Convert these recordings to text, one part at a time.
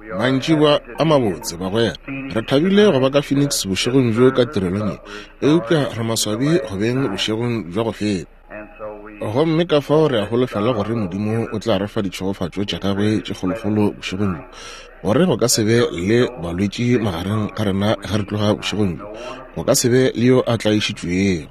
Mantšiboa a mabotse, bagwera. Re thabile go ba ka Phoenix bošegong bjo ka tirelong ye, eupša re maswabi go beng bošegong bja go feta. Gomme ka fao re a holofela gore Modimo o tla re fa ditšhegofatšo tša gagwe tše kgolokgolo bošegong bjo, gore go ka se be le balwetši magareng ga rena ge re tloga bošegong bjo, go ka se be le yo a tlaišitšwego.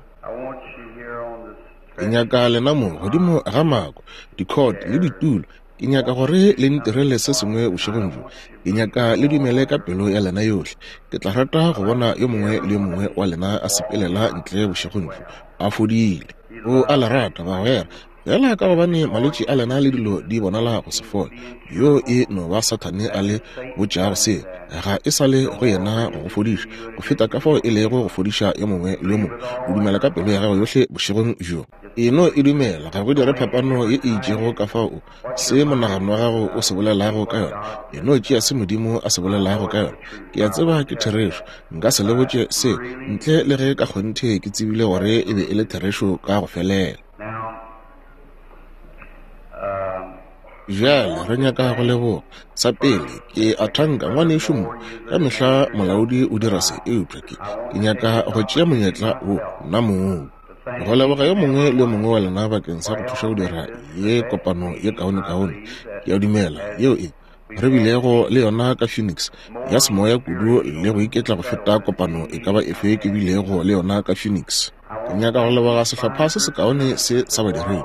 Ke nyaka lena mo godimo ga mako, dikhot le ditulo. Ke nyaka gore le ntirele se sengwe bošegong bjo. Ke nyaka le dumele ka pelo ya lena yohle. Ke tla rata go bona yo mongwe le yo mongwe wa lena a sepelela ntle bošegong bjo, a fodile. O a le rata, bagwera. Fela ka gobane malwetši a lena le dilo di bonala go se fole, yo e no ba Sathane a le botšago seo. Ga e sa le go yena go go fodiša, go feta ka fao e lego go fodiša yo mongwe le yo mongwe. O dumela ka pelo ya gago yohle bošegong bjo. E no e dumela, ga go dire phapano ye e itšego ka fao o, se monagano wa gago o se bolelago ka yona. E no tšea se Modimo a se bolelago ka yona. Ke a tseba ke therešo. Nka se le botše se ntle le ge ka kgonthe ke tsebile gore e be e le therešo ka go felela. Bjale re nyaka go leboga. Sa pele, ke a thanka ngwanešu mo. Ka mehla molaodi o dira se, eupša ke, ke nyaka go tšea monyetla wo, nna mong. Go leboga yo mongwe le yo mongwe wa lena bakeng sa go thuša go dira ye kopano ye kaonekaone. Ke a dumela yeo e re bilego le yona ka Phoenix, ya semoya kudu le go iketla go feta kopano e ka ba efe ke bilego le yona ka Phoenix. Ke nyaka go leboga sehlopha se sekaone se sa badiredi,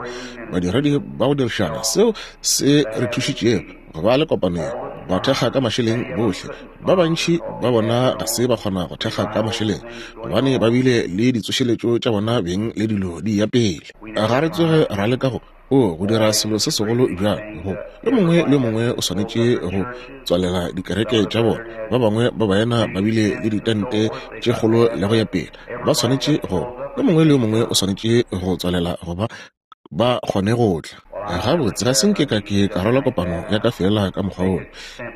badiredi ba go dirišana, seo se re thušitšego go ba le kopano ye, ba thekga ka mašeleng bohle. Ba bantši ba bona ga se ba kgona go thekga ka mašeleng gobane ba bile le ditsošeletšo tša bona beng le dilo di ya pele. Ga re tsoge ra leka go O go dira selo se segolo bjalo, go yo mongwe le yo mongwe o swanetše go tswalela dikereke tša bona. Ba bangwe ba baena ba bile le ditente tše kgolo le go ya pele. Ba swanetše go, yo mongwe le yo mongwe o swanetše go tswalela goba ba kgone go tla. Gabotse, ga se nke ka ke ka rwala kopano ya ka feela ka mokgwa wola.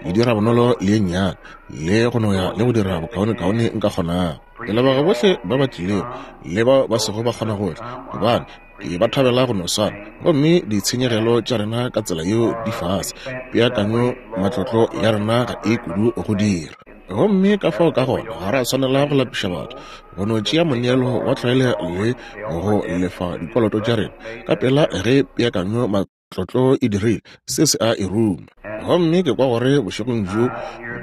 Ke dira bonolo le ye nnyane, le go no ya le go dira bokaonekaone nka kgonago. Ke leboga bohle ba ba tlilego le bao ba sego ba kgona go tla, gobane Ke ba thabela go no swana, gomme ditshenyegelo tša rena ka tsela yeo di fase. Peakanyo matlotlo ya rena ga e kudu go dira. Gomme ka fao ka gona ga ra swanela go lapiša batho, go no tšea moneelo wa tlwaelo le go lefa dikoloto tša rena ka pela ge peakanyo Tlotlo e dirile se se a e ruma. Gomme ke kwa gore bošegong bjo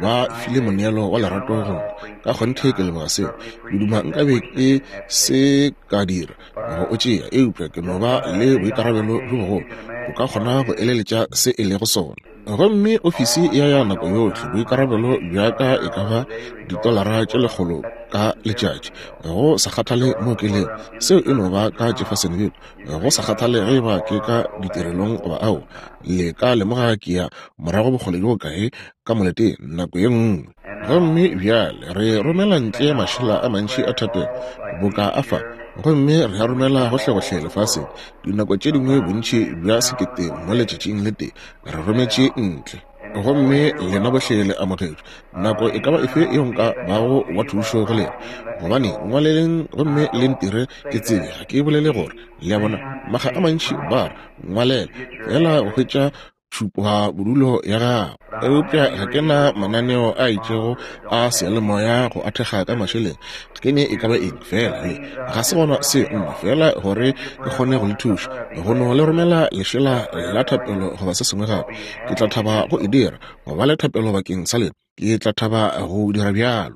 ba file moneelo wa lerato go nna. Ka kgonthe ke leboga seo. Ke duma nkabe ke se ka dira go o tšea, eupša ke no ba le boikarabelo bjo bogolo. O ka kgona go eleletša se e lego sona. Gomme ofisi ya ya nako yohle, boikarabelo bja ka e ka ba ditolara tše lekgolo ka letšatši, go sa kgathale mo ke lego. Seo e no ba ka Jeffersonville. Go sa kgathale ge eba ke ka ditirelong goba ao, le ka lemoga ke ya morago bokgole bjo bokae ka moleteng nako ye nngwe. Gomme bjale re romela ntle mašela a mantši a thapelo boka a fa, gomme re a romela gohlegohle lefaseng, dinako tše dingwe bontši bja sekete mo letšatšing le tee, re rometše ntle. Gomme lena bohle le amogetšwe, nako e ka ba efe yeo nka bago wa thušo go lena. Gobane ngwaleleng gomme le ntire ke tsebe, ga ke bolele gore, le a bona, makga a mantši ba re, ngwalela, feela go hwetša tšhupabodulo ya gago. Eupša ga ke na mananeo a itšego a seyalemoya go a thekga ka mašeleng. Ke ne e ka ba eng, feela le ga se gona se nna, feela gore ke kgone go le thuša, go no le romela lešela la thapelo goba se sengwe gape. Ke tla thaba go e dira, go ba le thapelo bakeng sa lena. Ke tla thaba go dira bjalo.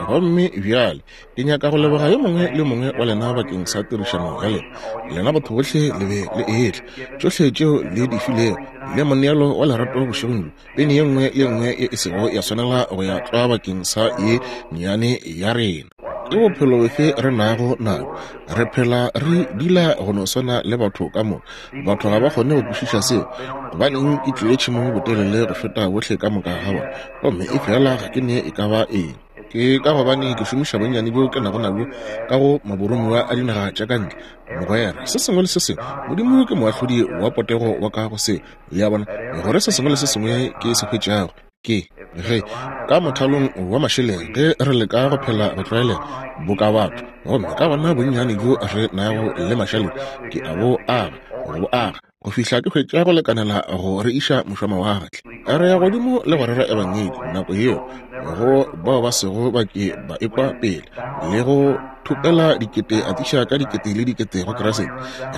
Gomme bjale ke nyaka go leboga yo mongwe le yo mongwe wa lena bakeng sa tirišano ya lena. Lena batho bohle le be le etla. Tšohle tšeo le di filego, le moneelo wa lerato bošegong bjo, peni ye nngwe le ye nngwe ye e sego ya swanela go ya tlwa bakeng sa ye nnyane ya rena. Ke bophelo bofe re nago nabo? Re phela re dula go no swana le batho ka moka. Batho ga ba kgone go kwešiša seo. Gobaneng ke tlile tšhemong botelele go feta bohle ka moka ga bona, gomme efela ga ke ne e ka ba eng? Ke ka gobane ke šomiša bonnyane bjo ke nago nabjo ka go maboromiwa a dinaga tša ka ntle. Mogwera, se sengwe le se sengwe, Modimo ke moahlodi wa potego wa ka go seo. Le a bona, gore se sengwe le se sengwe ke se hwetšago ke ge ka mothalong wa mašeleng ge re leka go phela go tlwaelega boka batho, gomme ka gona bonnyane bjo re nago le mašaledi ke a bo aga, go bo aga. go fihla ke hwetša go lekanela go re iša mošwamawatle. Re ya godimo le go rera Ebangedi nako yeo go bao ba sego ba ke ba ekwa pele, le go thopela dikete atiša ka dikete le dikete go Kriste.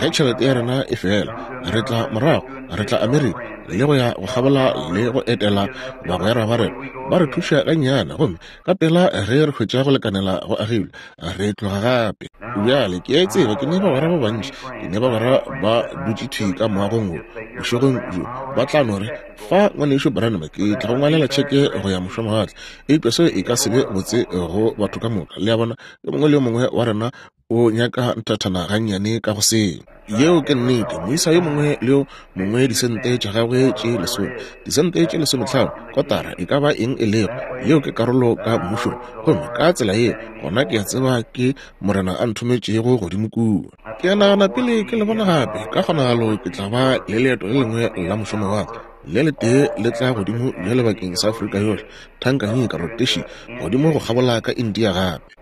Ge tšhelete ya rena e fela, re tla morago, re tla Amerika le go ya go kgabola le go etela bagwera ba rena, ba re thuša gannyane, gomme ka pela ge re hwetša go lekanela go agilwe, re tloga gape. Bjale, ke a e tseba, ke ne bagwera ba bantši, ke ne bagwera ba dutše thwi ka moagong wo bošegong bjo, ba tla no re, Fa, Ngwanešu Branham, ke tla go ngwalela tšheke go ya mošwamawatle. Eupša seo e ka se be botse go batho ka moka. Le a bona, yo mongwe le yo mongwe wa rena o nyaka nthathana gannyane ka go seo. Yeo ke nnete. Moisa yo mongwe le yo mongwe disente tša gagwe tše lesome, disente tše lesometlhano, kotara, e ka ba eng e lego, yeo ke karolo ka mmušong. Gomme ka tsela yeo, gona ke a tseba ke Morena a nthometšego godimo kua. Ke a nagana pele ke le bona gape, ka kgonagalo ke tla ba le leeto le lengwe la mošomo wa ka, le letee le tla godimo bjale bakeng sa Afrika yohle, Tanganyika, Rhodesia, godimo go kgabola ka India gape.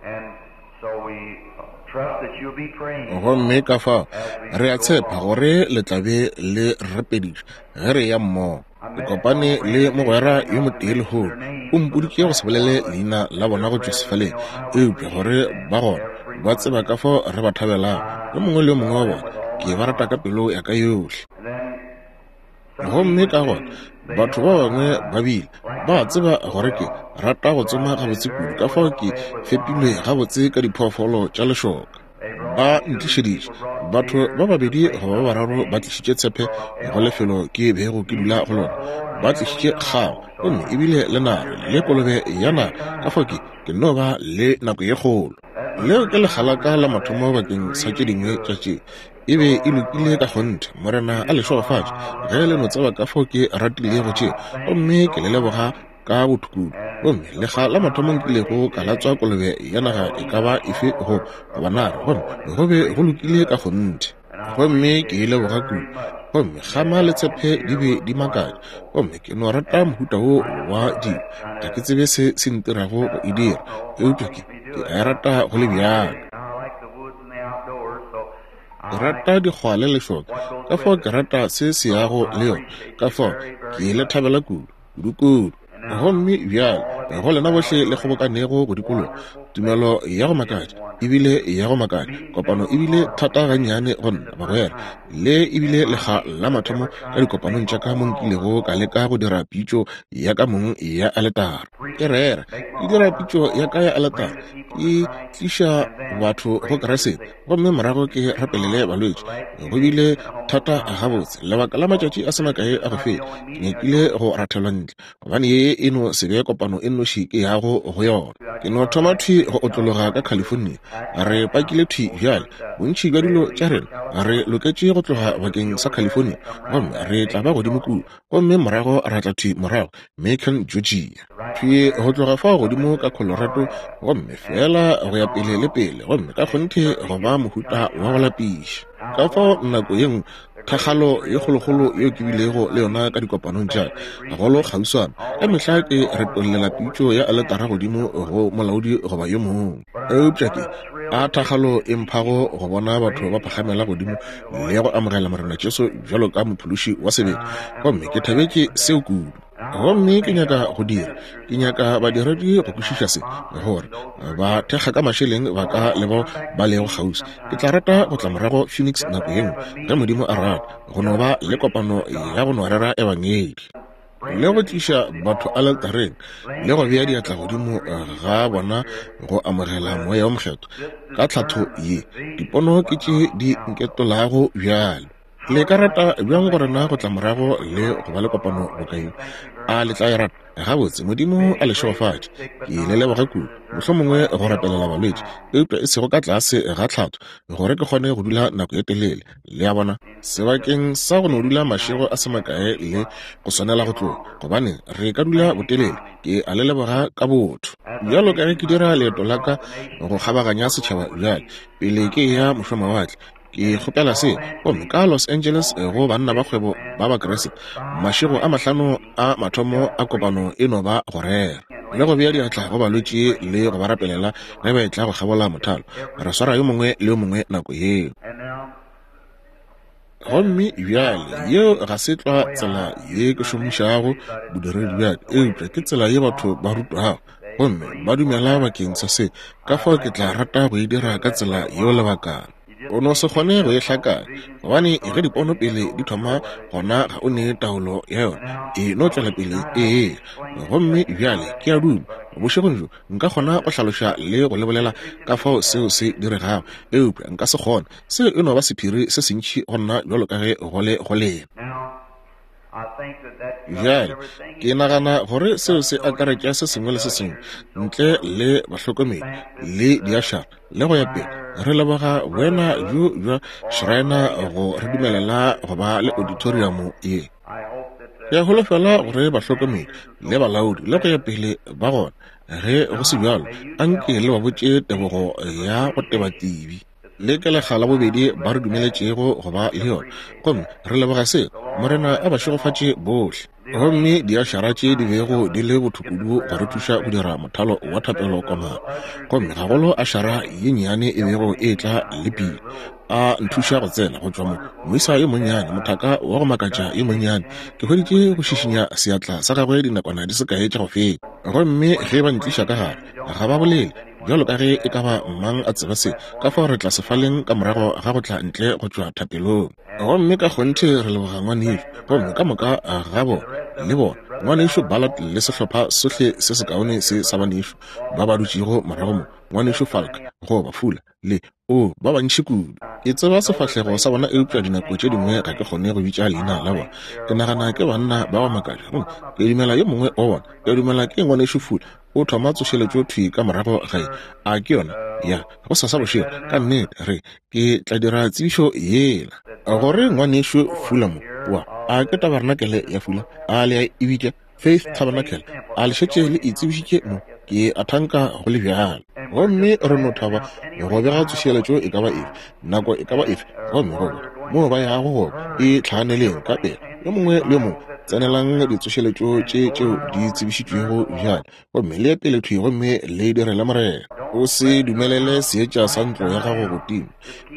Gomme ka fao re a tshepa gore le tla be le rapediša ge re ya mmogo. Ke kopane le mogwera yo motee lehono, o mpoditše go se bolele leina la bona go tšwa sefaleng, eupša gore ba gona, ba tseba ka fao re ba thabelago, yo mongwe le yo mongwe wa bona. Ke ba rata ka pelo ya ka yohle. Gomme ka gona batho ba bangwe ba bile ba tseba gore ke rata go tsoma gabotse kudu, ka fao ke fepilwe gabotse ka diphoofolo tša lešoka. Ba ntlišeditše batho ba babedi goba ba bararo ba tlišitše tshepe go lefelo ke bego ke dula go lona, ba tlišitše kgao gomme ebile le nare le kolobe ya nare, ka fao ke ke no ba le nako ye kgolo. Leo ke lekga la ka la mathomo bakeng sa tše dingwe tša tše. E be e lokile ka kgonthe. Morena a le šegofatše ge le no tseba ka fao ke ratilego tše, gomme ke le leboga ka botho kudu. Gomme lekga la mathomo nkilego ka latswa kolobe ya naga e ka ba efe go goba nare, gomme go be go lokile ka kgonthe. Gomme ke e leboga kudu. Gomme kgama le tshepe di be di makatša. Gomme ke no rata mohuta wo wa dilo. Ga ke tsebe se se ntirago go e dira, eupša ke, ke a e rata go le bjalo. Ke rata dikgwa le lešoka, ka fao ke rata se se yago le yona, ka fao ke le thabela kudu, kudu-kudu. Gomme bjale, go lena bohle le kgobokanego go dikologa, tumelo ya go makatša, ebile ya go makatša, kopano ebile thata gannyane go nna, bagwera. Le ebile lekga la mathomo ka dikopanong tša ka mo nkilego ka leka go dira pitšo ya ka mong ya aletara. Ke rera, ke dira pitšo ya ka ya aletara, ke tliša batho go Kriste, gomme morago ke rapelele balwetši. Go bile thata gabotse lebaka la matšatši a se makae a go feta, ke nyakile go rathelwa ntle, gobane ye e no se be kopano e nnoši ke yago go yona. Ke no thoma thwi go otlologa ka California. Re pakile thwi bjale bontši bja dilo tša rena, re loketše go tloga bakeng sa California, gomme re tla ba godimo kua, gomme morago ra tla thwi morago Macon, Georgia, thwi go tloga fao godimo ka Colorado, gomme feela go ya pele le pele, gomme ka kgonthe go ba mohuta wa go lapiša. Ka fao nako ye nngwe thakgalo ye kgolokgolo yeo ke bilego le yona ka dikopanong tša ka, golo kgauswana, ka mehla ke retollela pitšo ya aletara godimo go molaodi goba yo mongwe. Eupša ke a thakgalo e mphago go bona batho ba phagamela godimo le go amogela Morena Jesu bjalo ka Mophološi wa sebele, gomme ke thabetše seo kudu. Gomme ke nyaka go dira, ke nyaka badiredi go kwešiša se, gore ba thekga ka mašeleng ba ka le bao ba lego kgauswi. Ke tla rata go tla morago Phoenix nako ye nngwe, ge Modimo a rata, go no ba le kopano ya go no rera Ebangedi, le go tliša batho aletareng, le go bea diatla godimo ga bona go amogela Moya wo Mokgethwa ka tlhatho ye. Dipono ke tše di nketolago bjale. Le ka rata bjang go rena go tla morago le go ba le kopano boka ye? A le tla e rata? Gabotse, Modimo a le šegofatše. Ke le leboga kudu. Mohlomongwe go rapelela balwetši, eupša e sego ka tlase ga tlhatho, gore ke kgone go dula nako e telele. Le a bona? Sebakeng sa go no dula mašego a se makae le go swanela go tloga, gobane re ka dula botelele. Ke a le leboga ka botho. Bjalo ka ge ke dira leeto la ka go kgabaganya setšhaba bjale, pele ke eya mošwamawatle, Ke kgopela se, gomme ka Los Angeles go Banna ba Kgwebo ba Bakriste, mašego a mahlano a mathomo a kopano e no ba go rera le go bea diatla go balwetši le go ba rapelela ge ba etla go kgabola mothalo. Re swara yo mongwe le yo mongwe nako yeo. Gomme bjale yeo ga se tlwa tsela ye ke šomišago bodiredi bja ka, eupša ke tsela ye batho ba rutwago gomme ba dumela bakeng sa se, ka fao ke tla rata go e dira ka tsela yeo lebakana. O no se kgone go e hlakanya, gobane ge dipono pele di thoma, gona ga o ne taolo ya yona, e no tšwela pele e eya. Gomme bjale ke a duma, bošegong bjo, nka kgona go hlaloša le go le bolela ka fao seo se diregago, eupša nka se kgone. Seo e no ba sephiri se sentši go nna bjalo ka ge go le go lena. Bjale, ke nagana gore seo se akaretša se sengwe le se sengwe ntle le bahlokomedi le diašara le go ya pele. Re leboga boena bjo bja Schreiner go re dumelela go ba le auditorium ye. Ke a holofela gore bahlokomedi le balaodi le go ya pele ba gona. Ge go se bjalo, anke le ba botše tebogo ya go teba tibi. Le ke lekga la bobedi ba re dumeletšego go ba le yona, gomme re leboga seo. Morena a ba šegofatše bohle. Gomme diašara tše di bego di le botho kudu go re thuša go dira mothalo wa thapelo komana, gomme gagolo ašara ye nnyane e bego e etla le pina, a nthuša go tsena go tšwa mo. Moisa yo monnyane, mothaka wa go makatša yo monnyane, ke hweditše go šišinya seatla sa gagwe dinakwana di se kae tša go feta. Gomme ge ba ntliša ka gare, ga ba bolele bjalo ka ge e ka ba mang a tseba se, ka fao re tla sefaleng ka morago ga go tla ntle go tšwa thapelong. Gomme ka kgonthe re leboga ngwanešu, gomme ka moka ga bona, le bona, Ngwanešu Ballard le sehlopha sohle se sekaone se sa banešu ba ba dutšego morago mo, Ngwanešu Falk, goba Fuller, le, oo, ba bantši kudu. Ke tseba sefahlego sa bona, eupša dinako tše dingwe ga ke kgone go bitša leina la bona. Ke nagana ke banna ba go makatša. Gomme ke dumela yo mongwe wa bona, ke dumela ke Ngwanešu Fuller, o thoma tsošeletšo thwi ka morago ga ye. A ke yona? Ya, gosasa bošego, ka nnete, re, ke tla dira tsebišo yela. Gore Ngwanešu Fuller mo, wa, a ke tabarenakele ya Fuller? A le a e bitša Faith Tabernacle? A le šetše le e tsebišitše mo? Ke a thanka go le bjalo. Gomme re no thaba go bega tsošeletšo e ka ba efe, nako e ka ba efe, gomme goba moo ba yago gona, e tlhaganeleng ka pela, yo mongwe le yo mongwe tsenelang ditsošeletšo tše tšeo di tsebišitšwego bjale, gomme le ye pele thwi gomme le direle Morena. O se dumelele seetša sa ntlo ya gago go tima.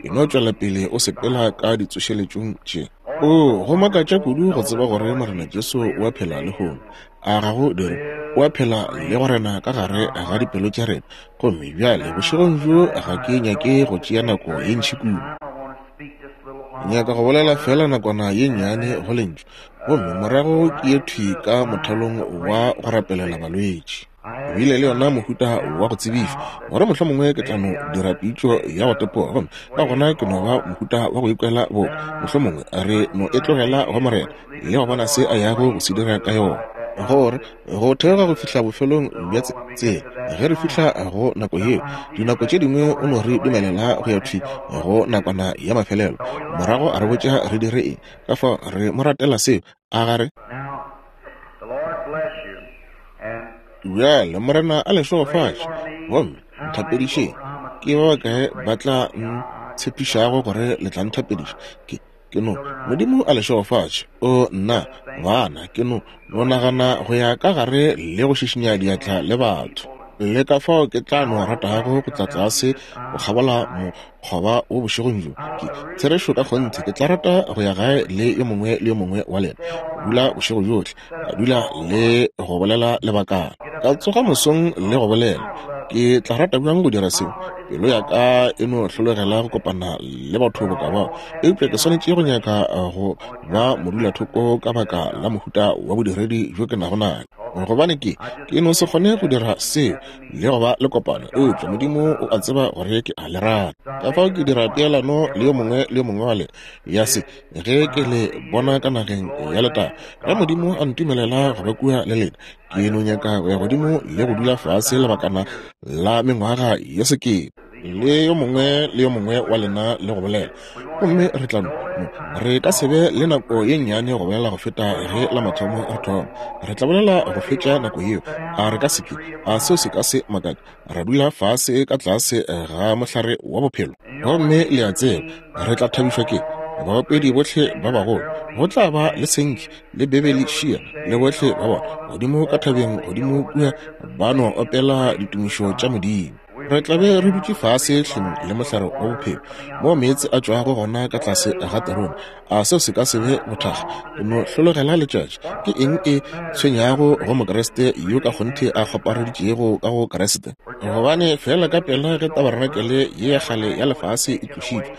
E no tšwela pele o sepela ka ditsošeletšong tše. Oo, go makatša kudu go tseba gore Morena Jesu o a phela lehono. A ga go dire? O a phela le go rena ka gare ga dipelo tša rena. Gomme bjale, bošegong bjo, ga ke nyake go tšea nako ye ntši kudu. Nyaka go bolela feela nakwana ye nnyane go Lentšu, gomme morago ke ye thwi ka mothalong wa go rapelela balwetši. Bile le yona mohuta wa go tsebišwa gore mohlomongwe ke tla no dira pitšo ya go tepoga, gomme ka gona ke no ba mohuta wa go ikwela boka mohlomongwe re no e tlogela go Morena le go bona se a yago go se dira ka yona. Gore go theoga go fihla bofelong bja tsela, ge re fihla go nako yeo, dinako tše dingwe o no re dumelela go ya thwi go nakwana ya mafelelo, morago a re botša re dire eng. Ka fao re mo ratela seo, a ga re? Bjale Morena a le šegofatše, gomme nthapedišeng. Ke ba bakae ba tla ntshepišago gore le tla nthapediša? Ke, ke no. Modimo a le šegofatše. O, nna, bana, ke no, no nagana go ya ka gare le go šišinya diatla le batho. Le ka fao ke tla no ratago go tla tlase go kgabola mokgoba wo bošegong bjo. Ke, therešo ka kgonthe, ke tla rata go ya gae le yo mongwe le yo mongwe wa lena, go dula bošego bjohle, ka dula le go bolela lebakana, ka tsoga mosong le go bolela. Ke tla rata bjang go dira seo. Pelo ya ka e no hlologela go kopana le batho boka bao, eupša ke swanetše go nyaka go ba modulathoko ka baka la mohuta wa bodiredi bjo ke nago nayo, gobane ke, ke no se kgone go dira seo le go ba le kopano, eupša Modimo o a tseba gore ke a le rata. Ka fao ke dira peelano le yo mongwe le yo mongwe wa lena ya se ge ke le bona ka nageng ya letago. Ge Modimo a ntumelela go ba kua le lena, ke no nyaka go ya godimo le go dula fase lebakana la mengwaga ye sekete le yo mongwe le yo mongwe wa lena le go bolela. Gomme re tla no, re ka se be le nako ye nnyane go bolela go feta ge la mathomo re thoma. Re tla bolela go fetša nako yeo. A re ka se ke? A seo se ka se makatše? Ra dula fase ka tlase ga mohlare wa bophelo. Gomme le a tseba, re tla thabišwa ke baopedi bohle ba bagolo. Go tla ba le Sankey le Beverly Shea le bohle ba bona godimo ka thabeng godimo kua, ba no opela ditumišo tša Modimo. Re tla be re dutše fase hleng le mohlare wa bophelo, moo meetse a tšwago gona ka tlase ga terone. A seo se ka se be bothakga? O no hlologela letšatši. Ke eng e tshwenyago go Mokriste yo ka kgonthe a kgopareditšego ka go Kriste? Gobane feela ka pela ge tabarenakele ye ya kgale ya lefase e tlošitšwe,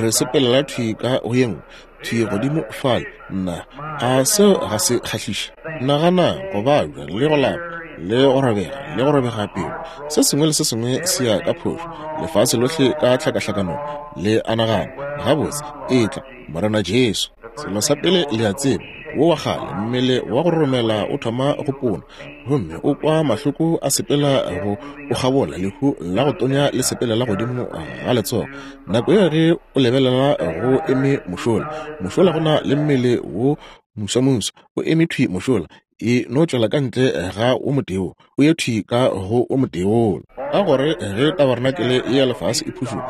re sepelela thwi ka go ye nngwe, thwi godimo fale. Nna, a seo ga se kgahliše? Nagana go babja le go lapa le go robega le go robega pelo. Se sengwe le se sengwe se ya ka phošo, lefase lohle ka tlhakahlakanong. Le a nagana, Gabotse, etla, Morena Jesu. Selo sa pele le a tseba, wo wa kgale, mmele wa go roromela o thoma go pona, gomme o kwa mahloko a sepela go o kgabola, lehu la go tonya le sepelela godimo ga letsogo. Nako yeo ge o lebelela go eme mošola, mošola go na le mmele wo mosamosa o eme thwi mošola, e no tšwela ka ntle ga wo motee wo, o ye thwi ka go wo motee wola. Ka gore ge tabarenakele ye ya lefase e phušoga,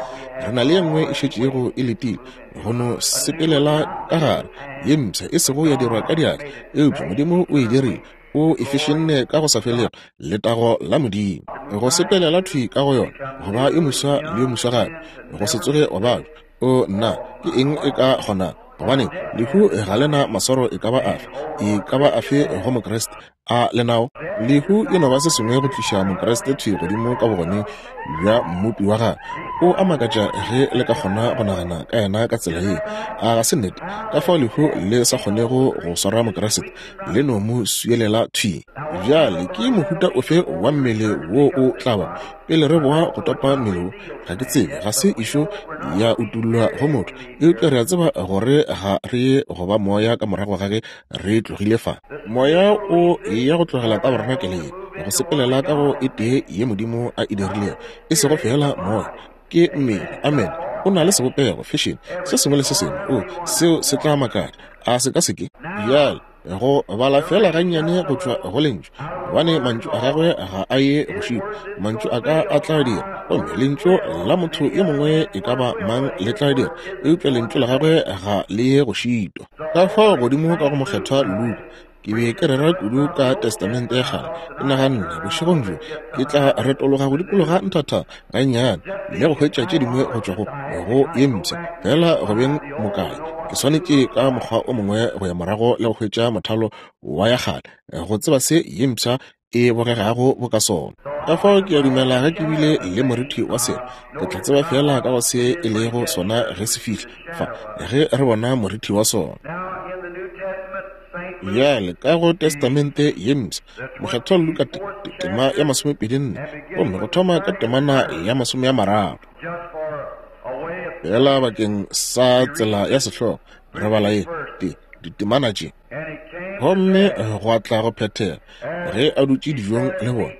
re na le ye nngwe e šetšego e letile go no sepelela ka gare, ye mpsha, e sego ya dirwa ka diatla, eupša Modimo o e dirile, o e fešenne ka go sa felego, letago la Modimo. Go sepelela thwi ka go yona, go ba yo moswa le yo moswa gape, go se tsoge wa babja. O nna, ke eng e ka kgonago? Gobane lehu ga le na maswaro e ka ba afe, e ka ba afe go Mokriste. A le nao? Lehu e no ba se sengwe go tliša Mokriste thwi godimo ka bogoneng bja Mmopi wa gagwe. O a makatša ge le ka kgona go nagana ka yena ka tsela ye. A ga se nnete? Ka fao lehu le sa kgonego go swara Mokriste, le no mo swielela thwi. Bjale ke mohuta ofe wa mmele wo o tla ba pele re boa go topa mmele wo? Ga ke tsebe, ga se išo ya utollwa go motho, eupša re a tseba gore ga re ye go ba moya ka morago ga ge re tlogile fa. Moya o ya go tlogela tabarenakele ye, go sepelela ka go e tee ye Modimo a e dirilego, e sego feela moya, ke mmele. Amene. O na le sebopego, fešene, se sengwe le se sengwe. O, seo se tla makatša, a se ka se ke? Bjale, go bala feela gannyane go tšwa go Lentšu, gobane mantšu a gagwe ga a ye go šitwa, mantšu a ka a tla dira, gomme lentšu la motho yo mongwe e ka ba mang le tla dira, eupša lentšu la gagwe ga le ye go šitwa. Ka fao godimo ka go Mokgethwa Luka, ke be ke rera kudu ka Testamente ya Kgale, ke naganne bošegong bjo ke tla retologa go dikologa nthatha gannyane le go hwetša tše dingwe go tšwa go go ye mpsha. Fela go beng mokae, ke swanetše ka mokgwa o mongwe go ya morago le go hwetša mothalo wa ya kgale, go tseba se ye mpsha e bogegago boka sona. Ka fao ke a dumela ge ke bile le moriti wa selo, ke tla tseba feela ka go se e lego sona ge se fihla fa, ge re bona moriti wa sona. Bjale ka go Testamente ye Mpsha, Mokgethwa Luka tema ya 24, gomme go thoma ka temana ya 30. Fela bakeng sa tsela ya sehlogo, re bala ye te ditemana tše. Gomme gwa tla go phethega, ge a dutše dijong le bona,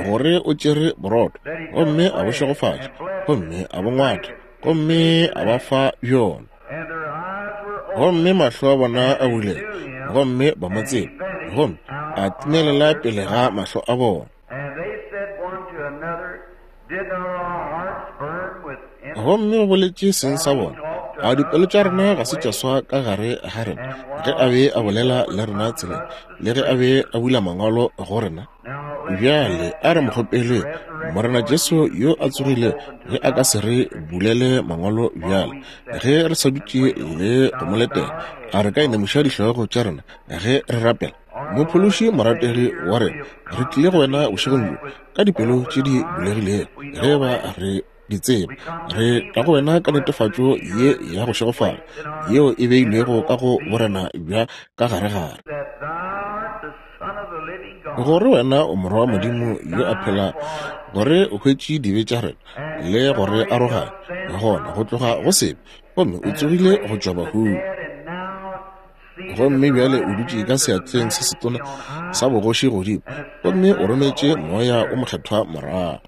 gore o tšere borotho, gomme a bo šegofatša, gomme a bo ngwatha, gomme a ba fa bjona. Gomme mahlo a bona a bulega, gomme ba mo tseba, gomme a timelela pele ga mahlo a bona. Gomme o boletše seng sa bona, a dipelo tša rena ga se tša swa ka gare ga rena ge a be a bolela le rena tseleng, le ge a be a bula mangwalo go rena? Bjale a re mo kgopeleng Morena Jesu yo a tsogile ge a ka se re bulele mangwalo bjale ge re sa dutše le go mo letela. A re ka inamiša dihlogo tša rena ge re rapela? Mophološi morategi wa rena, re tlile go wena bošegong bjo ka dipelo tše di bulegilego, ge ba re di tseba. Re tla go wena ka netefatšo ye ya go šegofala yeo e beilwego ka go borena bja ka garegare, gore wena o Morwa wa Modimo yo a phelago, gore o hwetše dibe tša rena le go re aroganya gona go tloga go sebe, gomme o tsogile go tšwa bahung. Gomme bjale o dutše ka seatleng se setona sa bogoši godimo, gomme o rometše Moya o Mokgethwa morago.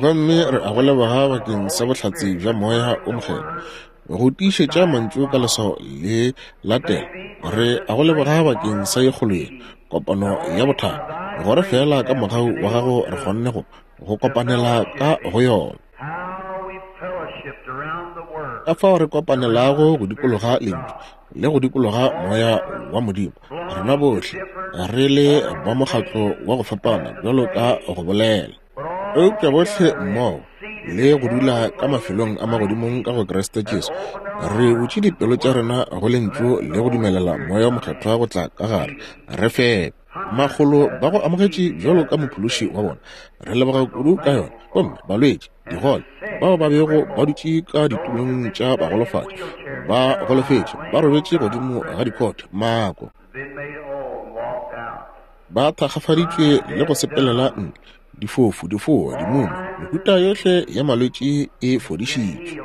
Gomme re a go leboga bakeng sa bohlatse bja Moya o Mokgethwa go tiišetša mantšu ka leswao le latela. Re a go leboga bakeng sa ye kgolo ye, kopano ya bothakga, gore feela ka mogau wa gago re kgonne go go kopanela ka go yona. Ka fao re kopanelago go dikologa Lentšu le go dikologa Moya wa Modimo, rena bohle re le ba mokgatlo wa go fapana bjalo ka go bolela. Eupša bohle mmogo le go dula ka mafelong a magodimong ka go Kriste Jesu, re butše dipelo tša rena go Lentšu le go dumelela Moya wo Mokgethwa go tla ka gare, re fepe. Makgolo ba go amogetše bjalo ka Mophološi wa bona. Re leboga kudu ka yona. Gomme balwetši, digole, bao ba bego ba dutše ka ditulong tša bagolofadi, ba golofetše, ba robetše godimo ga dikhote, mako, ba thakgafaditšwe le go sepelela ntle, difofu, difoa, dimuma, mehuta yohle ya malwetši e fodišitšwe.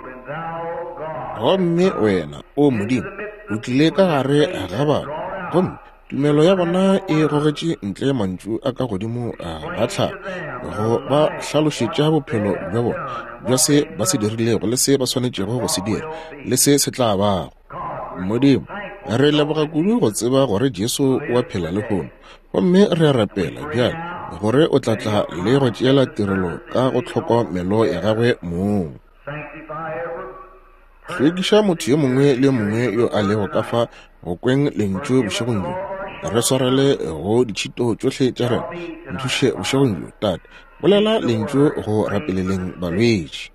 Gomme wena, o Modimo, o tlile ka gare ga batho, gomme tumelo ya bona e gogetše ntle mantšu a ka godimo ga tlhago go ba hlalošetša bophelo bja bona bja se ba se dirilego le se ba swanetšego go se dira le se se tla bago. Modimo, re leboga kudu go tseba gore Jesu o a phela lehono. Gomme re a rapela bjale gore o tla tla le go tšeela tirelo ka go tlhokomelo ya gagwe mong. Hlwekiša motho yo mongwe le yo mongwe yo a lego ka fa go kweng lentšu bošegong bjo. Re swarele go ditšhito tšohle tša rena. Nthuše bošegong bjo, Tate. Bolela lentšu go rapeleleng balwetši.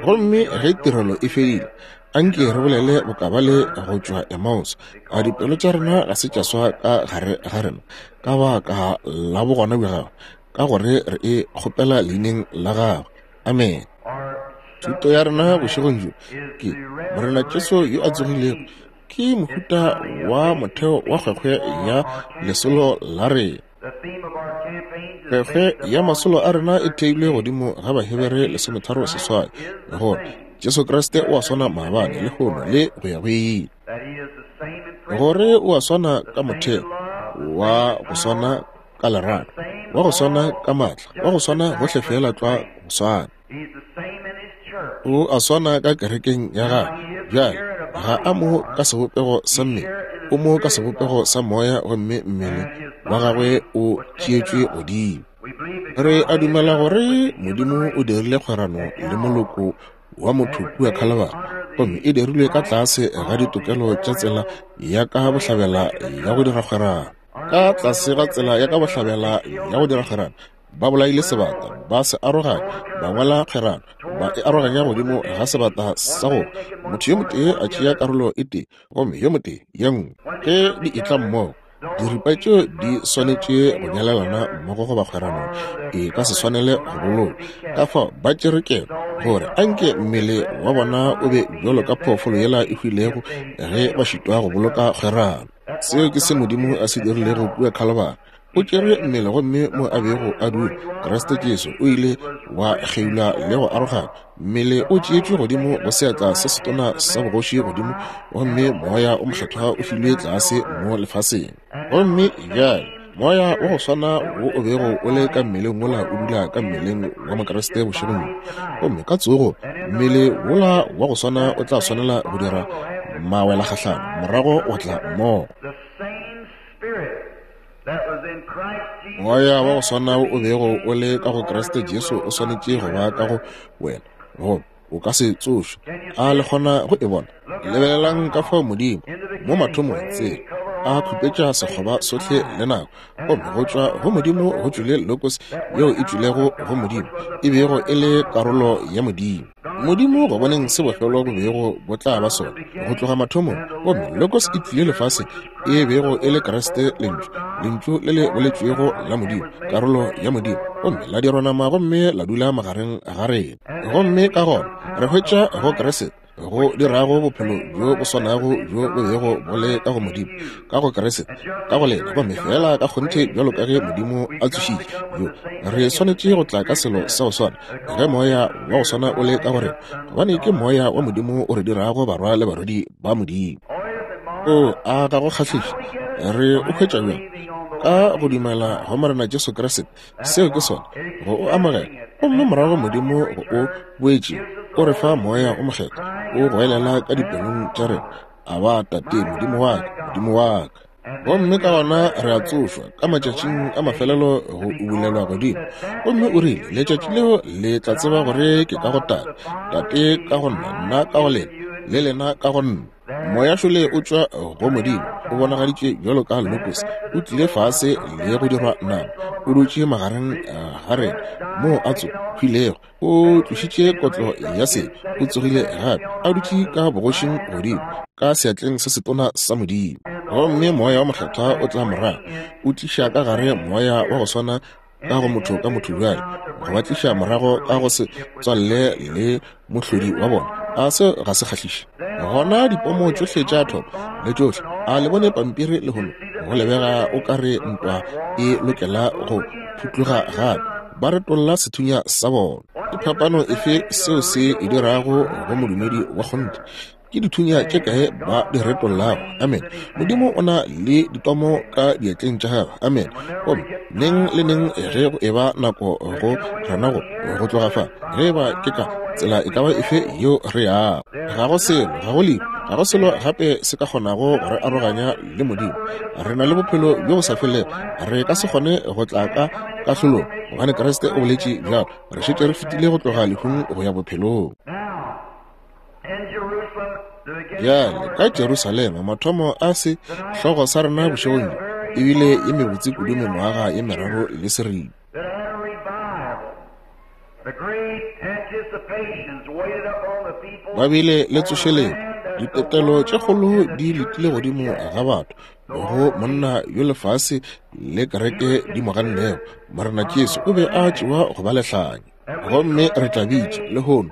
Gomme ge tirelo e fedile, anke re bolele bokabale go tšwa Emmaus. A dipelo tša rena ga se tša swa ka gare ga rena ka baka la bogona bja gagwe, ka gore re e kgopela leineng la gagwe. Amen. Thuto ya rena bošegong bjo ke Morena Jesu yo a tsogilego ke mohuta wa motheo wa kgwekgwe ya lesolo la rena. Kgwekgwe ya masolo a rena e theilwe godimo ga Bahebere 13:8 gore Jesu Kriste o a swana maabane, lehono le go ya go ile. Gore o a swana ka motheo wa go swana ka lerato, wa go swana ka maatla, wa go swana gohle feela tlwa go swana. O a swana ka kerekeng ya gagwe. Bjale, ga a mo ka sebopego sa mmele, o mo ka sebopego sa moya, gomme mmele wa gagwe o tšeetšwe godimo. Re a dumela gore Modimo o dirile kgwerano le moloko wa motho kua Khalabara, gomme e dirilwe ka tlase ga ditokelo tša tsela ya ka bohlabela ya go dira kgwerano. Ka tlase ga tsela ya ka bohlabela ya go dira kgwerano, ba bolaile sebata, ba se aroganya, ba ngwala kgwerano, ba e aroganya godimo ga sebata sa go motho yo motee a tšea karolo e tee gomme yo motee ye nngwe. Ge di etla mmogo, diripa tšeo di swanetše go nyalelana mmogo goba kgwerano e ka se swanele go bolokwa. Ka fao ba tšere keno gore anke mmele wa bona o be bjalo ka phoofolo yela e hwilego ge ba šitwa go boloka kgwerano. Seo ke se Modimo a se dirilego kua Khalabara. O tšere mmele gomme mo a bego a dula, Kriste Jesu, o ile wa kgeulwa le go arogana. Mmele o tšeetšwe godimo go seatla se setona sa bogoši godimo, gomme Moya o Mokgethwa o filwe tlase mo lefaseng. Gomme bjale Moya wa go swana wo o bego o le ka mmeleng wola o dula ka mmeleng wa Mokriste bošegong bjo. Gomme ka tsogo, mmele wola wa go swana o tla swanela go dira mawelakgahlano morago wa tla mmogo. Moya wa go swana o bego o le ka go Kriste Jesu o swanetše go ba ka go wena, goba o ka se tsošwe. A le kgona go e bona? Lebelelang ka fao Modimo, mo mathomong, tsela, a khupetša sekgoba sohle le nako, gomme go tšwa go Modimo go tšwile Logos yeo e tšwilego go Modimo, e bego e le karolo ya Modimo. Modimo go boneng se bofelo bo bego bo tla ba sona go tloga mathomong, gomme Logos e tlile lefaseng, e bego e le Kriste Lentšu, Lentšu le le boletšwego la Modimo, karolo ya Modimo, gomme la dirwa nama gomme la dula magareng ga rena. Gomme ka gona re hwetša go Kriste go dirago bophelo bjo bo swanago bjo bo bego bo le ka go Modimo, ka go Kriste, ka go lena, gomme feela ka kgonthe bjalo ka ge Modimo a tsošitše yo. Re swanetše go tla ka selo sa go swana ge Moya wa go swana o le ka go rena, gobane ke Moya wa Modimo o re dirago barwa le barwedi ba Modimo. O a ga go kgahliše? Re o hwetša bjang? Ka go dumela go Morena Jesu Kriste. Seo ke sona, go o amogela. Gomme morago Modimo go o boetše, o re fa Moya o Mokgethwa, o goelela ka dipelong tša rena, Aba, Tate, Modimo wa ka, Modimo wa ka. Gomme ka gona re a tsošwa ka matšatšing a mafelelo go ubulelwa godimo. Gomme o rile, Letšatši leo le tla tseba gore ke ka go Tate, Tate ka go nna, nna ka go lena, le lena ka go nna. Moya šole o tšwa go Modimo, o bonagaditše bjalo ka Logos, o tlile fase le go dirwa nama. O dutše magareng ga rena moo a tso hwilego, o tlošitše kotlo ya sebe, o tsogile gape, a dutše ka bogošing godimo, ka seatleng se setona sa Modimo. Gomme Moya wa Mokgethwa o tla morago, o tliša ka gare Moya wa go swana ka go motho ka motho bjale, go ba tliša morago ka go se tswalle le mohlodi wa bona. A se ga se kgahliše? Gona dipomo tšohle tša thopa le tšohle, a le bone pampiri lehono, go lebega o ka re ntwa e lokela go phutluga gape, ba retolla sethunya sa bona. Ke phapano efe seo se e dirago go modumedi wa kgonthe? Ke dithunya tše kae ba di retollago? Amen. Modimo o na le ditomo ka diatleng tša gagwe. Amen. Gomme neng le neng ge go eba nako go rena go go tloga fa, ge eba ke ka tsela e ka ba efe yeo re yago, ga go selo, ga go lehu, ga go selo gape se ka kgonago go re aroganya le Modimo. Re na le bophelo bjo bo sa felego. Re ka se kgone go tla ka kahlolong, gobane Kriste o boletše bjalo. Re šetše re fetile go tloga lehung go ya bophelong. Bjale, ka Jerusalema, mathomo a se hlogo sa rena bošegong bjo e bile ye mebotse kudu mengwaga ye meraro le seripa. Ba bile le tsošeletšo, ditetelo tše kgolo di letile godimo ga batho, go monna yo lefase le kereke di mo gannego. Morena Jesu o be a tšewa go ba lehlanya. Gomme re tla bitša, lehono,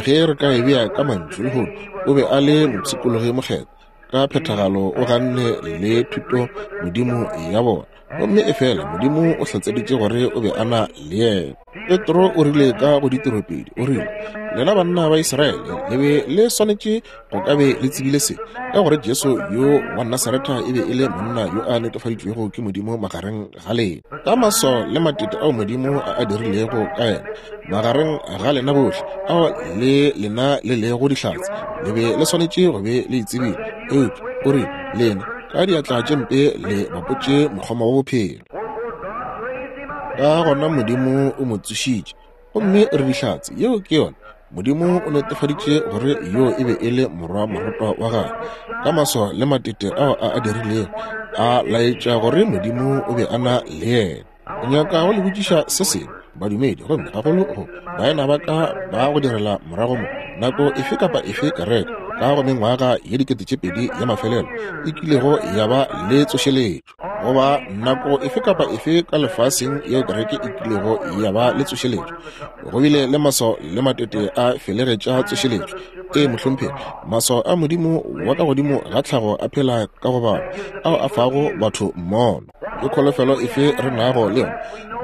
ge re ka e bea ka mantšu, lehono, o be a le mopshikologi mokgethwa. Ka phethagalo o ganne le thuto modimo ya bona. Gomme efela Modimo o hlatseditše gore o be a na le yena. Petro o rile ka go ditiropedi, o rile, Lena banna ba Israele, le be le swanetše go ka be le tsebile se, ka gore Jesu yo wa Nasaretha e be e le monna yo a netefaditšwego ke Modimo magareng ga lena, ka maswao le matete ao Modimo a a dirilego ka yena magareng ga lena bohle, ao le lena le lego dihlatse, le be le swanetše go be le e tsebile. Eupša o rile, lena ka diatla tše mpe le bapotše mokgoma wa bophelo. Ka gona Modimo o mo tsošitše, gomme re dihlatse. Yeo ke yona. Modimo o netefaditše gore yo e be e le morwa moratwa wa gagwe ka maswao le matete ao a a dirilego, a laetša gore Modimo o be a na le yena. Ke nyaka go le botšiša se sengwe, badumedi, gomme gagolo go baena ba ka ba go direla morago mo. Nako efe kapa efe kereke ka go mengwaga ye 2000 ya mafelelo e kilego ya ba le tsošeletšo, goba nako efe kapa efe ka lefaseng yeo kereke e kilego ya ba le tsošeletšo, go bile le maswao le matete a felegetša tsošeletšo. Ee, mohlomphegi, maswao a Modimo wa ka godimo ga tlhago a phela ka go batho, ao a fago batho mmono. Ke kholofelo efe re nago le yona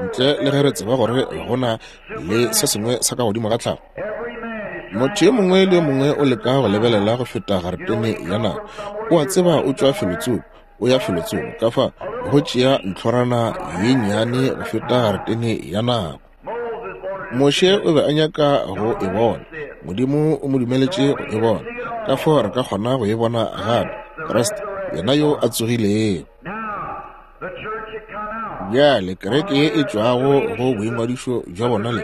ntle le ge re tseba gore go na le se sengwe sa ka godimo ga tlhago? Motho yo mongwe le yo mongwe o leka go lebelela go feta garetene ya nako. O a tseba o tšwa felotsoko, o ya felotsoko, ka fa go tšea ntlhorana ye nnyane go feta garetene ya nako. Moshe o be a nyaka go e bona. Modimo o mo dumeletše go e bona. Ka fao re ka kgona go e bona gape, Kriste, yena yo a tsogilego. Bjale kereke ye e tšwago go boingwadišo bja bona le,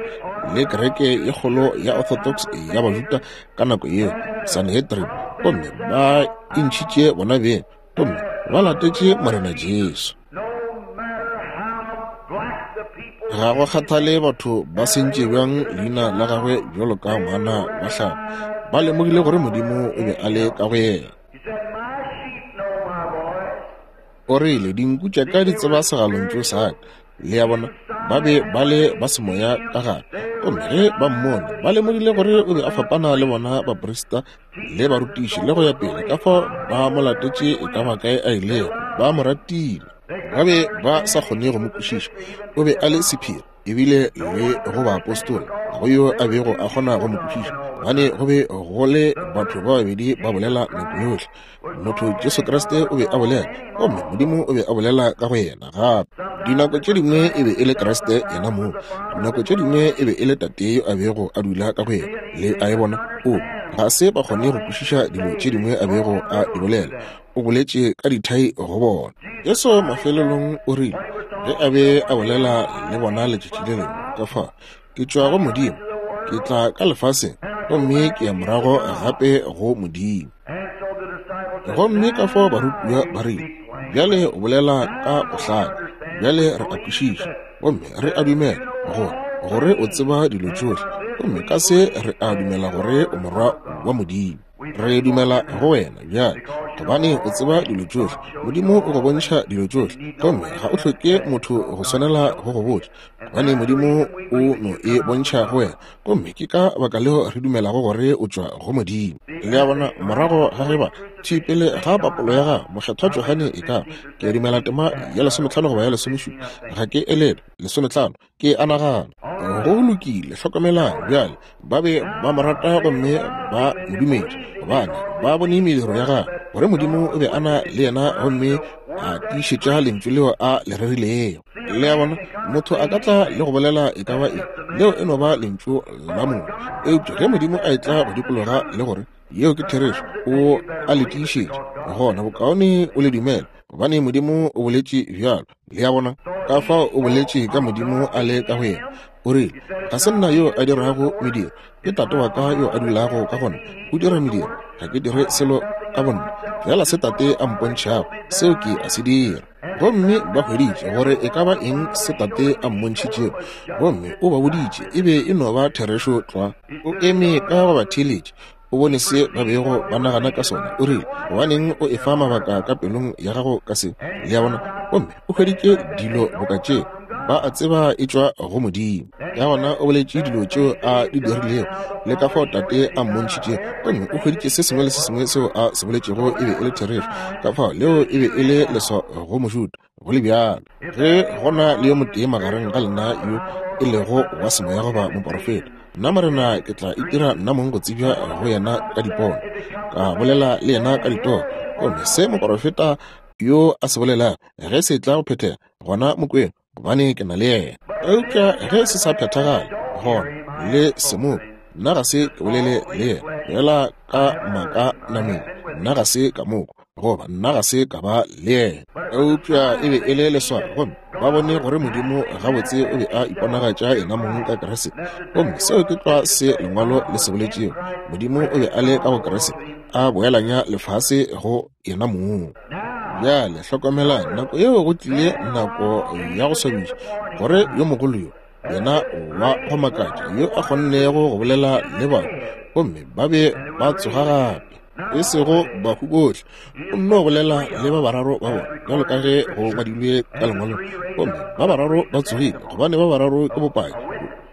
le kereke ye kgolo ya Orthodox ya Bajuda ka nako yeo, Sanhedrin, gomme ba intšhitše bona beng gomme ba latetše Morena Jesu. Ga go kgathale batho ba sentše bjang leina la gagwe bjalo ka ngwana wa hlago, ba lemogile gore Modimo o be a le ka go yena. O rile, Dinku tša ka di tseba segalontšu sa ka. Le a bona, ba be ba le ba semoya ka gare. Gomme ge ba mmone, ba lemogile gore o be a fapana le bona baprista le barutiši le go ya pele, ka fao ba mo latetše e ka ba kae a ilego. Ba mo ratile. Ba be ba sa kgone go mo kwešiša. O be a le sephiri, ebile le go baapostola ga go yo a bego a kgona go mo kwešiša, gobane go be go le batho ba babedi ba bolela nako yohle. Motho Jesu Kriste o be a bolela, gomme Modimo o be a bolela ka go yena gape. Dinako tše dingwe e be e le Kriste yena mong, dinako tše dingwe e be e le Tate yo a bego a dula ka go yena. Le a e bona? O, ga se ba kgone go kwešiša dilo tše dingwe a bego a di bolela. O boletše ka dithai go bona. Jesu mafelelong o rile, ge a be a bolela le bona letšatši le lengwe, ka fa, Ke tšwa go Modimo, ke tla ka lefaseng, gomme ke ya morago gape go Modimo. Gomme ka fao barutiwa ba rile, Bjale o bolela ka bohlale, bjale re a kwešiša. Gomme re a dumela gore, gore o tseba dilo tšohle, gomme ka se re a dumela gore o Morwa wa Modimo. Re dumela go wena bjale, gobane o tseba dilo tšohle. Modimo o go bontšha dilo tšohle, gomme ga o hloke motho go swanela go go botša, gobane Modimo o no e bontšha go wena. Gomme ke ka baka leo re dumelago gore o tšwa go Modimo. Le a bona, morago ga ge ba thwi pele ga papolo ya gago, Mokgethwa Johane e ka ba, ke a dumela tema ya lesometlhano goba ya lesomešupa, ga ke elelwe, lesometlhano, ke a nagana. Go lokile, hlokomelang bjale, ba be ba mo rata gomme ba mo dumetše, gobane ba bone mediro ya gagwe, gore Modimo o be a na le yena gomme a tiišetša lentšu leo a le rerilego. Le a bona, motho a ka tla le go bolela e ka ba eng, leo e no ba lentšu la motho. Eupša ge Modimo a etla go dikologa le gore yeo ke therešo, o a le tiišetša, gona bokaone o le dumele, gobane Modimo o boletše bjalo. Le a bona, ka fao o boletše ka Modimo a le ka go yena. O rile, Ga se nna yo a dirago mediro, ke Tate wa ka yo a dulago ka go nna, o dira mediro. Ga ke dire selo ka bonna, fela se Tate a mpontšhago, seo ke a se dira. Gomme ba hweditše gore e ka ba eng se Tate a mmontšhitšego, gomme o ba boditše e be e no ba therešo tlwa. O eme ka go ba theeletša, o bone se ba bego ba nagana ka sona. O rile, Gobaneng o efa mabaka ka pelong ya gago ka se? Le a bona? Gomme o hweditše dilo boka tše, ba a tseba e tšwa go Modimo. Ka gona o boletše dilo tšeo a di dirilego le ka fao Tate a mmontšhitšego, gomme o hweditše se sengwe le se sengwe seo a se boletšego e be e le therešo. Ka fao leo e be e le leswao go Mojuda, go le bjalo. Ge go na le yo motee magareng ga lena yo e lego wa semoya goba moporofeta, nna Morena ke tla itira nna mong go tsebja go yena ka dipono, ka bolela le yena ka ditoro. Gomme se moporofeta yo a se bolelago, ge se tla go phethega, gona mokweng, gobane ke na le yena. Eupša ge se sa phethagale, gona le se mo nna ga se ke bolele le yena fela ka maaka nameng, nna ga se ka moko, goba nna ga se ka ba le yena. Eupša e be e le leswao, gomme ba bone gore Modimo gabotse o be a iponagatša yena mong ka Kriste. Gomme seo ke tlwa se Lengwalo le se boletšego, Modimo o be a le ka go Kriste, a boelanya lefase go yena mong. Bjale hlokomelang, nako yeo go tlile nako ya go swabiša, gore yo mogolo yo, yena wa go makatša, yo a kgonnego go bolela le batho, gomme ba be ba tsoga gape, e sego bahu bohle, o nno bolela le ba bararo ba bona, bjalo ka ge go ngwadilwe ka lengwalong, gomme ba bararo ba tsogile, gobane ba bararo ke bopaki,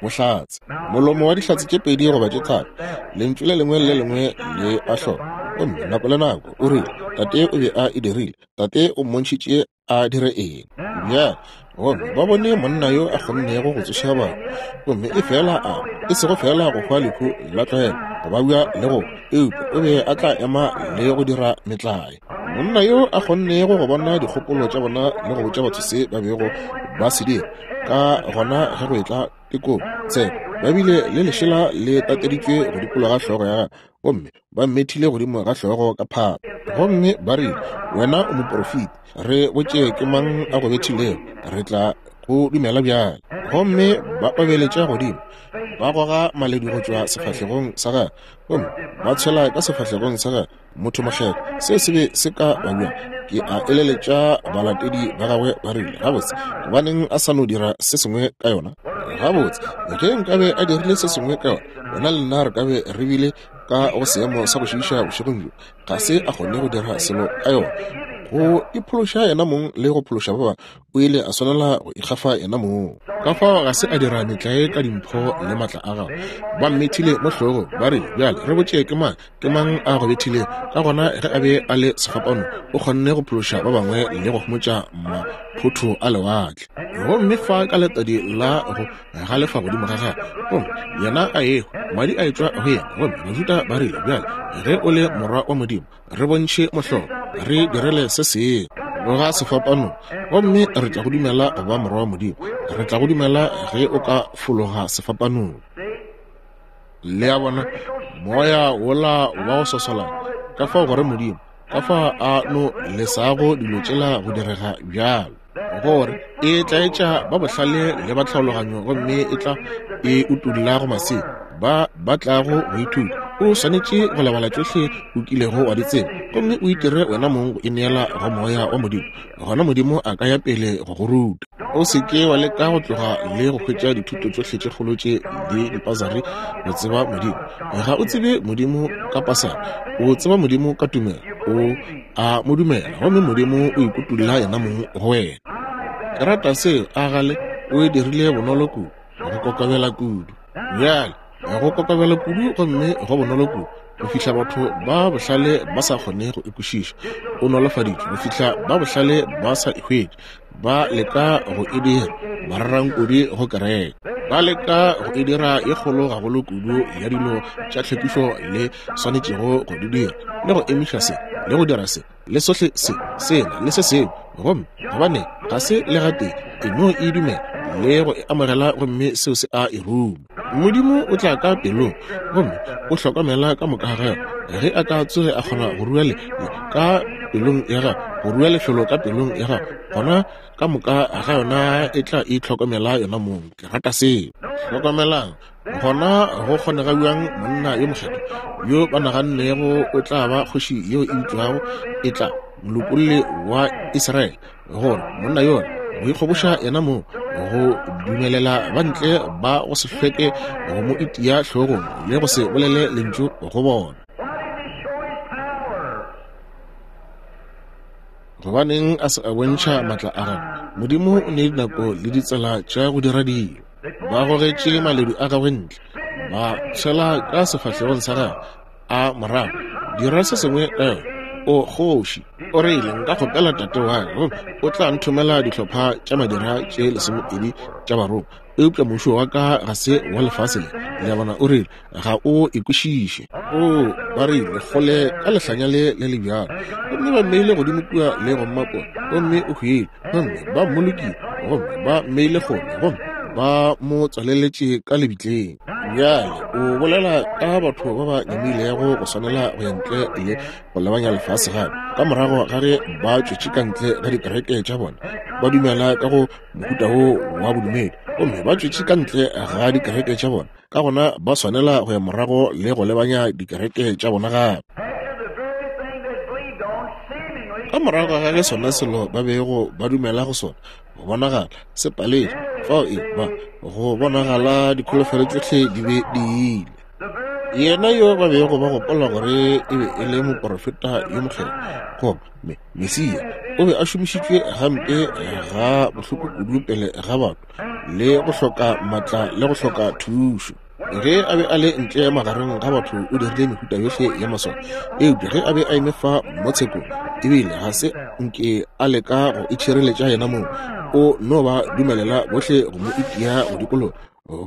bohlatse, molomo wa dihlatse tše pedi goba tše tharo, lentšu le lengwe le le lengwe le a hloka. Gomme nako le nako o rile, Tate o be a e dirile, Tate o mmontšhitše a dire eng. Bjale, gomme ba bone monna yo a kgonnego go tsoša batho, gomme e fela a, e sego fela go hwa lehu la tlwaelo, go babja le go, eupša o be a tla ema le go dira metlae. Monna yo a kgonnego go bona dikgopolo tša bona le go botša batho se ba bego ba se dira, ka gona ge go etla tekong, tsheko, ba bile le lešela le tateditšwe go dikologa hlogo ya gagwe, gomme ba mmethile godimo ga hlogo ka phata, gomme ba rile, Wena o moporofeti, re botše ke mang a go bethilego, re tla go dumela bjale. Gomme ba obeletša godimo, ba goga maledu go tšwa sefahlegong sa gagwe, gomme ba tshwela ka sefahlegong sa gagwe. Motho mokgethwa, se se be se ka ba bjang? Ke a eleletša balatedi ba gagwe ba rile, Gabotse, gobaneng a sa no dira se sengwe ka yona? Gabotse, ge nkabe a dirile se sengwe ka yona, wena le nna re ka be re bile ka go seemo sa go šiiša bošegong bjo. Ga se a kgone go dira selo ka yona. Go iphološa yena mong le go phološa ba bangwe, o ile a swanela go ikgafa yena mong. Ka fao ga se a dira metlae ka dimpho le matla a gagwe. Ba mmethile mo hlogong, ba re, Bjale re botše ke mang, ke mang a go bethilego. Ka gona ge a be a le sefapanong, o kgonne go phološa ba bangwe le go homotša maphotho a lewatle. Gomme fa ka letadi la go galefa godimo ga gagwe, gomme yena a ehwa, madi a etšwa go yena. Gomme Bajuda ba rile, Bjale ge o le Morwa wa Modimo, re bontšhe mohlolo, re direle se sengwe. Tloga sefapanong, gomme re tla go dumela go ba Morwa wa Modimo. Re tla go dumela ge o ka fologa sefapanong. Le a bona, moya wola wa go sosolana, ka fao gore Modimo, ka fao a no lesago dilo tšela go direga bjalo, gore e tlaetša ba bohlale le ba tlhaologanyo, gomme e tla e utolla go masea ba ba tlago go ithuta. O swanetše go lebala tšohle o kilego wa di tseba, gomme o itire wena mong go ineela go Moya wa Modimo, gona Modimo a ka ya pele go go ruta. O se ke wa leka go tloga le go hwetša dithuto tšohle tše kgolo tše le dipasari go tseba Modimo. Ga o tsebe Modimo ka pasari, o tseba Modimo ka tumelo. O a mo dumela, gomme Modimo o ikutulla yena mong go wena. Ke rata seo, a gale o e dirile bonolo kudu, go kokobela kudu. Bjale, go kokobela kudu gomme go bonolo kudu go fihla batho ba bohlale ba sa kgone go e kwešiša. O nolofaditšwe go fihla ba bohlale ba sa e hwetše. Ba leka go e dira mararankodi go kereke. Ba leka go e dira ye kgolo gagolo kudu ya dilo tša tlhwekišo le swanetšego go di dira, le go emiša se, le go dira se, le sohle se, sela, le se sengwe. Gomme gobane ga se le gatee, e no e dumela le go e amogela, gomme seo se a e ruma. Modimo o tla ka pelong gomme o hlokomela ka moka ga gagwe. Ge a ka tsoge a kgona go rua le, le ka pelong ya gago, go rua lefelo ka pelong ya gago, gona ka moka ga yona e tla itlhokomela yona mong. Ke rata seo. Hlokomelang, gona go kgonega bjang monna yo mokgethwa yo ba nagannego o tla ba kgoši yeo e bitšwago e tla, molopolli wa Israele, gore monna yola go ikgoboša yena mong, go dumelela ba ntle ba go se hlweke go mo itia hlogong le go se bolele lentšu go bona. Gobaneng a se a bontšha matla a gagwe? Modimo o ne dinako le ditsela tša go dira dilo. Ba gogetše maledu a gagwe ntle, ba tshwela ka sefahlegong sa gagwe a morago. Dira se sengwe ka yona. O kgoši. O rile, Nka kgopela tate wa ka gomme o tla nthomela dihlopha tša madira tše lesomepedi tša barongwa, eupša mmušo wa ka ga se wa lefase le. Le a bona? O rile, Ga o e kwešiše. Oo, ba rile, kgole ka lehlanya le le le bjalo. Gomme ba mmeile godimo kua le go mmapola, gomme o hwile. Gomme ba mmolokile, gomme ba mmeile kgole, gomme ba mo tswaleletše ka lebitleng. Bjale o bolela ka batho ba ba nyamilego go swanela go ya ntle le go lebanya lefase gape, ka morago ga ge ba tšwetše ka ntle ga dikereke tša bona, ba dumela ka go mohuta wo wa bodumedi, gomme ba tšwetše ka ntle ga dikereke tša bona, ka gona ba swanela go ya morago le go lebanya dikereke tša bona gape. Ka morago ga ge sona selo ba bego ba dumela go sona go bonagala se paletše, fao e ba go bonagala dikholofelo tšohle di be di ile. Yena yo ba bego ba gopola gore e be e le moporofeta yo mokgethwa goba me, Mesia, o be a šomišitšwe gampe ga bohloko kudu pele ga batho le go hloka matla le go hloka thušo. Ge a be a le ntle magareng ga batho o dirile mehuta yohle ya maswao, eupša ge a be a eme fa mo tshekong, ebile ga se nke a leka go itšhireletša yena mong, o no ba dumelela bohle go mo itia go dikologa,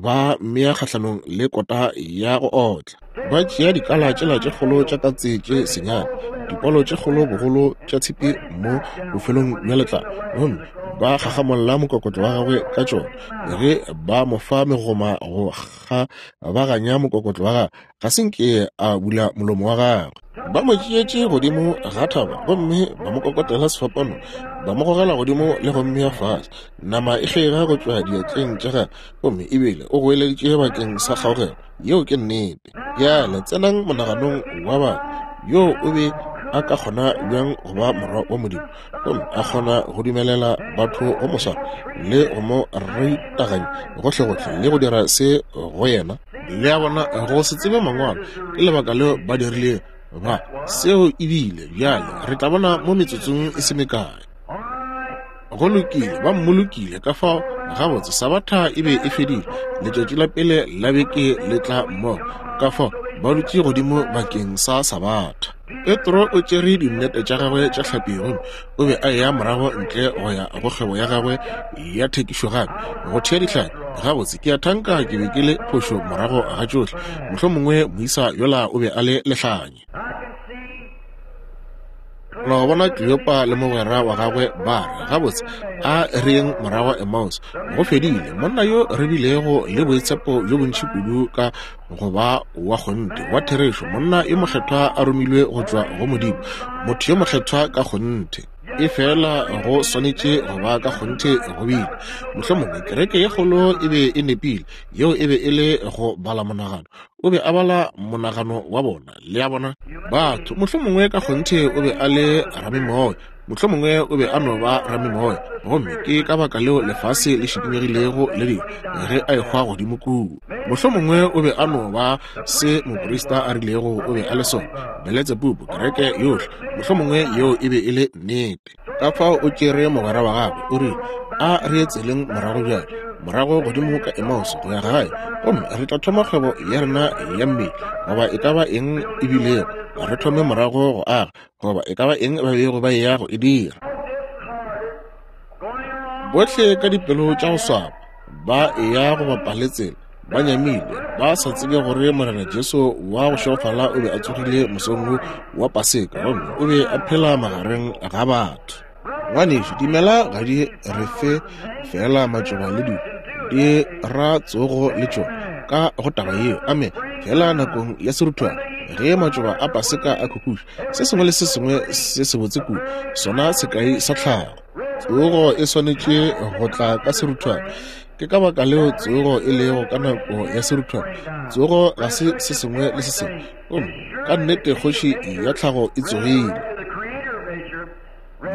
ba mmea kgahlanong le kota ya go otla. Ba tšea dikala tšela tše kgolo tša katse tše senyane, dipolo tše kgolo bogolo tša tshipi mo bofelong bja letlalo, gomme ba gagamolla mokokotlo wa gagwe ka tšona. Ge ba mo fa megoma go kgabaganya mokokotlo wa gagwe, ga se nke a bula molomo wa gagwe. Ba mo tšeetše godimo ga thaba gomme ba mo kokotela sefapano, ba mo gogela godimo le go mmea fase. Nama e kgega go tšwa diatleng tša gagwe, gomme ebile o goeleditše bakeng sa kgaogelo. Yeo ke nnete. Bjale tsenang monaganong wa batho. Yo o be a ka kgona bjang go ba morwa wa Modimo gomme a kgona go dumelela batho go mo swara le go mo ritaganya gohlegohle le go dira se go yena? Le a bona, go se tsebe mangwalo ke lebaka leo ba dirilego ba seo. Ebile bjale re tla bona mo metsotsong e se mekae. Go lokile, ba mmolokile. Ka fao gabotse Sabatha e be e fedile, letšatši la pele la beke le tla mmogo, ka fao ba dutše godimo bakeng sa Sabatha. Petro o tšere dinnete tša gagwe tša hlapi gomme o be a eya morago ntle go ya go kgwebo ya gagwe ya thekišo gape, go thea dihlapi. Gabotse, ke a thanka ke be ke le phošo morago ga tšohle. Mohlomongwe moisa yola o be a le lehlanya. Lo bona Kleopa le mogwera wa gagwe ba re, Gabotse, a re yeng morago Emmaus. Go fedile. Monna yo re bilego le boitshepo bjo bontši kudu ka go ba wa kgonthe, wa therešo, monna yo mokgethwa a romilwe go tšwa go Modimo, motho yo mokgethwa ka kgonthe. Efela go swanetše go ba ka kgonthe go bile. Mohlomongwe kereke ye kgolo e be e nepile. Yeo e be e le go bala monagano. O be a bala monagano wa bona. Le a bona? Batho, mohlomongwe ka kgonthe o be a le ramemoya. Mohlomongwe o be a no ba ramimoya, gomme ke ka baka leo lefase le šikinyegilego le dilo ge a ehwa godimo kua. Mohlomongwe o be a no ba se moprista a rilego o be a le sona, Beletsebubu, kereke yohle. Mohlomongwe yeo e be e le nnete. Ka fao o tšere mogwera wa gagwe, o rile, A re ye tseleng morago bjale, morago godimo ka Emmaus go ya gae, gomme re tla thoma kgwebo ya rena ya mmele, goba e ka ba eng e bilego, re thome morago go aga, goba e ka ba eng ba bego ba eya go e dira. Bohle ka dipelo tša go swaba ba eya go bapa le tsela, ba nyamile, ba sa tsebe gore Morena Jesu wa go šegofala o be a tsogile mosong wo wa Paseka gomme o be a phela magareng ga batho. Ngwanešu, dimela ga di re fe feela matšoba le dilo, di ra tsogo le tšona ka go taba yeo. Amen. Feela nakong ya seruthwane, ge matšoba a Paseka a khukhuša, se sengwe le se sengwe se sebotse kudu, sona sekai sa tlhago. Tsogo e swanetše go tla ka seruthwane. Ke ka baka leo tsogo e lego ka nako ya seruthwane. Tsogo ga se se sengwe le se sengwe. Gomme ka nnete kgoši ya tlhago e tsogile.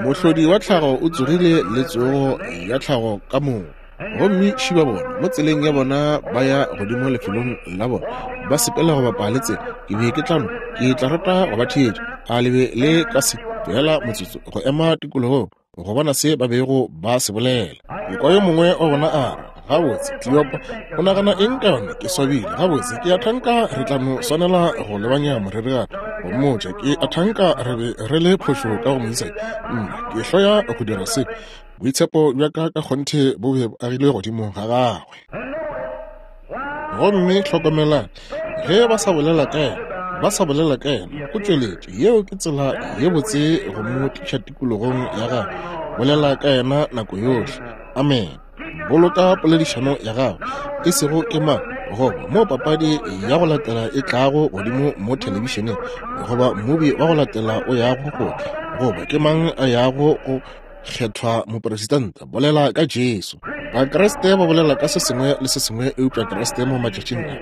Mohlodi wa tlhago o tsogile le tsogo ya tlhago ka moka. Gomme šiba bona mo tseleng ya bona ba ya godimo lefelong la bona, ba sepela go bapa le tsela. Ke be ke tla no, ke tla rata go ba theetša. A le be le ka se tlohela motsotso go ema tikologong go bona se ba bego ba se bolela? Ke kwa yo mongwe wa bona a re, Gabotse, Kleopa, o nagana eng ka yona? Ke swabile. Gabotse, ke a thanka re tla no swanela go lebanya moreri gape, go mmotša. Ke a thanka re be re le phošo ka go moisa. Nna, ke hloya go dira se. Boitshepo bja ka ka kgonthe bo be bo agilwe godimo ga gagwe. Gomme hlokomelang, ge ba sa bolela ka yena, ba sa bolela ka yena, o tšweletše. Yeo ke tsela ye botse go mo tliša tikologong ya gagwe. Bolela ka yena nako yohle. Amene. Boloka poledišano ya gago, e sego ke mang goba mo papadi ya go latela e tlago godimo mo thelebišeneng, goba mmubi wa go latela o yago go tla, goba ke mang a yago go kgethwa mopresidente. Bolela ka Jesu. Bakriste ba bolela ka se sengwe le se sengwe eupša Kriste mo matšatšing a.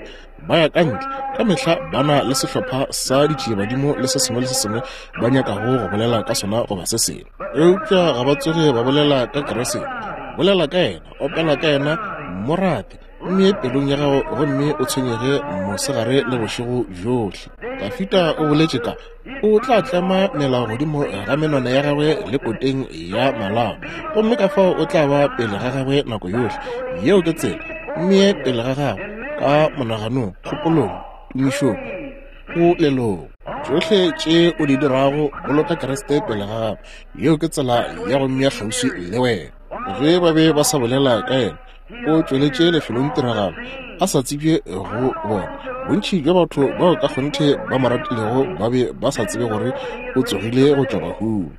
Ba ya ka ntle, ka mehla ba na le sehlopha sa ditšiebadimo le se sengwe le se sengwe ba nyakago go bolela ka sona goba se sengwe. Eupša ga ba tsoge ba bolela ka Kriste. Bolela ka yena, opela ka yena, mo rate, mme pelong ya gago gomme o tshwenyege mosegare le bošego bjohle. Dafida o boletše ka o tla tlema melao godimo ga menwana ya gagwe le koteng ya malao, gomme ka fao o tla ba pele ga gagwe nako yohle. Yeo ke tsela. Mmee pele ga gago ka monaganong, kgopolong, tumišong, polelong. Tšohle tše o di dirago, boloka Kriste pele ga gago. Yeo ke tsela ya go mmea kgauswi le wena. Ge ba be ba sa bolela ka yena, o tšweletše lefelongtiragalo a sa tsebje go bona. Bontši bja batho bao ka kgonthe ba mo ratilego ba be ba sa tsebe gore o tsogile go tšwa bahung.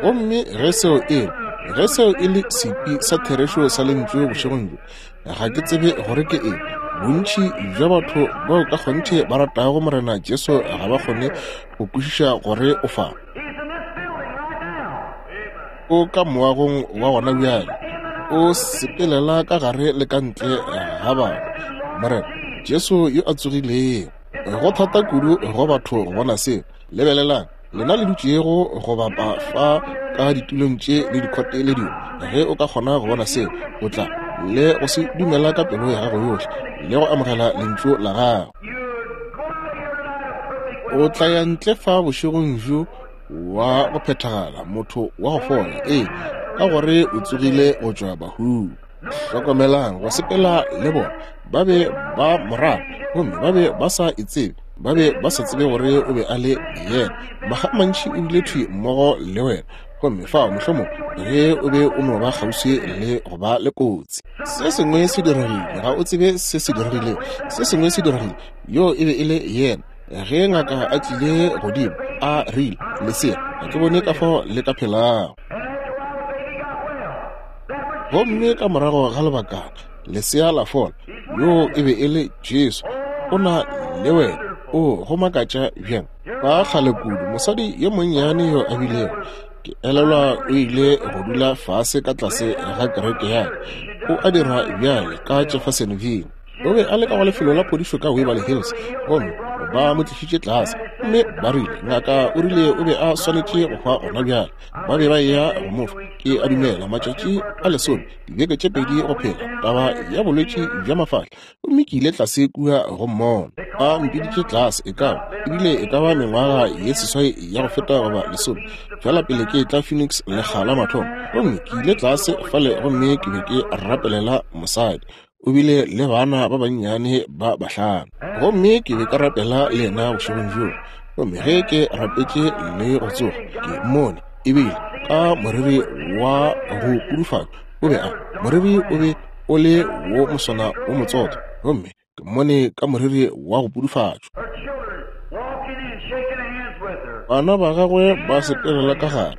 Gomme ge seo e ge seo e le sepi sa therešo sa Lentšu bošegong bjo, ga ke tsebe gore ke eng. Bontši bja batho bao ka kgonthe ba ratago Morena Jesu ga ba kgone go kwešiša gore o fa. O ka moagong wa gona bjale, o sepelela ka gare le ka ntle ga batho. Morena Jesu yo a tsogilego. Go thata kudu go batho go bona seo. Lebelelang, lena le dutšego go bapa fa ka ditulong tše le dikhote le dilo, ge o ka kgona go bona seo, o tla le go se dumela ka pelo ya gago yohle le go amogela lentšu la gago. O tla ya ntle fa bošegong bjo wa go phethagala, motho wa go fola, ee, ka gore o tsogile go tšwa bahung. Hlokomelang, go sepela le bona, ba be ba mo rata, gomme ba be ba sa e tsebe, ba be ba sa tsebe gore o be a le yena. Makga a mantši o bile thwi mmogo le wena, gomme fao mohlomong ge o be o no ba kgauswi le go ba le kotsi. Se sengwe se diregile, ga o tsebe se se diregilego, se sengwe se diregile, yoo e be e le yena. Ge ngaka a tlile godimo, a rile, Lesea, ga ke bone ka fao le ka phelago. Gomme ka morago ga lebakana, lesea la fola. Yoo e be e le Jesu. O na le wena. O go makatša bjang. Ba kgale kudu, mosadi yo monnyane yo a bilego, ke elelwa o ile go dula fase ka tlase ga kereke ya ka. O a dira bjale ka Jeffersonville. O be a le ka go lefelo la phodišo ka Waverly Hills, gomme ba mo tlišitše tlase. Gomme ba rile, ngaka o rile o be a swanetše go hwa gona bjale. Ba be ba eya go mo fa, ke a dumela, matšatši a lesome, dibeke tše pedi go phela, taba ya bolwetši bja mafahla. Gomme ke ile tlase kua go mmona. A mpiditše tlase, e ka ba, ebile e ka ba mengwaga ye seswai ya go feta goba lesome, feela pele ke etla Phoenix lekga la mathomo. Gomme ke ile tlase fale gomme ke be ke rapelela mosadi. O bile le bana ba bannyane ba bahlano. Gomme ke be ka rapela le yena bošegong bjoo. Gomme ge ke rapetše le go tsoga, ke mmone ebile ka moriri wa go kudufatšwa. O be a, moriri o be o le wo moswana wo motsotho, gomme ke mmone ka moriri wa go pudufatšwa. Bana ba gagwe ba sepelela ka gare,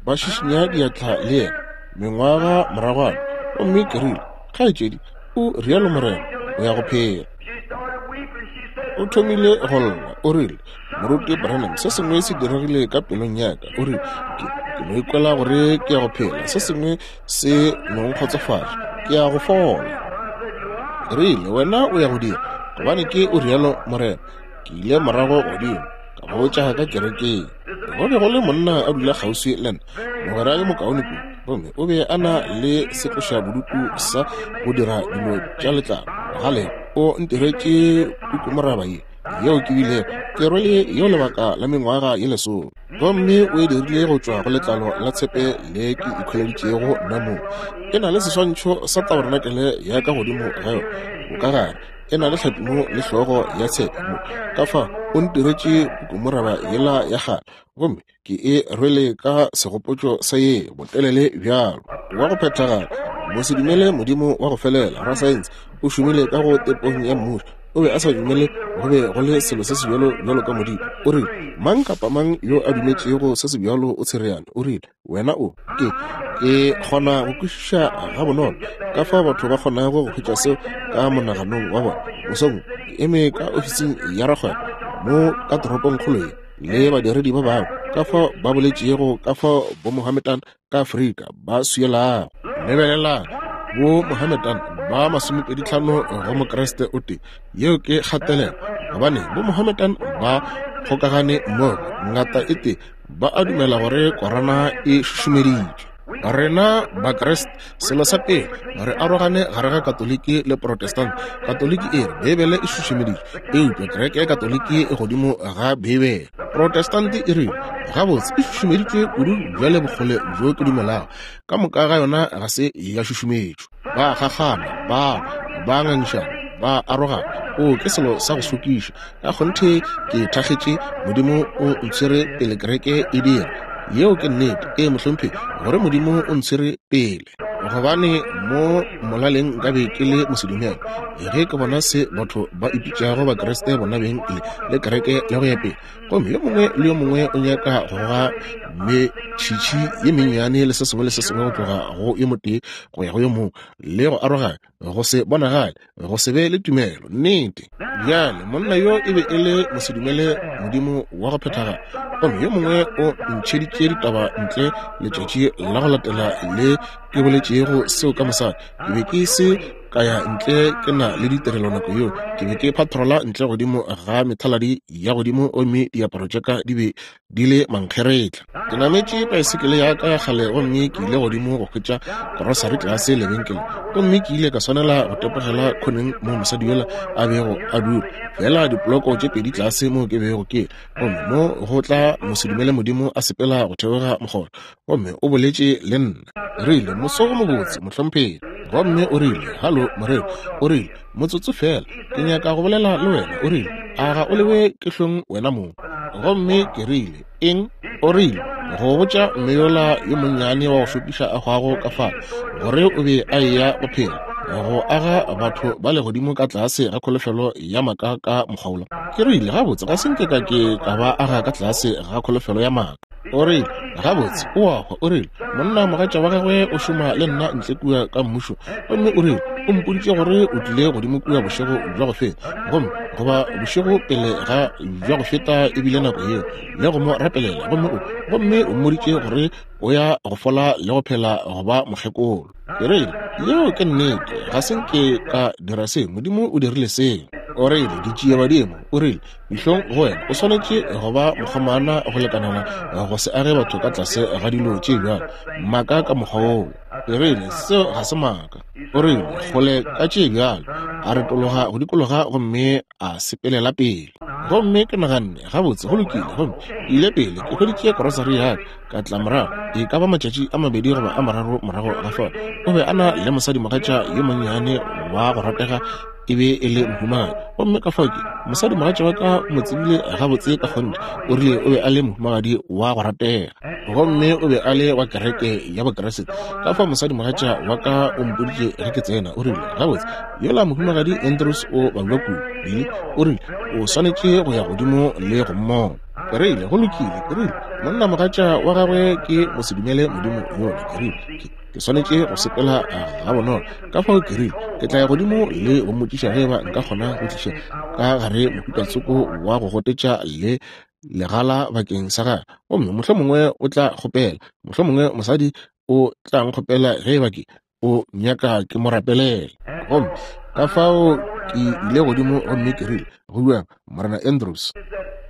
ba šišinya diatla le yena, mengwaga moragwana. Gomme ke rile, Kgaetšedi, o rialo Morena, o ya go phela. O thomile go lla, o rile, Moruti Branham, se sengwe se diregile ka pelong ya ka. O rile, Ke, ke no ikwela gore ke ya go phela. Se sengwe se no nkgotsofatša. Ke ya go fola. Ke rile, Wena o ya go dira, gobane ke o rialo Morena. Ke ile morago godimo, ka botša ka kerekeng. Go be go le monna a dula kgauswi le nna, mogwera yo mokaone kudu, gomme o be a na le setlošabodutu sa go dira dilo tša letlalo. Gale o ntiretše pukumoraba ye, yeo ke bilego ke rwele yeo lebaka la mengwaga ye lesome, gomme o e dirile go tšwa go letlalo la tshepe le ke ikhweleditšego nna mong. E na le seswantšho sa tabarenakele ya ka godimo ga yona, bokagare e na le hlapi mo le hlogo ya tshepe mo. Ka fa o ntiretše pukumoraba yela ya kgale, gomme ke e rwele ka segopotšo sa ye botelele bjalo. Wa go phethagala, mosedumele Modimo wa go felela, rasaense, o šomile ka go tepong ya mmušo. O be a sa dumele go be go le selo se sebjalo bjalo ka Modimo. O rile, Mang kapa mang yo a dumetšego se sebjalo o tshereane. O rile, Wena o, ke, ke kgona go kwešiša gabonolo ka fao batho ba kgonago go hwetša seo ka monaganong wa bona. Mosong wo, ke eme ka ofising ya rakgwebo mo ka toropongkgolo ye, le badiredi ba bangwe, ka fao ba boletšego ka fao Bomohammedan ka Afrika ba swielago. Lebelelang, Bomohammedan ba masomepeditlhano go Mokriste o tee. Yeo ke kgatelelo, gobane Bomohammedan ba kgokagane mmogo, ngata e tee, ba a dumela gore Korana e šušumeditšwe. Rena Bakriste, selo sa pele, re arogane gare ga Katoliki le Protestant. Katoliki e re Beibele e šušumeditšwe, eupša kereke ya Katoliki e godimo ga Beibele. Protestant e rile, Gabotse, e šušumeditšwe kudu bjale bokgole bjo ke dumelago, ka moka ga yona ga se ya šušumetšwa. Ba kgakgana, ba lwa, ba ngangišana, ba arogana. O, ke selo sa go šokiša. Ka kgonthe ke thakgetše Modimo o ntshwere pele kereke e dira. Yeo ke nnete. Ee, mohlomphegi, gore Modimo o ntshwere pele. Gobane mo molaleng nka be ke le mosedumele ge ke bona se batho ba ipitšago Bakriste bona beng le, le kereke le go ya pele. Gomme yo mongwe le yo mongwe o nyaka go goga metšhitšhi ye mennyane le se sengwe le se sengwe go tloga go yo motee go ya go yo mongwe, le go aroganya, go se bonagale, go se be le tumelo. Nnete. Bjale, monna yo e be e le mosedumele Modimo wa go phethagala. Gomme yo mongwe o ntšheditše ditaba ntle letšatši la go latela le ke boletšego seo ka mosadi. Ke be ke se ka ya ntle ke na le ditirelo nako yeo. Ke be ke patrola ntle godimo ga methaladi ya godimo gomme diaparo tša ka di be di le mankgeretla. Ke nametše paesekele ya ka ya kgale gomme ke ile godimo go hwetša korosari tlase lebenkeleng, gomme ke ile ka swanela go tepogela khoneng moo mosadi yola a bego a dula, feela dipoloko tše pedi tlase moo ke bego ke le. Gomme mo go tla mosedumele Modimo a sepela go theoga mokgoro, gomme o boletše le nna. Rile, Moso o mobotse, mohlomphegi. Gomme o rile, Halo, moreri. O rile, Motsotso feela, ke nyaka go bolela le wena. O rile, A ga o lewe ke hlong wena mong? Gomme ke rile, Eng? O rile, Go botša mme yola yo monnyane wa go šokiša a hwago ka fale, gore o be a eya go phela, go aga batho ba legodimo ka tlase ga kholofelo ya maaka ka mokgwa wola. Ke rile, Gabotse, ga se nke ka ke ka ba aga ka tlase ga kholofelo ya maaka. O rile, Gabotse, o a hwa. O rile, Monna mogatša wa gagwe o šoma le nna ntle kua ka mmušo. Gomme o rile, O mpoditše gore o tlile godimo kua bošego bja go feta, gomme goba bošego pele ga bja go feta e bile nako yeo, le go mo rapelela, gomme o, gomme o mmoditše gore o ya go fola le go phela go ba mokgekolo. Ke rile, Yeo ke nnete, ga se nke ka dira se, Modimo o dirile seo. O rile, Ditšiebadimo, o rile, dihlong go wena, o swanetše go ba mokgomana go lekanela go se age batho ka tlase ga dilo tše bjalo, maaka ka mokgwa woo. Ke rile, Seo ga se maaka. O rile, Kgole ka tše bjalo. A retologa go dikologa gomme a sepelela pele. Gomme ke naganne, Gabotse, go lokile. Gomme ke ile pele, ke hweditše korosari ya ka, ka tla morago, e ka ba matšatši a mabedi goba a mararo morago ga fao. O be a na le mosadimogatša yo monnyane wa go ratega, e be e le mohumagadi. Gomme ka fao ke, mosadimogatša wa ka o mo tsebile gabotse ka kgonthe, o rile o be a le mohumagadi wa go ratega. Gomme o be a le wa kereke ya Bokriste. Ka fao mosadimogatša wa ka o mpoditše ge ke tsena, o rile, Gabotse, yola mohumagadi Andrews o babja kudu. Billy o rile, O swanetše go ya godimo le go mmona. Ke rile, Go lokile. Ke rile, Monnamogatša wa gagwe ke mosedumele Modimo yola. Ke rile, Ke, ke swanetše go sepela gabonolo. Ka fao ke rile, Ke tla ya godimo le go mmotšiša ge eba nka kgona go tliša ka gare mohuta tsoko wa go gotetša le legala bakeng sa gagwe. Gomme mohlomongwe o tla kgopela, mohlomongwe mosadi o tla nkgopela ge eba ke, o nyaka ke mo rapelele. Gomme ka fao ke ile godimo gomme ke rile, Go bjang, Morena Andrews?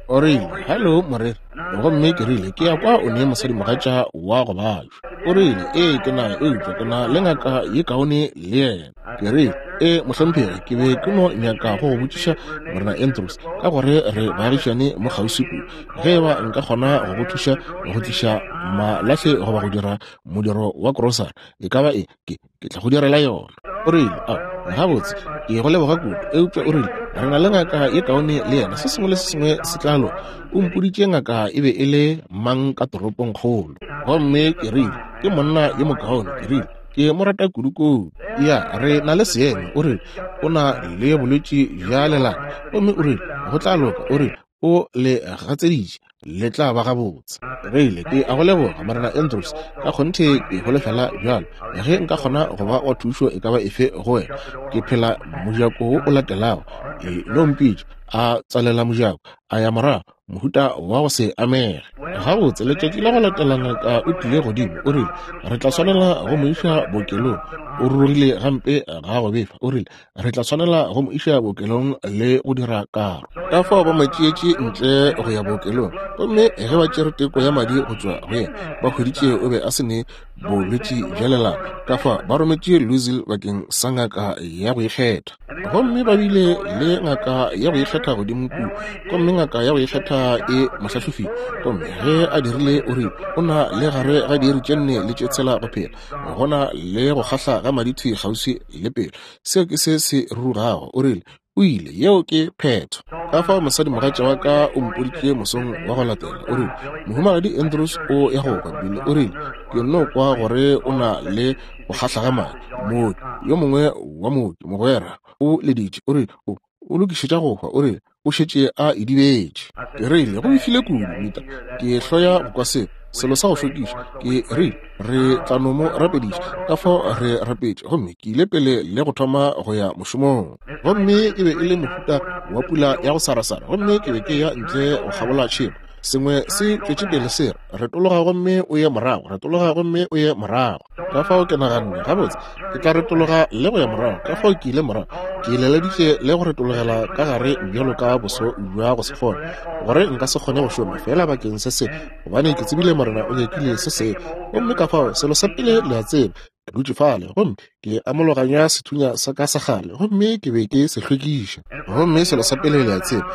O rile, Hello, moreri. Gomme ke rile, Ke ya kwa o ne mosadimogatša wa go babja. O rile, Ee, ke na, eupša ke na le ngaka ye kaone le yena. Ke rile, Ee, mohlomphegi, ke be ke no nyaka go go botšiša, Morena Andrews, ka gore re baagišane mo kgauswi kudu, ge eba nka kgona go go thuša go tliša malahle goba go dira modiro wa krosari, e ka ba eng, ke, ke tla go direla yona. O rile, A, gabotse, ke go leboga kudu. Eupša o rile, Re na le ngaka ye kaone le yena, se sengwe le se sengwe se tla loka. O mpoditše ngaka e be e le mang ka toropongkgolo. Gomme ke rile, Ke monna yo mokaone. Ke rile, Ke mo rata kudu-kudu. Ya, re na le seemo. O rile, O na le bolwetši bja lelata. Gomme o rile, Go tla loka. O rile, O le gatseditše, le tla ba gabotse. Rile, Ke a go leboga, Morena Andrews. Ka kgonthe ke holofela bjalo. Ge nka kgona go ba wa thušo e ka ba efe go wena, ke phela mojako wo o latelago. E no mpitša. A tswalela mojako, a ya morago, mohuta wa go se amege. Gabotse, letšatši la go latela ngaka o tlile godimo, o rile, Re tla swanela go mo iša bookelong. O rurugile gampe ga go befa. O rile, Re tla swanela go mo iša bookelong le go dira karo. Ka fao ba mo tšeetše ntle go ya bookelong, gomme ge ba tšere teko ya madi go tšwa go yena, ba hweditše o be a se ne bolwetši bja lelapa. Ka fao ba rometše Louisville bakeng sa ngaka ya go ikgetha. Gomme ba bile le ngaka ya go ikgetha godimo kua, gomme ngaka ya go ikgetha e mo hlahlofile. Gomme ge a dirile, o rile o na le gare ga diiri tše nne le tše tshela go phela. Go na le go kgahla ga madi thwi kgauswi le pelo. Seo ke se se rurugago. O rile, O ile. Yeo ke phetho. Ka fao mosadimogatša wa ka o mpoditše mosong wa go latela, o rile, Mohumagadi Andrews o ya go hwa, Billy. O rile, Ke nno kwa gore o na le go kgahla ga madi. Mooki, yo mongwe wa mooki, mogwera, o leditše. O rile, O, o lokišetša go hwa. O rile, O šetše a idibetše. Ke rile, Go befile kudu, Mita. Ke hloya go kwa seo, selo sa go šokiša. Ke rile, Re tla no mo rapediša. Ka fao re rapetše, gomme ke ile pele le go thoma go ya mošomong. Gomme e be e le mohuta wa pula ya go sarasara, gomme ke be ke ya ntle go kgabola tšhemo. Sengwe se tšwetše pele se re, Retologa gomme o ye morago, retologa gomme o ye morago. Ka fao ke naganne, Gabotse, ke tla retologa le go ya morago. Ka fao ke ile morago, ke leleditše le go retologela ka gare bjalo ka boso bja go se fole, gore nka se kgone go šoma feela bakeng se se, gobane ke tsebile Morena o nyakile se sengwe. Gomme ka fao, selo sa pele le a tseba, ke dutše fale gomme ke amologanya sethunya sa ka sa kgale, gomme ke be ke se hlwekiša. Gomme selo sa pele le a tseba,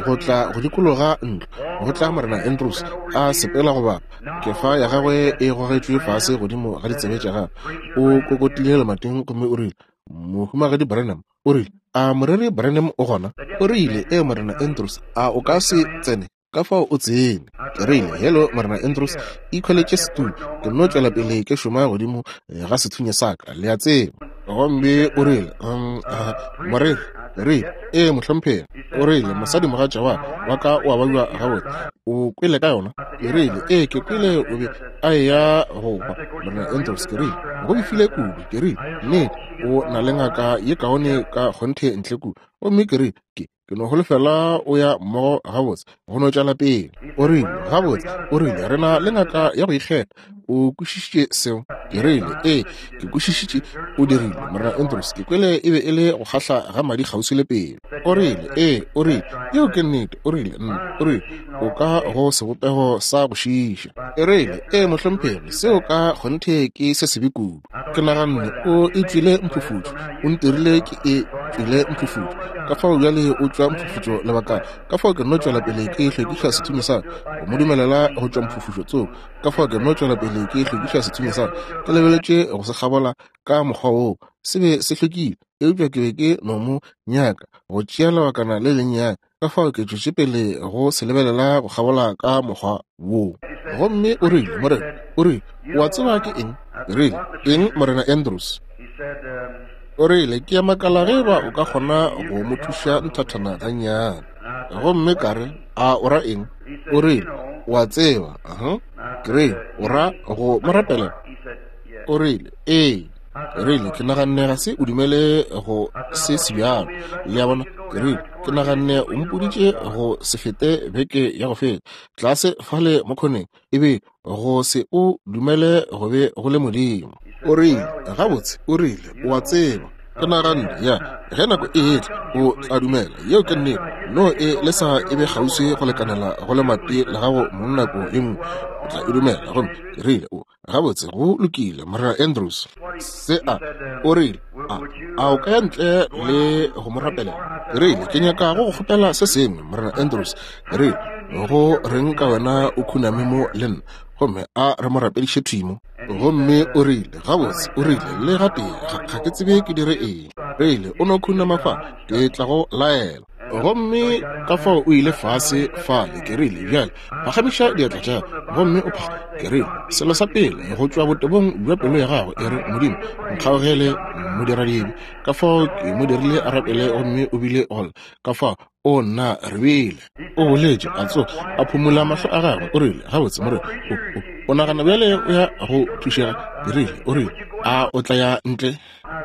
go tla go dikologa ntlo, go tla Morena Andrews a sepela go bapa, kefa ya gagwe e gogetšwe fase godimo ga ditsebe tša gagwe. O kokotile lemating gomme o rile, Mohumagadi Branham, o rile, a moreri Branham o gona? O rile, Ee, Morena Andrews, a o ka se tsene? Ka fao o tsene. Ke rile, Hello, Morena Andrews, ikhweletše setulo. Ke nno tšwela pele ke šoma godimo ga sethunya sa ka, le a tseba. Gomme o rile, um, uh, moreri, ke rile, ee, mohlomphegi. O rile, mosadimogatša wa, wa ka o a babja gabotse. O kwele ka yona? Ke rile, ee, ke kwele o be a eya go hwa, Morena Andrews. Ke rile, go befile kudu. Ke rile, nnete, o na le ngaka ye kaone ka kgonthe ntle kua. Gomme ke rile, Ke, ke no holofela o ya mmogo gabotse, go no tšwela pele. O rile, Gabotse, o rile, re na le ngaka ya go ikgetha. O kwešišitše seo? Ke rile, Ee, ke kwešišitše o dirile, Morena Andrews. Ke kwele e be e le go kgahla ga madi kgauswi le pelo. O rile, Ee, o rile, yeo ke nnete. O rile, Nna, o rile, o ka go sebopego sa go šiiša. Ke rile, Ee, mohlomphegi, seo ka kgonthe ke se sebe kudu. Ke naganne o e tšwele mphufutšo, o ntirile ke e tšwele mphufutšo. Ka fao bjale o tšwa mphufutšo lebakana. Ka fao ke nno tšwela pele ke hlwekiša sethunya sa ka, go mo dumelela go tšwa mphufutšo tsoko. Ka fao ke nno tšwela pele ke hlwekiša sethunya sa ka, ke lebeletše go se kgabola ka mokgwa woo. Se be se hlwekile, eupša ke be ke no mo nyaka go tšea lebakana le lennyane. Ka fao ke tšwetše pele go se lebelela go kgabola ka mokgwa woo. Gomme o rile, Morena, o rile, o a tseba ke eng? Ke rile, Eng, Morena Andrews? O rile, Ke a makala ge eba o ka kgona go mo thuša nthathana gannyane. Gomme ka re, A o ra eng? O rile, O a tseba. Uh-huh. Ke rile, O ra go mo rapelela? O rile, Ee. Ke rile, Ke naganne ga se o dumele go se sebjalo. Le a bona? Ke rile, Ke naganne o mpoditše go se fete beke ya go feta, tlase fale mo khoneng, e be go se o dumele go be go le Modimo. O rile, Gabotse, o rile, o a tseba, ke naganne, ya, ge nako e etla, o tla dumela. Yeo ke nnete. No e lesa e be kgauswi go lekanela go lemati la gago mong nako ye nngwe, o tla e dumela. Gomme ke rile, O, Gabotse, go lokile, Morena Andrews. Se a, o rile, a, a o ka ya ntle le go mo rapelela? Ke rile, ke nyaka go go kgopela se sengwe, Morena Andrews. Ke rile, go reng ka wena o khuname mo le nna, gomme a re mo rapediše thwi mo? Gomme o rile, gabotse, o rile, le gatee, ga, ga ke tsebe ke dire eng. Rile, o no khunama fa, ke tla go laela. Gomme ka fao o ile fase fale, ke rile, bjale, phagamiša diatla tša gago gomme o pha ke rile selo sa pele go tšwa botebong bja pelo ya gago e re modimo nkgaogele modiradibe ka fao ke mo dirile a rapele gomme o bile golla ka fao o nna re bile o boletše a tsoga a phumola mahlo a gagwe o rile gabotse more o nagana bjale o ya go thušega ke rile o rile a o tla ya ntle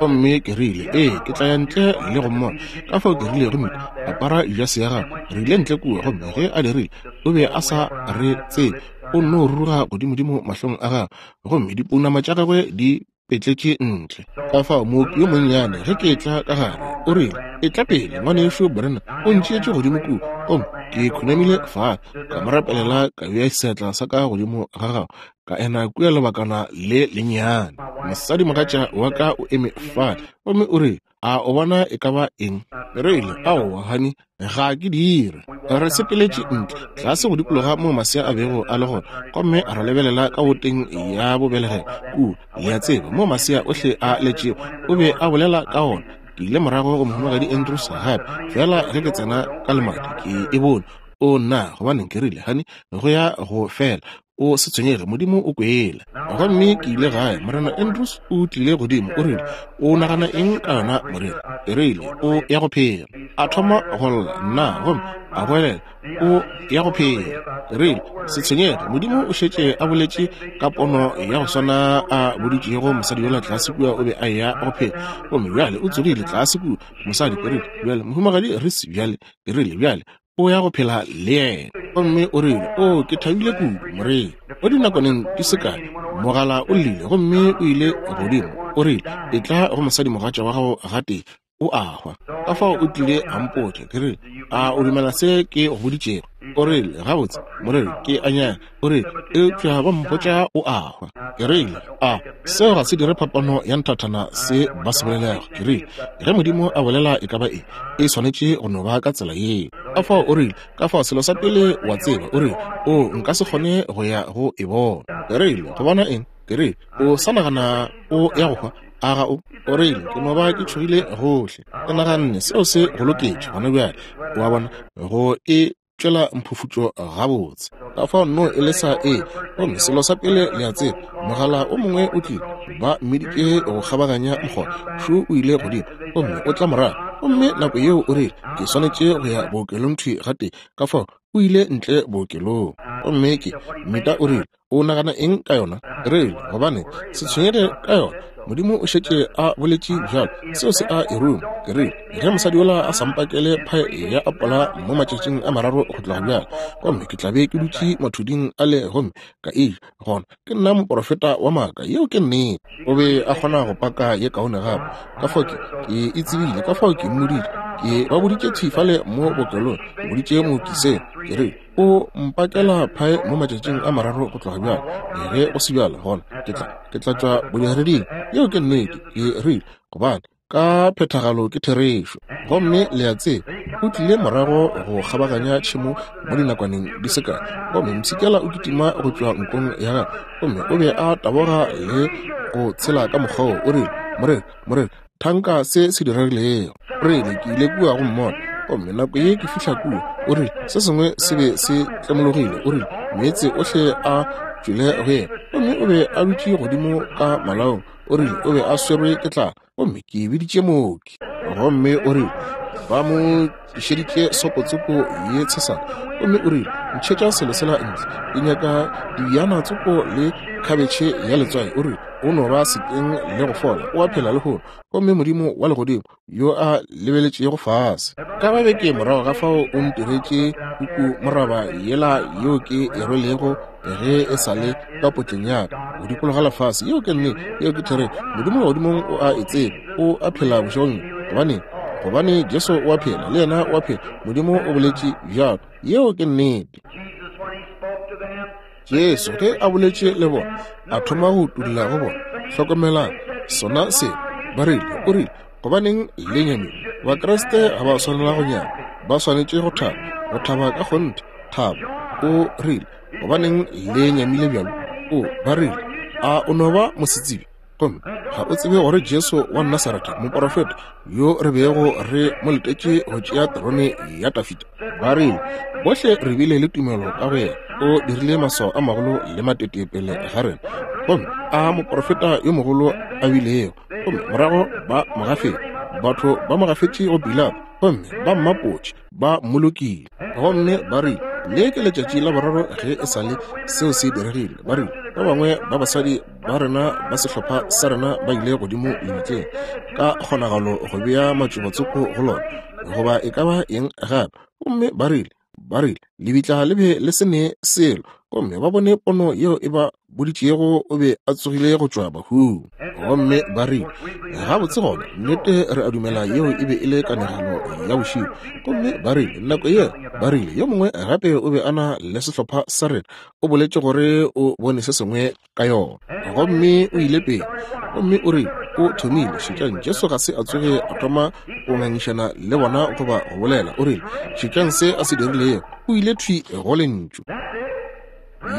Gomme ke rile, Ee, ke tla ya ntle le go mmona. Ka fao ke rile, Gomme apara jase ya gago. Re ile ntle kua, gomme ge a dirile, o be a sa re tsebe. O nno ruruga godimodimo mahlong a gagwe, gomme dipounama tša gagwe di petletše ntle. Ka fao mooki yo monnyane, ge ke etla ka gare, o rile, Etla pele, Ngwanešu Branham. O ntšeetše godimo kua, gomme ke khunamile fale, ka mo rapelela, ka bea seatla sa ka godimo ga gagwe, ka ena kua lebakana le lennyane. Mosadimogatša wa ka o eme fale, gomme o rile, A o bona e ka ba eng? Re rile, Aowa, honey, ga ke dire. Re sepeletše ntle, tlase go dikologa moo masea a bego a le gona, gomme ra lebelela ka boteng ya bobelegelo kua, le a tseba, moo masea ohle a letšego. O be a bolela ka ona. Ke ile morago go Mohumagadi Andrews gape, feela ge ke tsena ka lemati, ke e bone. O nna, gobaneng, ke rile, honey, go ya go fela. O se tshwenyege, Modimo o kwele. Gomme ke ile gae. Morena Andrews o tlile godimo, o rile, O nagana eng ka yona, moreri? Ke rile, O ya go phela. A thoma go lla, nna, gomme a goelela, O ya go phela. Ke rile, Se tshwenyege, Modimo o šetše a boletše ka pono ya go swana a boditšego mosadi yola tlase kua o be a eya go phela. Gomme bjale o tsogile tlase kua, mosadi. Ke rile, Bjale, Mohumagadi Reese, bjale, ke rile, bjale, o ya go phela le yena. Gomme o rile, O, ke thabile kudu, moreri. Mo dinakwaneng di se kae, mogala o llile, gomme o ile godimo. O rile, Etla go mosadimogatša wa gago gatee, o a hwa. Ka fao o tlile a mpotša. Ke rile, A o dumela se ke go boditšego? O rile, Gabotse, moreri, ke a nyaka. O rile, Eupša ba mpotša o a hwa. Ke rile, A seo ga se dire phapano ya nthathana se ba se bolelago? Ke rile, Ge Modimo a bolela e ka ba eng, e swanetše go no ba ka tsela yeo. Ka fao o rile, ka fao selo sa pele wa tseba, o rile, O, nka se kgone go ya go e bona. Ke rile, Go bona eng? Ke rile, O sa nagana o ya go hwa, a ga o? O rile, Ke no ba ke tšhogile gohle. Ke naganne seo se go loketše gona bjale, o a bona, go e tšwela mphufutšo gabotse. Ka fao nno e le sa e, gomme selo sa pele le a tseba, mogala o mongwe o tlile, ba mmiditše go kgabaganya mokgotha, šo o ile godimo, gomme o tla morago. Gomme nako yeo o rile, Ke swanetše go ya bookelong thwi gatee. Ka fao o ile ntle bookelong. Gomme ke, Mita o rile, O nagana eng ka yona? Re rile, Gobane, se tshwenyege ka yona. Modimo o šetše a boletše bjalo, seo se a e ruma. Ke rile, Ge mosadi yola a sa mpakele phae ya apola mo matšatšing a mararo go tloga bjale, gomme ke tla be ke dutše mathuding ale gomme ka e ja, gona ke nna moprofeta wa maaka. Yeo ke nnete. O be a kgona go paka ye kaone gape. Ka fao ke, ke e tsebile, ka fao ke mmoditše. Ke ba boditše thwi fale mo bookelong, ke boditše mooki seo. Ke rile, O mpakela phae mo matšatšing a mararo go tloga bjale. Ge go se bjalo, gona ke tla, ke tla tšwa bodireding. Yeo ke nnete. Ke rile, Gobane ka phethagalo ke therešo. Gomme le a tseba, o tlile morago go kgabaganya tšhemo mo dinakwaneng di se kae, gomme mpshikela o kitima go tšwa nkong ya gagwe, gomme o be a taboga le go tshela ka mokgwa wo. O rile, Moreri, moreri, thanka se se diregilego. O rile, Ke ile kua go mmona, gomme nako ye ke fihla kua, o rile, se sengwe se be se tlemologile. O rile, Meetse ohle a tšwele go yena, gomme o be a dutše godimo ka malaong. O rile o be a swerwe ke tlala, gomme ke biditše mooki. Gomme o rile ba mo tlišeditše sopotsoko ye tshesane, gomme o rile, Ntšhetša selo sela ntle, ke nyaka dibjana tsoko le khabetšhe ya letswai. O rile, O no ba sekeng le go fola, o a phela lehono. Gomme Modimo wa Legodimo yo a lebeletšego fase ka ba beke morago ga fao o ntiretše puku moraba yela yeo ke e rwelego ge e sa le ka potleng ya ka go dikologa lefase. Yeo ke nnete, yeo ke therešo. Modimo legodimong o a e tseba, o a phela bošegong. Gobane, gobane Jesu o a phela, le yena o a phela. Modimo o boletše bjalo. Yeo ke nnete. Jesu ge a boletše le bona, a thoma go utolla go bona. Hlokomelang sona se ba rile, o rile, gobaneng le nyamile? Bakriste ga ba swanela go nyama, ba swanetše go thaba, go thaba ka kgonthe, thabo. O rile, gobaneng le nyamile bjalo? O, ba rile, a o no ba mosetsebje? Gomme ga o tsebe gore Jesu wa Nasaretha, moporofeta yo re bego re mo letetše go tšea terone ya Dafida? Ba rile, bohle re bile le tumelo ka go yena, o dirile maswao a magolo le matete pele ga rena, gomme a moporofeta yo mogolo a bilego. Gomme morago ba mo gafetše, batho ba mo gafetše go Pilato, gomme ba mmapotše, ba mmolokile. Gomme ba rile, Le ke letšatši la boraro ge e sa le seo se diregile. Ba rile, ba bangwe ba basadi ba rena ba sehlopha sa rena ba ile godimo lebitleng, ka kgonagalo go bea matšobatsoko go lona, goba e ka ba eng gape. Gomme ba rile, ba rile, lebitla le be le se ne selo, gomme ba bone pono yeo e ba boditšego o be a tsogile go tšwa bahung. Gomme ba rile, gabotse gona, nnete re a dumela yeo e be e le kanegelo ya bošego. Gomme ba rile, nako yeo, ba rile, yo mongwe gape o be a na le sehlopha sa rena, o boletše gore o bone se sengwe ka yona. Gomme o ile pele, gomme o rile o thomile. Šetšang, Jesu ga se a tsoge a thoma go ngangišana le bona goba go bolela. O rile, šetšang se a se dirilego. O ile thwi go Lentšu.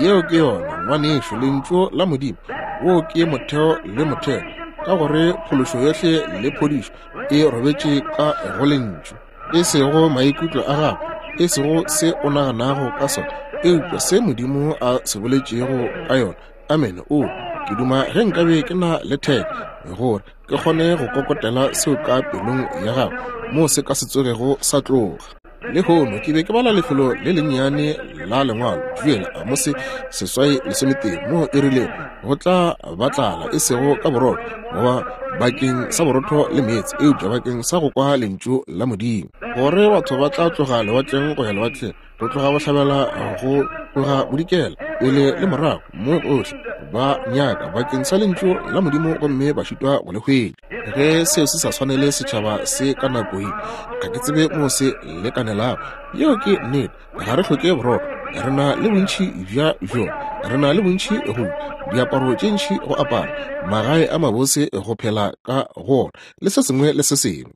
Yeo ke yona, ngwanešu, Lentšu la Modimo. Wo ke motheo le motheo, ka gore phološo yohle le phodišo e robetše ka go Lentšu. E sego maikutlo a gago, e sego se o naganago ka sona, eupša se Modimo a se boletšego ka yona. Amene. O, ke duma ge nkabe ke na le theke gore ke kgone go kokotela seo ka pelong ya gago, moo se ka se tsogego sa tloga. Lehono ke be ke bala lefelo le lennyane la Lengwalo, Joel, Amose 8:13, moo e rile go tla ba tlala, e sego ka borotho, goba bakeng sa borotho le meetse, eupša bakeng sa go kwa lentšu la Modimo. Gore batho ba tla tloga lewatleng go ya lewatleng, go tloga bohlabela go tloga bodikela, pele le morago, mo gohle, ba nyaka bakeng sa lentšu la Modimo gomme ba šitwa go le hwetša. Ge seo se sa swanele setšhaba se ka nako ye, ga ke tsebe moo se lekanelago. Yeo ke nnete. Ga re hloke borotho. Re na le bontši bja bjona. Re na le bontši go diaparo tše ntši go apara, magae a mabose go phela ka go ona, le se sengwe le se sengwe.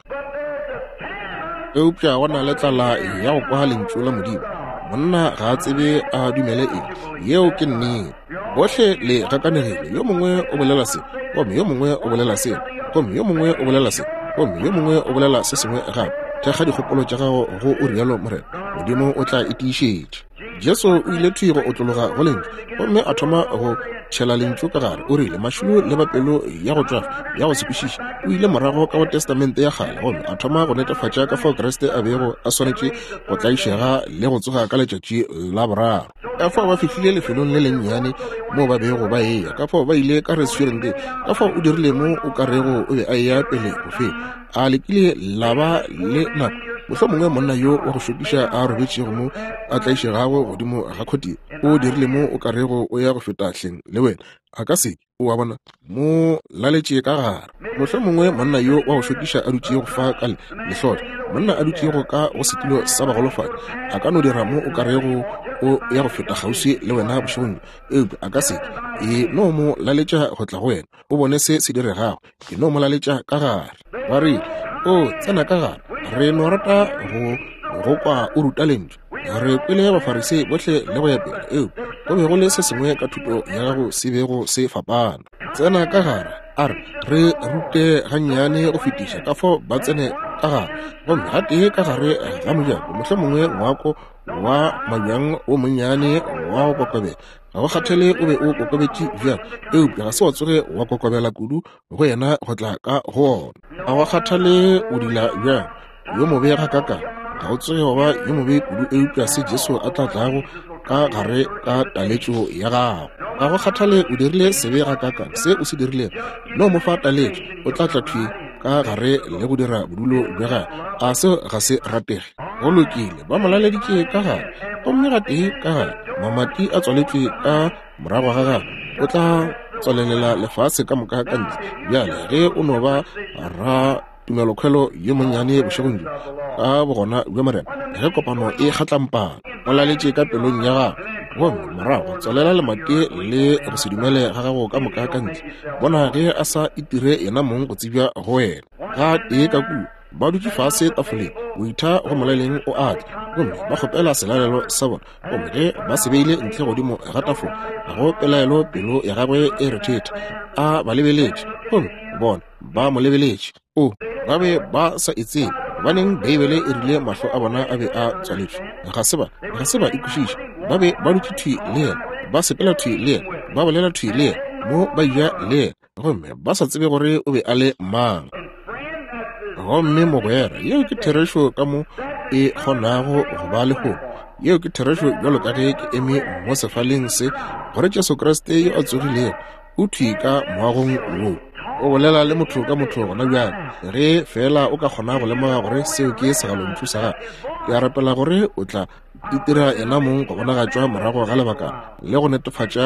Eupša go na le tlala ya go kwa lentšu la Modimo. Monna ga a tsebe a dumele eng. Yeo ke nnete. Bohle le gakanegile. Yo mongwe o bolela se, gomme yo mongwe o bolela sela, gomme yo mongwe o bolela se, gomme yo mongwe o bolela se sengwe gape. Thekga dikgopolo tša gago go o rialo Morena. Modimo o tla e tiišetša. Jesu o ile thwi go otlologa go lentšu gomme a thoma go Tšhela Lentšu ka gare. O rile, Mašilo le ba pelo ya go tšwafa, ya go se kwešiše. O ile morago ka go Testamente ya Kgale gomme a thoma go netefatša ka fao Kriste a bego a swanetše go tlaišega le go tsoga ka letšatši la boraro. Ka fao ba fihlile lefelong le lennyane moo ba bego ba eya. Ka fao ba ile ka restauranteng. Ka fao o dirile mo o ka rego o be a eya pele go feta. A le kile la ba le nako, mohlomongwe monna yo wa go šokiša a robetšego mo a tlaišegago godimo ga khotile, o dirile mo o ka rego o ya go feta hleng le wena? A ka se ke, o a bona, mo laletše ka gare. Mohlomongwe monna yo wa go šokiša a dutšego fa ka le lehlotlo, monna a dutšego ka go setulo sa bagolofadi, a ka no dira mo o ka rego o ya go feta kgauswi le wena bošegong bjo, eupša a ka se ke. E no mo laletša go tla go wena, o bone se se diregago. Ke no mo laletša ka gare. Ba rile, O tsena ka gare. Re no rata go go kwa o ruta lentšu. Re kwele Bafarisei bohle le go ya pele, eupša go be go le se sengwe ka thuto ya gago se bego se fapana. Tsena ka gare, a re re rute gannyane go fetiša ka fao ba tsene ka gare. Gomme gatee ka gare ga mojako, mohlomongwe ngwako wa mabjang o monnyane wa go kokobela, Ga go kgathale o be o kokobetše bjang, eupša ga se wa tsoge wa kokobela kudu go yena go tla ka go ona. Ga go kgathale o dila bjang, yo mobe gakakang, ga o tsoge wa ba yo mobe kudu eupša se Jesu a tla tlago ka gare ka taletšo ya gago. Ga go kgathale o dirile sebe gakakang, se o se dirilego, no mo fa taletšo, o tla tla thwi ka gare le go dira bodulo bja gagwe. A seo ga se ratege? Go lokile, ba mo laleditše ka gare, gomme gatee ka gare, mamati a tswaletšwe ka morago ga gagwe, o tla tswalelela lefase ka moka ka ntle. Bjale, ge o no ba ra tumelokhwelo yo monnyane bošegong bjo, ka bogona bja Morena, ge kopano e kgatlampana, o laletše ka pelong ya gago, gomme morago tswalela lemati le go se dumele ga gago ka moka ka ntle. Bona ge a sa itire yena mong go tsebja go wena. Gatee ka kua, Ba dutše fase tafoleng, moitha go molaleng o a tla, gomme ba kgopela selalelo sa bona. Gomme ge ba se beile ntle godimo ga tafola, ga go pelaelo pelo ya gagwe e rethetha. A ba lebeletše, gomme bona ba mo lebeletše. O, ba be ba sa e tsebe. Gobaneng, Beibele e rile mahlo a bona a be a tswaletšwe. Ga se ba, ga se ba e kwešiša. Ba be ba dutše thwi le yena, ba sepela thwi le yena, ba bolela thwi le yena, mo ba eja le yena. gomme ba sa tsebe gore o be a le mang. Gomme mogwera, yeo ke therešo ka mo e kgonago go ba lehono. Yeo ke therešo bjalo ka ge ke eme mo sefaleng se, gore Jesu Kriste yo a tsogilego o thwi ka moagong wo. O bolela le motho ka motho gona bjale. Ge feela o ka kgona go lemoga gore seo ke segalontšu sa gagwe, ke a rapela gore o tla itira yena mong go bonagatšwa morago ga lebaka le go netefatša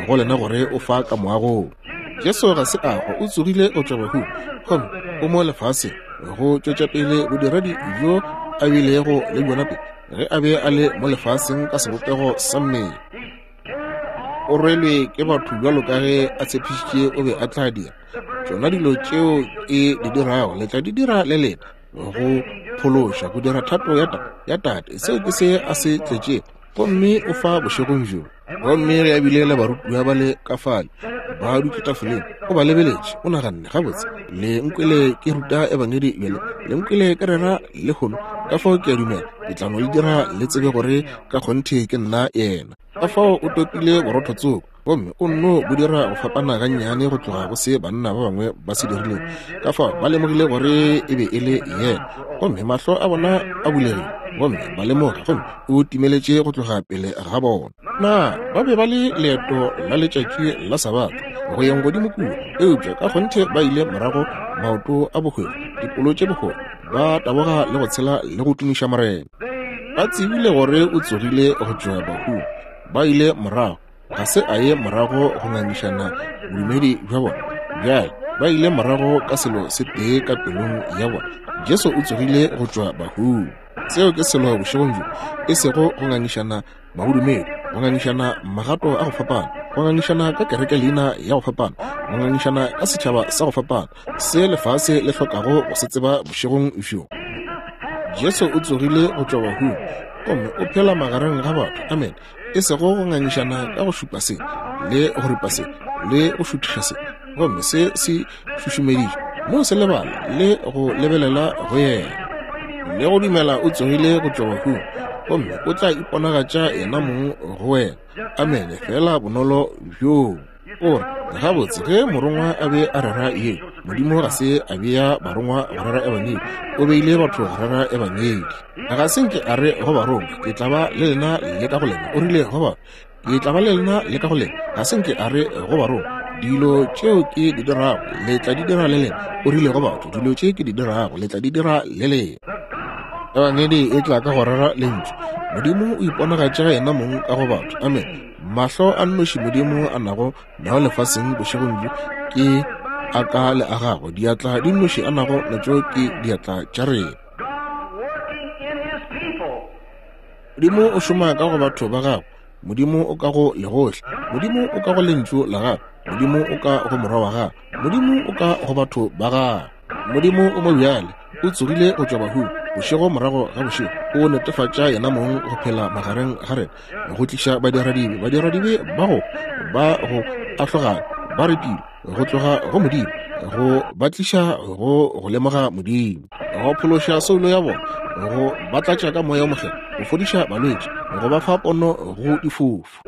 go lena gore o fa ka moagong. Jesu ga se a hwa, o tsogile go tšwa bahung gomme o mo lefaseng go tšwetša pele bodiredi bjo a bilego le bjona pele ge a be a le mo lefaseng ka sebopego sa mmele. O rwelwe ke batho bjalo ka ge a tshepišitše o be a tla dira. Tšona dilo tšeo ke di dirago le tla di dira le lena. Go phološa, go dira thato ya, ya Tate. Seo ke se a se tletšego. Gomme o fa bošegong bjo. Gomme ge a bile le barutiwa ba le ka fale, ba dutše tafoleng, o ba lebeletše, o naganne, Gabotse, le nkwele ke ruta Ebangedi bjale, le nkwele ke rera lehono, ka fao ke a dumela ke tla no le dira le tsebe gore ka kgonthe ke nna Yena. Ka fao o topile borotho tsoko, gomme o nno bo dira go fapana gannyane go tloga go se banna ba bangwe ba se dirilego. Ka fao ba lemogile gore e be e le yena, gomme mahlo a bona a bulegile, gomme ba lemoga, gomme o timeletše go tloga pele ga bona. Na ba be ba le leeto la letšatši la Sabatha go yeng godimo kua? Eupša ka kgonthe ba ile morago maoto a bohwefo, dipolo tše bohwefo, ba taboga le go tshela le go tumiša Morena. Ba tsebile gore o tsogile go tšwa bahung. Ba ile morago Ga se a ye morago go ngangišana bodumedi bja bona. Bjale, ba ile morago ka selo se tee ka pelong ya bona, Jesu o tsogile go tšwa bahung. Seo ke selo bošegong bjo, e sego go ngangišana mabodumedi, go ngangišana magato a go fapana, go ngangišana ka kereke leina ya go fapana, go ngangišana ka setšhaba sa go fapana, se lefase le hlokago go se tseba bošegong bjo. Jesu o tsogile go tšwa bahung gomme o phela magareng ga batho. Amen. E sego go ngangišana ka go šupa se le go ripa se le go šuthiša se, gomme se se šušumeditšwe, no se lebala le go lebelela go yena le go dumela o tsogile go tšwa bahung gomme o tla iponagatša yena mong go wena. Amene. Feela bonolo bjoo. O re, Gabotse, ge morongwa a be a rera yeo, Modimo ga se a bea barongwa go rera Ebangedi, O beile batho go rera Ebangedi. Ga se nke a re go barongwa, Ke tla ba le lena le ka go lena. O rile go batho, Ke tla ba le lena le ka go lena. Ga se nke a re go barongwa, Dilo tšeo ke di dirago, le tla di dira le lena. O rile go batho, Dilo tše ke di dirago, le tla di dira le lena. Ebangedi e tla ka go rera Lentšu. Modimo o iponagatša yena mong ka go batho. Amen. Mahlo a nnoši Modimo a nago nao lefaseng bošegong bjo ke a ka le a gago. Diatla di nnoši a nago natšo ke diatla tša rena. Modimo o šoma ka go batho ba gagwe. Modimo o ka go legohle. Modimo o ka go Lentšu la gagwe. Modimo o ka go Morwa wa gagwe. Modimo o ka go batho ba gagwe. Modimo o mo bjale, o tsogile go tšwa bahung, bošego morago ga bošego, o netefatša yena mong go phela magareng ga rena, go tliša badiradibe, badiradibe ba go ba go ahlogana, ba repile go tloga go Modimo, go ba tliša go go lemoga Modimo, go phološa soulo ya bona, go ba tlatša ka Moya o Mokgethwa, go fodiša balwetši, go ba fa pono go difofu.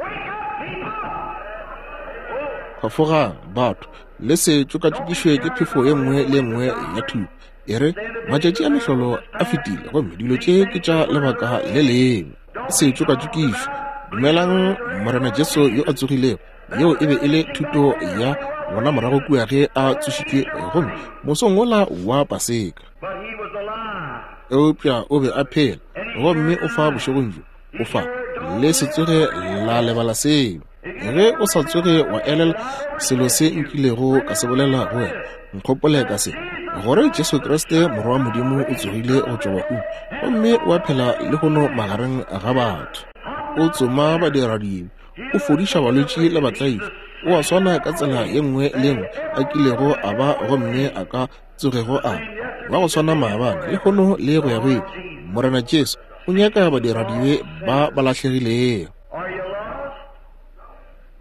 Phafogang, batho, le se tšokatšokišwe ke phefo ye nngwe le ye nngwe ya thuto. E re, Matšatši a mehlolo a fetile, gomme dilo tše ke tša lebaka le lengwe. Le se tšokatšokišwe. Dumelang Morena Jesu yo a tsogilego. Yeo e be e le thuto ya bona morago kua ge a tsošitšwe gomme mosong wola wa Paseka. Eupša o be a phela, gomme o fa bošegong bjo. O fa. Le se tsoge la lebala seo. Ge o sa tsoge wa elela selo se nkilego ka se bolela go wena, nkgopole ka se, gore Jesu Kriste Morwa wa Modimo o tsogile go tšwa bahung gomme o a phela lehono magareng ga batho. O tsoma badiradibe, o fodiša balwetši le batlaišwa, o a swana ka tsela ye nngwe le ye nngwe a kilego a ba gomme a ka tsogego a ba go swana maabane, lehono le go ya go ile. Morena Jesu o nyaka badiradibe ba ba lahlegilego.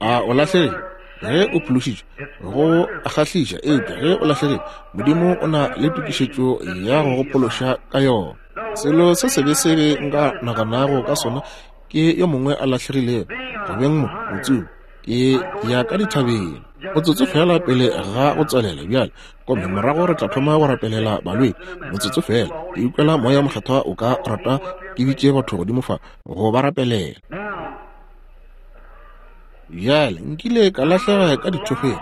A o lahlegile? Ge o phološitšwe, go a kgahliša, eupša ge o lahlegile, Modimo o na le tokišetšo ya go go phološa ka yona. Selo se sebe sebe nka naganago ka sona ke yo mongwe a lahlegilego, go beng mo, motsomi. Ke ya ka dithabeng. Motsotso feela pele ga go tswalela bjale, gomme morago re tla thoma go rapelela balwetši. Motsotso feela. Ke ikwela Moya Mokgethwa o ka rata ke bitše batho godimo fa go ba rapelela. Bjale, nkile ka lahlega ka dithokgweng.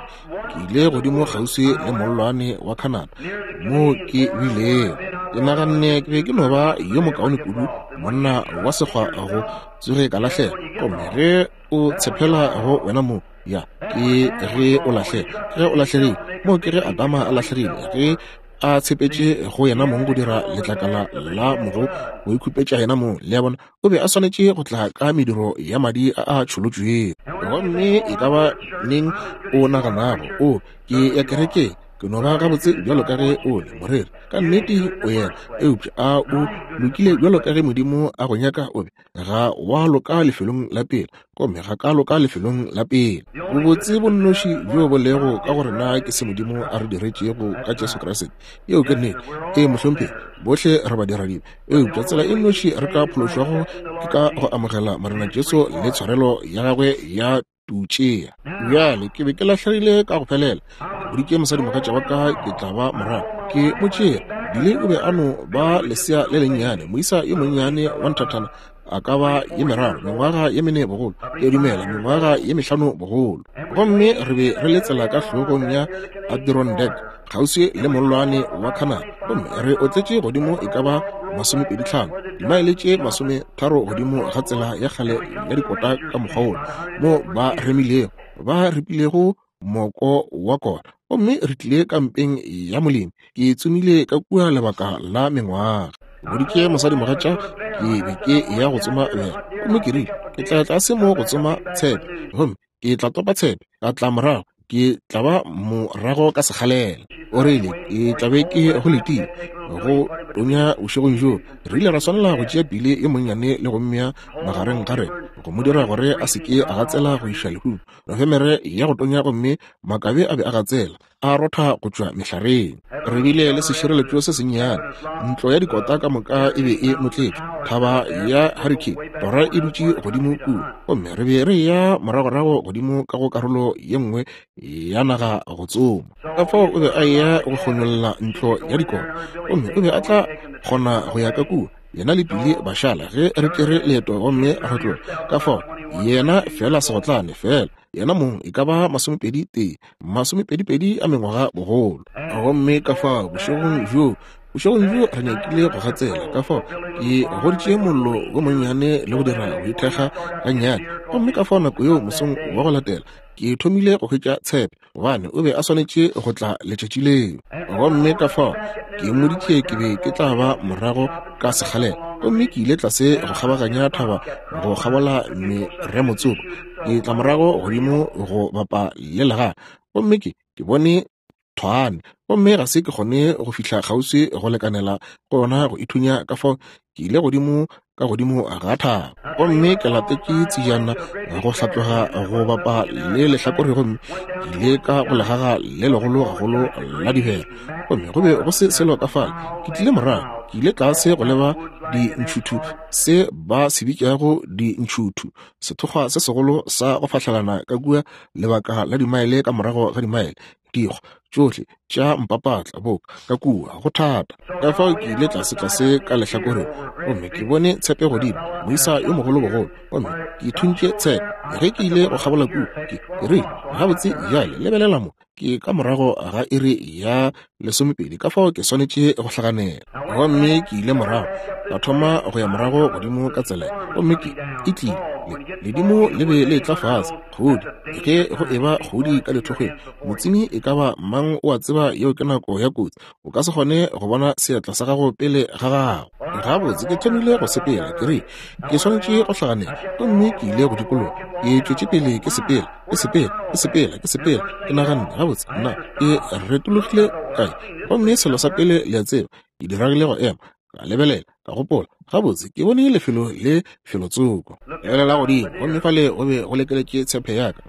Ke ile godimo kgauswi le mollwane wa Canada, moo ke bilego. Ke naganne ke be ke no ba yo mokaone kudu, monna wa sekgwa go tsoge ka lahlega. Gomme ge o tshepela go wena mo, ya, ke ge o lahlega. Ke ge o lahlegile. Moo ke ge Adama a lahlegile, ge a tshepetše go yena mong go dira letlakala la mogo go ikhupetša yena mong. Le a bona? O be a swanetše go tla ka mediro ya madi a a tšholotšwego. Gomme e ka ba neng o naganago, o, ke ya kerekeng, ke no ba gabotse bjalo ka ge o le, moreri. Ka nnete o yena, eupša a o lokile bjalo ka ge Modimo a go nyaka o be? Ga wa loka lefelong la pele, gomme ga ka loka lefelong la pele. Bobotse bo nnoši bjo bo lego ka go rena ke se Modimo a re diretšego ka Jesu Kriste. Yeo ke nnete. Ee, mohlomphegi, bohle re badiradibe. Eupša tsela e nnoši re ka phološwago ke ka go amogela Morena Jesu le tshwarelo ya gagwe ya tutšea. Bjale ke be ke lahlegile ka go felela. Ke boditše mosadimogatša wa ka ke tla ba morago. Ke mo tšere. Billy o be a no ba lesea le lennyane, moisa yo monnyane wa nthathana, a ka ba ye meraro, mengwaga ye mene bogolo, ke a dumela, mengwaga ye mehlano bogolo. Gomme re be re le tsela ka hlogong ya Adirondack, kgauswi le mollwane wa Canada, gomme re otletše godimo e ka ba masomepeditlhano, dimaele tše masometharo godimo ga tsela ya kgale ya dikota ka mokgwa wola, mo ba remilego, ba ripilego moko wa kona. Gomme re tlile kampeng ya molemi. Ke tsomile ka kua lebaka la mengwaga. Ke boditše mosadimogatša ke be ke ya go tsoma bjang. Gomme ke rile, Ke tla tlase mo go tsoma tshepe, gomme ke tla topa tshepe, ka tla morago, ke tla ba morago ka sekgalela. O rile, Ke tla be ke go letile go tonya bošegong bjo. Re ile ra swanela go tšea Billy yo monnyane le go mmea magareng ga rena, go mo dira gore a se ke a gatsela go iša lehung. Nofemere ya go tonya gomme makabe a be a gatsela, a rotha go tšwa mehlareng. Re bile le sešireletšo se sennyane, ntlo ya dikota ka moka e be e notletšwe, thaba ya Hurricane, tora e dutše godimo kua, gomme re be re eya moragorago godimo ka go karolo ye nngwe ya naga go tsoma. Ka fao o be a eya go kgonyolla ntlo ya dikota, gomme o be a tla kgona go ya ka kua, yena le Billy ba šala ge re tšere leeto gomme re tloga. Ka fao yena feela segotlane, feela yena mong e ka ba masomepedi tee, masomepedipedi a mengwaga bogolo. Gomme ka fao bošegong bjoo, bošegong bjo re nyakile go gatsela, ka fao ke goditše mollo wo monnyane le go dira go ithekga gannyane. Gomme ka fao nako yeo mosong wa go latela ke thomile go hwetša tshepe, gobane o be a swanetše go tla letšatši leo. Gomme ka fao ke mmoditše ke be ke tla ba morago ka sekgalela. Gomme ke ile tlase go kgabaganya thaba go kgabola meremotsoko, ke tla morago godimo go bapa le legae, gomme ke, ke bone thwane, gomme ga se ke kgone go fihla kgauswi go lekanela go yona go ithunya. Ka fao ke ile godimo ka godimo ga thaba, gomme ke latetše tsejana go hlatloga go bapa le lehlakore, gomme ke ile ka go legaga le legolo gagolo la dibera, gomme go be go se selo ka fale. Ke tlile morago, ke ile tlase go leba dintšhuthu, se ba se bitšago dintšhuthu, sethokgwa se segolo sa go fahlelana ka kua lebaka la dimaele ka morago ga dimaele, dikgwa tšohle tša mpapatla boka ka kua, go thata. Ka fao ke ile tlase-tlase ka lehlakoreng, gomme ke bone tshepe godimo, moisa yo mogolo bogolo, gomme ke thuntše tshepe. Ge ke ile go kgabola kua, ke, ke rile, Gabotse bjale, lebelela mo, ke ka morago ga iri ya lesomepedi, ka fao ke swanetše go hlaganela. Gomme ke ile morago, ka thoma go ya morago godimo ka tsela, gomme ke e tlile, le, ledimo le be le etla fase, kgodi, ge go eba kgodi ka lethokgweng, motsimi e ka ba mang o a tseba yeo ke nako ya kotsi, o ka se kgone go bona seatla sa gago pele ga gago. Gabotse, ke thomile go sepela, ke rile, ke swanetše go hlaganela, gomme ke ile go dikologa, ke tšwetše pele ke sepela, ke sepela, ke sepela, ke sepela, ke naganne, gabotse, nna, ke retologile kae? Gomme selo sa pele le a tseba, ke diragile go ema, ka lebelela, ka gopola, gabotse, ke bone lefelo le felotsoko. Lebelela godimo, gomme fale go be go lekeletše tshepe ya ka.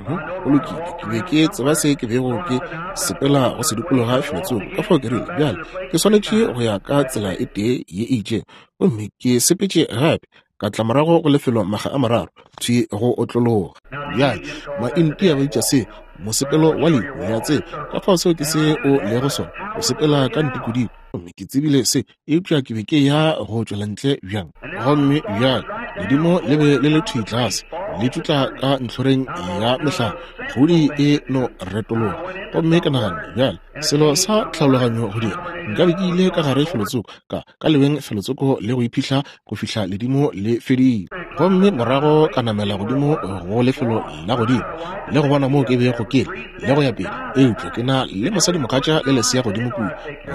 Go lokile, ke be ke tseba se ke bego ke sepela go se dikologa felotsoko. Ka fao ke rile, bjale, ke swanetše go ya ka tsela e tee ye e itšego. Gomme ke sepetše gape, ka tla morago go lefelo makga a mararo, thwi go otlologa. Bjale, Maintia ba bitša se mosepelo wa lehu, le a tseba. Ka fao seo ke se o lego sona, o sepela ka ntikodiko. Gomme ke tsebile se, eupša ke be ke ya go tšwela ntle bjang? Gomme bjale ledimo le be le le thwi tlase, le tšutla ka ntlhoreng ya mehlare, kgodi e no retologa. Gomme ke naganne, bjale, selo sa tlhaologanyo go dira, nkabe ke ile ka gare felotsoko, ka, ka lebeng felotsoko le go iphihla go fihla ledimo le fedile. Gomme morago ka namela godimo go lefelo la godimo le go bona moo ke bego ke le, le go ya pele. Eupša ke na le mosadimogatša le lesea godimo kua,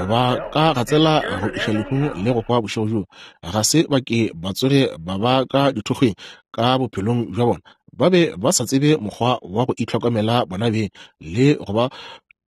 ba ka gatsela go iša lehung le go hwa bošego bjo. Ga se ba ke ba tsoge ba ba ka dithokgweng ka bophelong bja bona. Ba be ba sa tsebe mokgwa wa go itlhokomela bona beng le go ba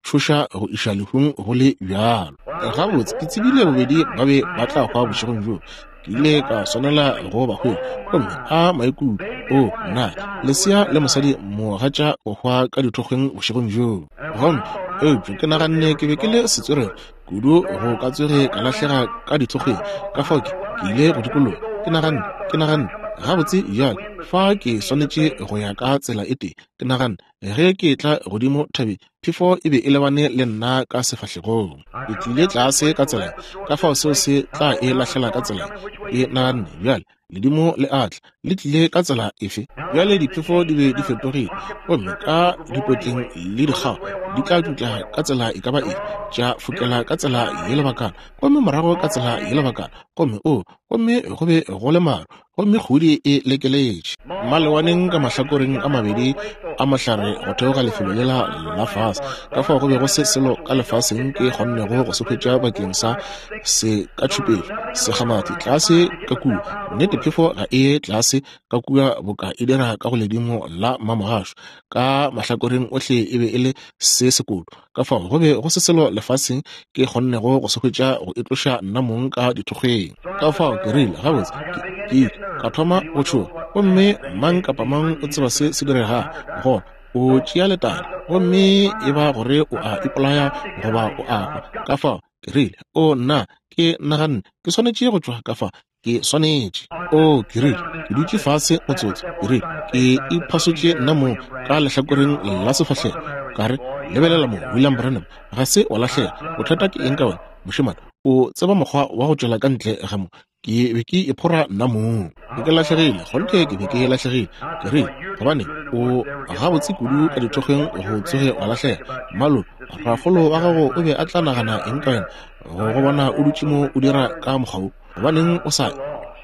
tšhoša go iša lehung go le bjalo. Gabotse, ke tsebile bobedi ba be ba tla hwa bošegong bjo. Ke ile ka swanela go ba hwetša. Gomme a maikutlo, o nna, lesea le mosadi mogatša go hwa ka dithokgweng bošegong bjo. Gomme, eupša ke naganne ke be ke le setswerere kudu go ka tsoge ka lahlega ka dithokgweng, ka fao ke, ke ile go dikologa. Ke naganne, ke naganne, gabotse bjale, fa ke swanetše go ya ka tsela e tee. Ke naganne, Ge ke etla godimo thabeng, phefo e be e lebane le nna ka sefahlegong. Ke tlile tlase ka tsela, ka fao seo se tla e lahlela ka tsela. Ke naganne, Bjale, ledimo le a tla. Le tlile ka tsela efe? Bjale diphefo di be di fetogile, gomme ka dipotleng le dikgao di tla tšutla ka tsela e ka ba efe, tša fokela ka tsela ye lebakana, gomme morago ka tsela ye lebakana, gomme, oo, gomme go be go le maru, gomme kgodi e lekeletše malewaneng ka mahlakoreng a mabedi a mohlare go theoga lefelo lela la fase. Ka fao go be go se selo ka lefaseng ke kgonnego go se hwetša bakeng sa se ka tšhupetšo, segamathi tlase ka kua. Nnete, phefo ga e ye tlase. tlase ka kua boka e dira ka go ledimo la mamogašo. Ka mahlakoreng ohle e be e le se sekoto. Ka fao go be go se selo lefaseng ke kgonnego go se hwetša go itloša nna mong ka dithokgweng. Ka fao ke rile, Gabotse, ke, ke ile ka thoma go tšhoga. Gomme mang kapa mang o tseba se se diregago gona. O tšea letadi, gomme e ba gore o a ipolaya goba o a hwa. Ka fao ke rile, O nna, ke naganne ke swanetše go tšwa ka fa. Ke swanetše. O, ke rile, ke dutše fase motsotso. Ke rile, ke iphasotše nna mong ka lehlakoreng la sefahlego. Ka re, Lebelela mo, William Branham, ga se wa lahlega. Bothata ke eng ka wena, mošemane? O tseba mokgwa wa go tšwela ka ntle ga mo. Ke be ke iphora nna mong. Ke ke lahlegile, kgonthe ke be ke lahlegile. Ke rile, Gobane o gabotse kudu ka dithokgweng go tsoge wa lahlega. Mmalo, rakgolo wa gago o be a tla nagana eng ka wena go go bona o dutše mo o dira ka mokgwa wo? Gobaneng o sa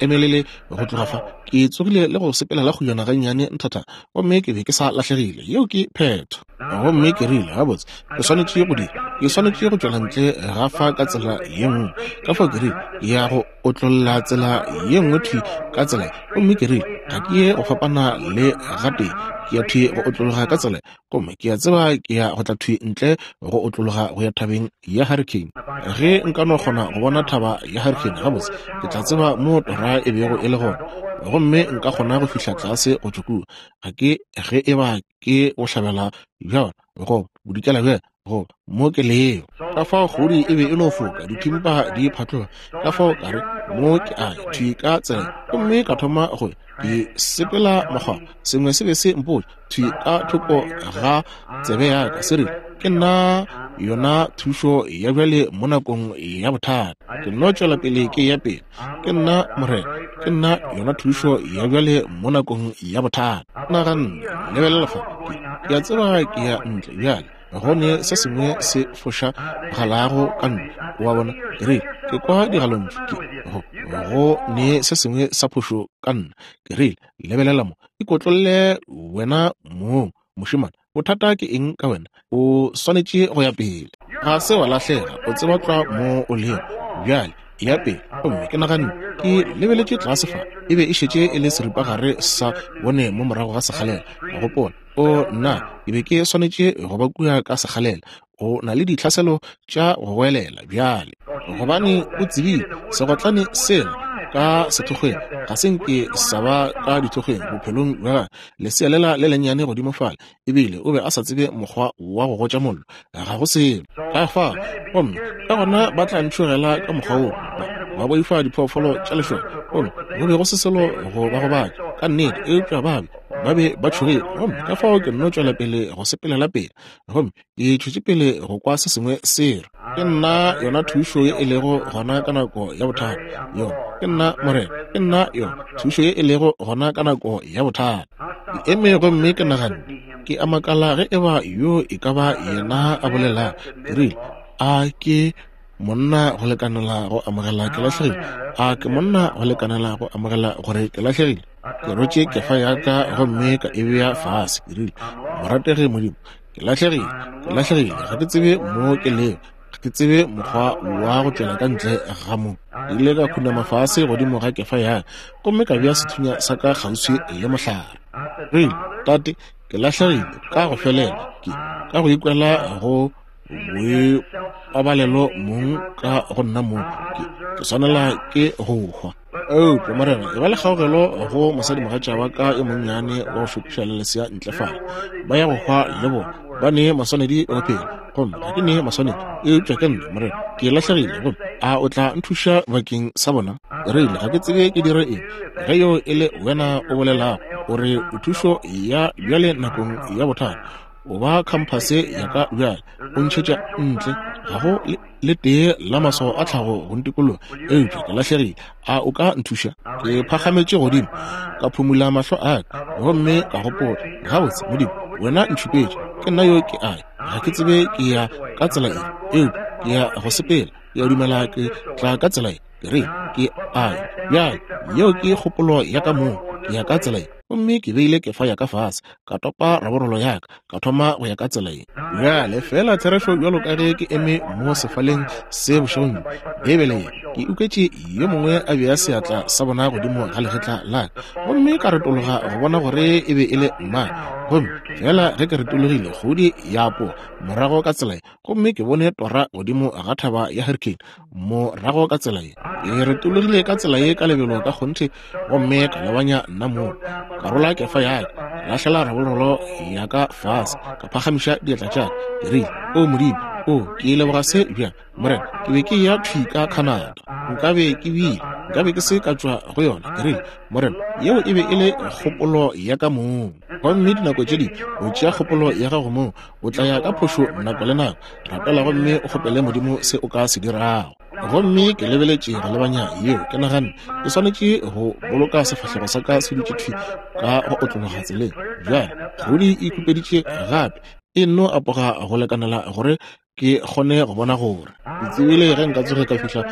emelele go tloga fa? Ke tsogile le go sepela la kgojana gannyane nthatha, gomme ke be ke sa lahlegile. Yeo ke phetho. Gomme ke rile, Gabotse, ke swanetše go dira. Ke swanetše go tšwela ntle ga fa ka tsela ye nngwe. Ka fao ke rile, Ke ya go otlolla tsela ye nngwe thwi ka tsela ye. Gomme ke rile, Ga ke ye go fapana le gatee. Ke ya thwi go otlologa ka tsela ye. Gomme ke a tseba ke ya go tla thwi ntle go otlologa go ya thabeng ya Hurricane. Ge nka no kgona go bona thaba ya Hurricane gabotse, ke tla tseba mo tora e bego e le gona, gomme nka kgona go fihla tlase go tšwa kua. Ga ke ge e ba ke bohlabela bja yona goba bodikela bja yona, goba mo ke lego. Ka fao kgodi e be e no foka, dithimpa di phatloga. Ka fao ka re, Mo ke a ya, thwi ka tsela ye. Gomme ka thoma go ya, ke sepela mokgwa. Sengwe se be se mpotša, thwi ka thoko ga tsebe ya ka, se rile, Ke nna yona thušo ya bjale mo nakong ya bothata. Ke nno tšwela pele ke ya pele. Ke nna Morena. Ke nna yona thušo ya bjale mo nakong ya bothata. Naganne, lebelela fa, ke, ke a tseba ke ya ntle bjale. Go ne se sengwe se fošagalago ka nna. O a bona? Ke rile, Ke kwa digalontšu. Ke, go, go ne se sengwe sa phošo ka nna. Ke rile, Lebelela mo. Ikotlolle wena mong, mošemane. Bothata ke eng ka wena? O swanetše go ya pele. Ga se wa lahlega. O tseba tlwa mo o lego bjale. Eya pele. Gomme ke naganne, ke lebeletše tlase fa, e be e šetše e le seripagare sa bone mo morago ga sekgalela. Ka gopola, O nna, ke be ke swanetše go ba kua ka sekgalela. O na le ditlhaselo tša go goelela bjale, gobane o tsebile segotlane sela ka sethokgweng ga se nke sa ba ka dithokgweng bophelong bja gagwe. Lesea lela le lennyane godimo fale, ebile o be a sa tsebe mokgwa wa go gotša mollo, ga go selo ka fa. Gomme ka gona ba tla ntšhogela ka mokgwa woo, ba, ba boifa diphoofolo tša lešoka. Gomme go be go se selo go ba gobatša, ka nnete, eupša ba be, ba be ba tšhogile. Gomme ka fao ke nno tšwela pele go sepelela pele, gomme ke tšwetše pele go kwa se sengwe se re, Ke nna yona thušo ye e lego gona ka nako ya bothata. Yona, ke nna Morena, ke nna yona thušo ye e lego gona ka nako ya bothata. Ke eme gomme ke naganne, ke a makala ge e ba yo e ka ba yena a bolelago. Ke rile, A ke monna go lekanela go amogela ke lahlegile? A ke monna go lekanela go amogela gore ke lahlegile? Ke rotše kefa ya ka gomme ka e bea fase. Ke rile, Morategi Modimo, ke lahlegile, ke lahlegile, ga ke tsebe mo ke lego, ga ke tsebe mokgwa wa go tšwela ka ntle ga mo. Ke ile ka khunama fase godimo ga kefa ya ka gomme ka bea sethunya sa ka kgauswi le mohlare. Rile, Tate, ke lahlegile ka go felela, ke ka go ikwela go boipabalelo mong ka go nna mong, ke, ke swanela ke go hwa. Eupša, Morena, e ba le kgaogelo go mosadimogatša wa ka yo monnyane wa go šokiša le lesea ntle fale. Ba ya go hwa le bona. Ba ne maswanedi go phela, gomme ga ke ne maswanedi. Eupša ke nna, Morena, ke lahlegile, gomme a o tla nthuša bakeng sa bona? Rile, ga ke tsebe ke dire eng. Ge yo e le wena o bolelago, o re o thušo ya bjale nakong ya bothata. O ba khamphase ya ka bjale, o ntšhetša ntle. Ga go le tee la maswao a tlhago go ntikologa, eupša ke lahlegile. A o ka nthuša? Ke phagametše godimo, ka phumula mahlo a ka, gomme ka gopola, Gabotse, Modimo, wena ntšhupetše. Ke nna yo ke a ya. Ga ke tsebe ke ya ka tsela efe, eupša ke ya go sepela. Ke a dumela ke tla ka tsela ye. Ke re, ke a ya. Bjale, yeo ke kgopolo ya ka mong. Ke ya ka tsela ye. Gomme ke beile kefa ya ka fase, ka topa raborolo ya ka, ka thoma go ya ka tsela ye. Bjale, feela therešo bjalo ka ge ke eme mo sefaleng se bošegong bjo, Beibele ye Ke ikwetše yo mongwe a bea seatla sa bona godimo ga legetla la ka, gomme ka retologa go bona gore e be e le mang. Gomme feela ge ke retologile, kgodi ya apoga morago ka tsela ye, gomme ke bone tora godimo ga thaba ya Hurricane morago ka tsela ye. Ke retologile ka tsela ye ka lebelo ka kgonthe, gomme ka lebanya nna moo. Ka rola kefa ya ka, ka lahlela rabololo ya ka fase, ka phagamiša diatla tša ka. Ke rile, O Modimo, o, ke leboga se bjang, Morena. Ke be ke eya thwi ka Canada. Nkabe ke bile, nkabe ke se ka tšwa go yona. Ke rile, Morena, yeo e be e le kgopolo ya ka mong. Gomme dinako tše dingwe o tšea kgopolo ya gago mong, o tla ya ka phošo nako le nako. Rapela gomme o kgopele Modimo se o ka se dirago. Gomme ke lebeletše go lebanya yeo, ke naganne ke swanetše go boloka sefahlego sa ka se dutše thwi ka go otlologa tseleng. Bjale kgodi e khupeditše gape, e nno apoga go lekanela gore ke kgone go bona gore ke tsebile ge nka tsoge ka fihla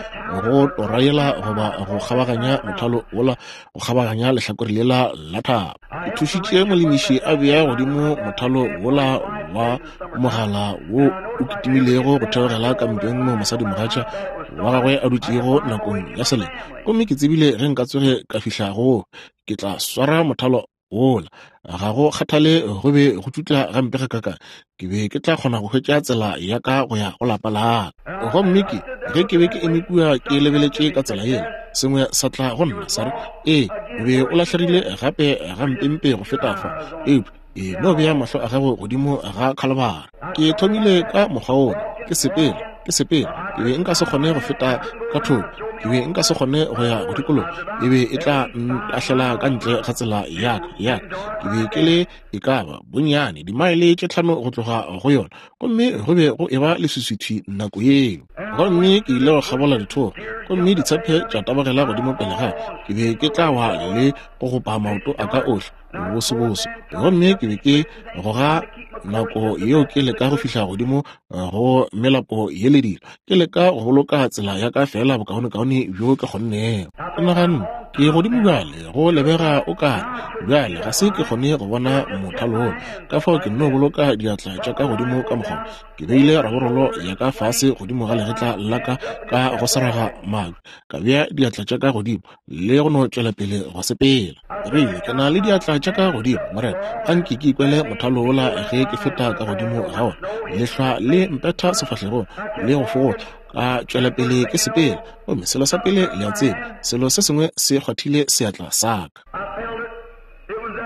go tora yela goba go kgabaganya mothalo wola, go kgabaganya lehlakore lela la thaba. Ke thušitše molemiši a bea godimo mothalo wola wa mogala wo o kitimilego go theogela kampeng mo mosadimogatša wa gagwe a dutšego nakong ya selemo, gomme ke tsebile ge nka tsoge ka fihla go, ke tla swara mothalo wola. Ga go kgathale go be go tšutla gampe gakakang, ke be ke tla kgona go hwetša tsela ya ka go ya go lapa la ka. Gomme ke, ge ke be ke eme kua ke lebeletše ka tsela yela, sengwe sa tla go nna, sa re, Ee, o be o lahlegile gape gampempe go feta fa, eupša e no bea mahlo a gago godimo ga Khalibari. Ke thomile ka mokgwa wola, ke sepela, ke sepela. Ke be nka se kgone go feta ka thoko, ke be nka se kgone go ya go dikologa, e be e tla ntahlela ka ntle ga tsela ya ka, ya ka. Ke be ke le e ka ba bonnyane dimaele tše tlhano go tloga go yona, gomme go be go eba leswiswi nako yeo. Gomme ke ile go kgabola dithoro, gomme ditshepe tša tabogela godimo pele ga ke be ke tla wa le go gopa maoto a ka ohle bosebose. Gomme ke be ke goga nako yeo ke leka go fihla godimo go melapo ye le dilo, ke leka go boloka tsela ya ka feela bokaonekaone bjo ke kgonnego. Ke naganne, Ke godimo bjale, go lebega o kare bjale ga se ke kgone go bona mothalo wola, ka fao ke nno boloka diatla tša ka godimo ka mokgwa. Ke beile raborolo ya ka fase godimo ga legetla la ka ka go seraga mabje, ka bea diatla tša ka godimo le go no tšwela pele go sepela. Rile, ke na le diatla tša ka godimo, Morena, a nke ke ikwele mothalo wola ge ke feta ka godimo ga ona. Lehlwa le mpetha sefahlegong le go fogohla. Ka tšwela pele ke sepela, gomme selo sa pele le a tseba, selo se sengwe se kgwathile seatla sa ka.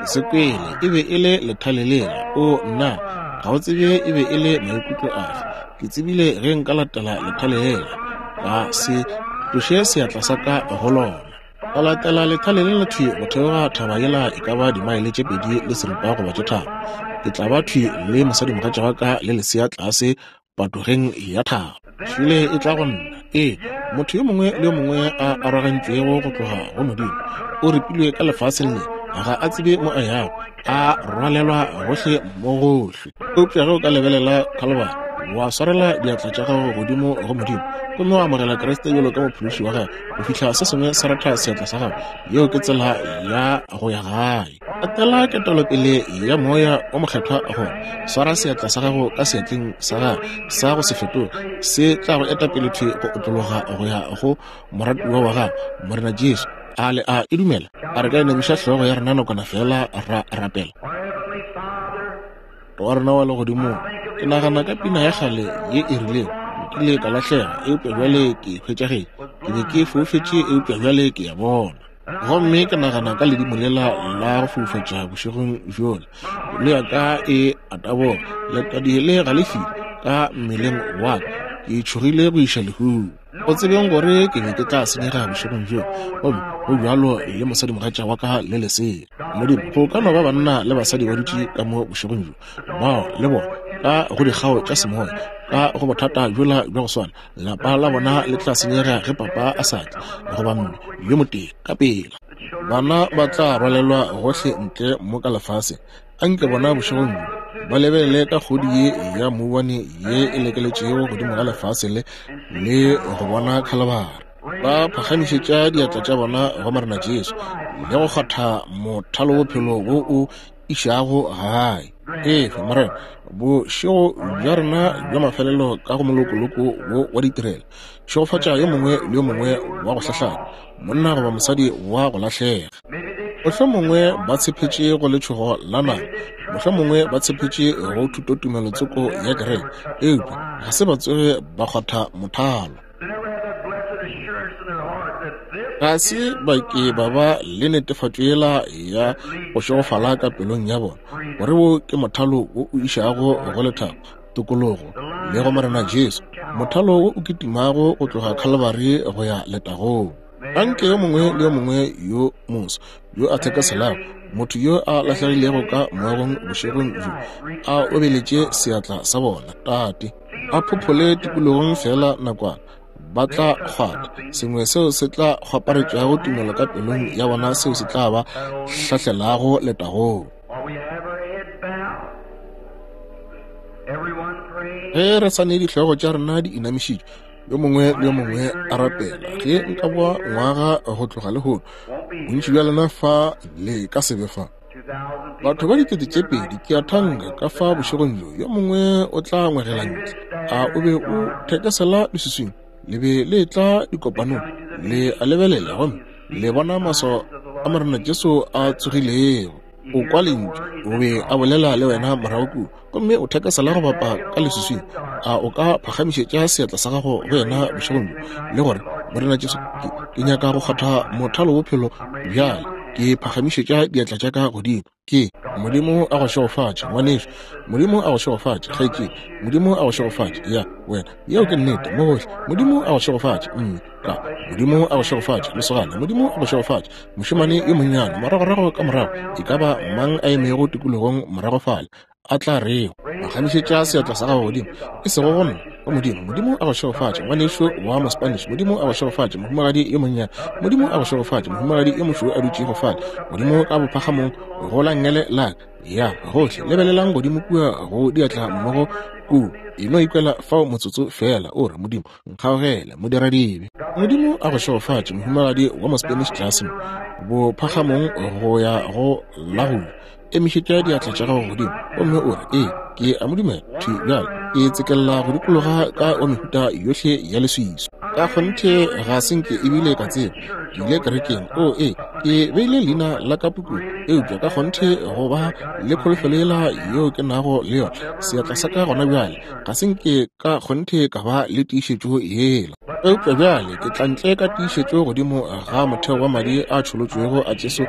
Ke se kwele, e be e le lethale lela. O, nna, ga o tsebe e be e le maikutlo afe. Ke tsebile ge nka latela lethale lela, ka se tloše seatla sa ka go lona. Ka latela lethale lela thwi go theoga thaba yela e ka ba dimaele tše 2.6 goba tše 3. Ke tla ba thwi le mosadimogatša wa ka le lesea tlase patogeng ya thaba. Šule e tla go nna. Ee, motho yo mongwe le yo mongwe a arogantšwego go tloga go Modimo, o ripilwe ka lefaseng le, ga a tsebe mo a yago, a rwalelwa gohle mo gohle. Eupša ge o ka lebelela Khalibari, wa swarela diatla tša gago godimo go Modimo, gomme wa amogela Kriste bjalo ka Mophološi wa gago, go fihla se sengwe sa ratha seatla sa gago, yeo ke tsela ya go ya gae. Latela ketelopele ya Moya wo Mokgethwa gona. Swara seatla sa gago ka seatleng sa Gagwe sa go se fetoge, se tla go eta pele thwi go otlologa go ya go moratiwa wa gago, Morena Jesu. A le a e dumela? A re ka inamiša hlogo ya rena nakwana feela ra rapela? Wa rena wa Legodimong, ke nagana ka pina ya kgale ye e rilego, Nkile ka lahlega, eupša bjale ke hwetšagetše. Ke be ke foufetše, eupša bjale ke a bona. Gomme ke nagana ka ledimo lela la go foufatša bošegong bjola, pelo ya ka e a taboga, letadi le galefile ka mmeleng wa ka, ke tšhogile go iša lehung. Go tsebeng gore ke be ke tla senyega bošegong bjo, gomme go bjalo le mosadimogatša wa ka le lesea. Modimo, go ka no ba banna le basadi ba dutše ka mo bošegong bjo, bao le bona ka go dikgao tša semoya, ka go bothata bjola bja go swana, lapa la bona le tla senyega ge papa a sa tle, goba mme yo motee ka pela. Bana ba tla rwalelwa gohle ntle mo ka lefaseng. Anke bona bošegong bjo ba lebelele ka kgodi ye ya mouwane ye e lekeletšego godimo ga lefase le, le go bona Khalibari. Ba phagamišetša diatla tša bona go Morena Jesu le go kgwatha mothalobophelo wo o išago gae. Efe, Morena, bošego bja rena bja mafelelo ka go molokoloko wo wa ditirelo. Šegofatša yo mongwe le yo mongwe wa go hlahlana, monna goba mosadi wa go lahlega. Mohlomongwe ba tshepetše go letšhogo la nama, mohlomongwe ba tshepetše go thutotumelo tsoko ya kereke, eupša ga se ba tsoge ba kgwatha mothalo. Ga se ba ke ba ba le netefatšo yela ya go šegofala ka pelong ya bona, gore wo ke mothalo wo o išago go lethabo, tokologo le go Morena Jesu, mothalo wo o kitimago go tloga Khalibari go ya letagong. Anke yo mongwe le yo mongwe yo moso yo a thekeselago, motho yo a lahlegilego ka moagong bošegong bjo, a obeletše seatla sa bona, Tate, a phophole tikologong feela nakwana, ba tla kgwatha sengwe seo se tla kgwaparetšago tumelo ka pelong ya bona, seo se tla ba hlahlelago letagong. Ge re sa ne dihlogo tša rena di inamišitšwe, yo mongwe le yo mongwe a rapela, ge nka boa ngwaga go tloga lehono, bontši bja lena fa le ka se be fa. Batho ba 2000, ke a thanka, ka fa bošegong bjo, yo mongwe o tla ngwegela ntle. A o be o thekesela leswiswing? Le be le etla dikopanong, le a lebelela gomme le bona maswao a Morena Jesu a tsogilego. O kwa lentšu, o be a bolela le wena morago kua, gomme o thekesela go bapa ka leswiswing. A o ka phagamišetša seatla sa gago go yena bošegong bjo, le gore, Morena Jesu, ke, ke nyaka go kgwatha mothalo bophelo bjale. Ke phagamišetša diatla tša ka godimo. Ke, Modimo a go šegofatše, ngwanešu. Modimo a go šegofatše, kgaetšedi. Modimo a go šegofatše. Ya, wena. Yeo ke nnete, mo gohle. Modimo a go šegofatše, mme. Ka, Modimo a go šegofatše, lesogana. Modimo a go šegofatše, mošemane yo monnyane. Moragorago ka morago, e ka ba mang a emego tikologong morago fale, a tla rego, Phagamišetša seatla sa gago godimo, e sego go nna, go Modimo. Modimo a go šegofatše, ngwanešu wa Mospanish. Modimo a go šegofatše, mohumagadi yo monnyane. Modimo a go šegofatše, mohumagadi yo mošweu a dutšego fale, godimo ka bophagamong go la nngele la ka. Ya, gohle, lebelelang godimo kua go diatla mmogo kua. E no ikwela fao motsotso feela, o re, Modimo, nkgaogele, modiradibe. Modimo a go šegofatše, mohumagadi wa Mospanish tlase mo, bophagamong go ya go la go ja. Emišetša diatla tša gago godimo gomme o re, Ee, ke a mo dumela. Thwi bjale ke tsekelela go dikologa ka wa mehuta yohle ya leswiswi. Ka kgonthe ga se nke ebile ka tseba. Ke ile kerekeng. Oo, ee, ke beile leina la ka pukung. Eupša ka kgonthe go ba le kholofelo yela yeo ke nago le yona, seatla sa ka gona bjale, ga se nke ka kgonthe ka ba le tiišetšo yela. Eupša bjale ke tla ntle ka tiišetšo godimo ga motheo wa madi a tšholotšwego a Jesu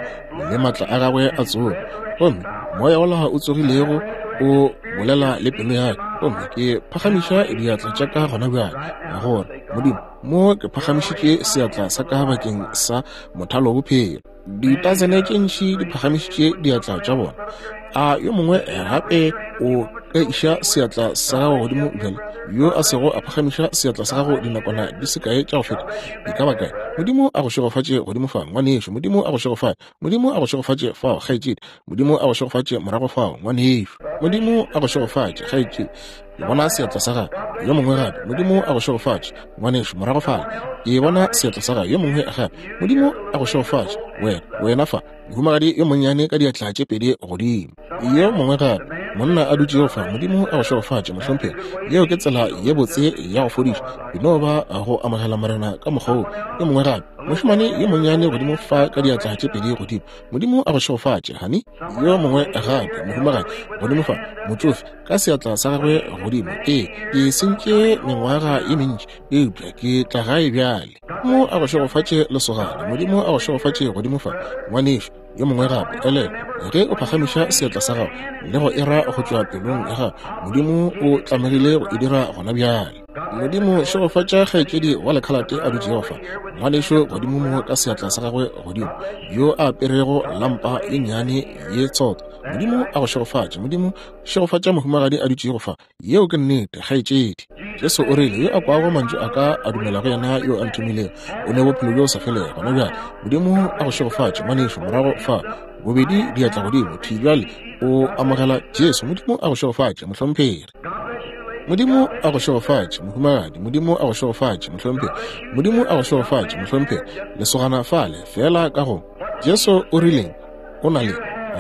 le maatla a gagwe a tsogo. Gomme moya wola o tsogilego o bolela le pelo ya ka, gomme ke phagamiša diatla tša ka gona bjale, gore Modimo, mo ke phagamišitše seatla sa ka bakeng sa mothalo bophelo. Ditasene tše ntši di phagamišitše diatla tša bona. A yo mongwe gape o ka iša seatla sa gago godimo bjale, yo a sego a phagamiša seatla sa gago dinakwana di se kae tša go feta? E ka ba kae? Modimo a go šegofatše godimo fa, ngwanešu. Modimo a go šegofatše. Modimo a go šegofatše fao, kgaetšedi. Modimo a go šegofatše morago fao, ngwanešu. Modimo a go šegofatše, kgaetšedi. Ke bona seatla sa gago. Yo mongwe gape. Modimo a go šegofatše, ngwanešu, morago fale. Ke bona seatla sa gago. Yo mongwe gape. Modimo a go šegofatše, wena, wena fa, mohumagadi yo monnyane ka diatla tše pedi godimo. Yo mongwe gape, monna a dutšego fa. Modimo a go šegofatše, mohlomphegi. Yeo ke tsela ye botse ya go fodiša. E no ba go amogela Morena ka mokgwa woo. Yo mongwe gape, mošemane yo monnyane godimo fa ka diatla tše pedi godimo. Modimo a go šegofatše, honey. Yo mongwe gape, mohumagadi godimo fa, motšofe, ka seatla sa gagwe godimo. Ee, ke sentše mengwaga ye mentši, eupša ke tla gae bjale. Modimo a go šegofatše, lesogana. Modimo a go šegofatše godimo fa, ngwanešu. Yo mongwe gape, elelwa, ge o phagamiša seatla sa gago le go era go tšwa pelong ya gago, Modimo o tlamegile go e dira gona bjale. Modimo šegofatša kgaetšedi wa lekhalate a dutšego fa, ngwanešu godimo mo ka seatla sa gagwe godimo, yo a aperego lampa ye nnyane ye tsotho. Modimo a go šegofatše. Modimo šegofatša mohumagadi a dutšego fa. Yeo ke nnete, kgaetšedi. Jesu o rile, Yo a kwago mantšu a ka a dumela go yena yo a nthomilego, o ne bophelo bjo sa felego. Gona bjale, Modimo a go šegofatše, ngwanešu, morago fa. Bobedi diatla godimo, thwi bjale o amogela Jesu. Modimo a go šegofatše, mohlomphegi. Modimo a go šegofatše, mohumagadi. Modimo a go šegofatše, mohlomphegi. Modimo a go šegofatše, mohlomphegi. Lesogana fale, feela ka go. Jesu o rileng? O na le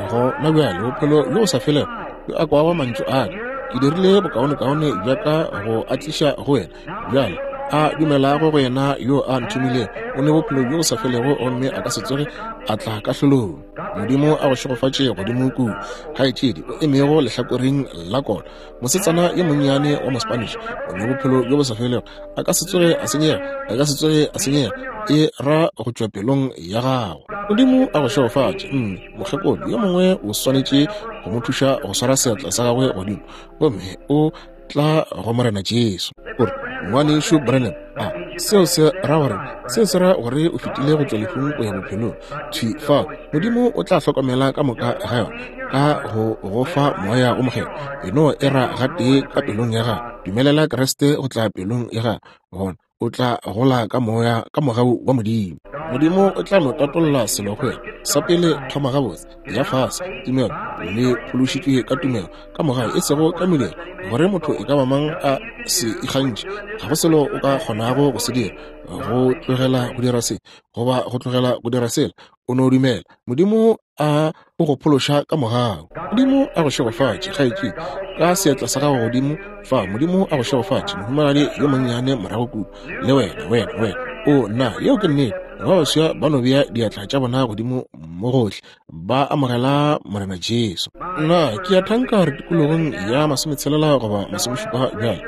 gona bjale bophelo bjo bo sa felego. Yo a kwago mantšu a ka, ke dirile bokaonekaone bja ka go a tliša go wena. Bjale a dumelago go yena yo a nthomilego o ne bophelo bjo bo sa felego gomme a ka se tsoge a tla kahlolong. Modimo a go šegofatše godimo kua, kgaetšedi o emego lehlakoreng la kona. Mosetsana yo monnyane wa Mospanish o ne bophelo bjo bo sa felego, a ka se tsoge a senyega, a ka se tsoge a senyega, e ra go tšwa pelong ya gago. Modimo a go šegofatše, mme. Mokgekolo yo mongwe o swanetše go mo thuša go swara seatla sa gagwe godimo, gomme o tla go Morena Jesu. O re, Ngwanešu Branham, a seo se ra gore seo se ra gore o fetile go tšwa lehung go ya bophelong? Thwi fao, Modimo o tla hlokomela ka moka ga yona ka go go fa Moya o Mokgethwa. E no e ra gatee ka pelong ya gago. Dumelela Kriste go tla pelong ya gago, gona o tla gola ka moya ka mogau wa Modimo. Modimo o tla no tatolla selo go wena. Sa pele, thoma gabotse, ya fase, tumelo, le phološitšwe ka tumelo, ka mogau, e sego ka mediro, gore motho e ka ba mang a se ikgantšhe. Ga go selo o ka kgonago go se dira, go tlogela go dira se, goba go tlogela go dira sela. O no dumela. Modimo a o go phološa ka mogau. Modimo a go šegofatše, kgaetšedi, ka seatla sa gago godimo fa. Modimo a go šegofatše, mohumagadi yo monnyane morago kua. Le wena, wena, wena. O, nna, yeo ke nnete. Ba baswa ba no bea diatla tša bona godimo mo gohle, ba amogela Morena Jesu. Nna, ke a thanka re tikologong ya masometshelela goba masomešupa bjale.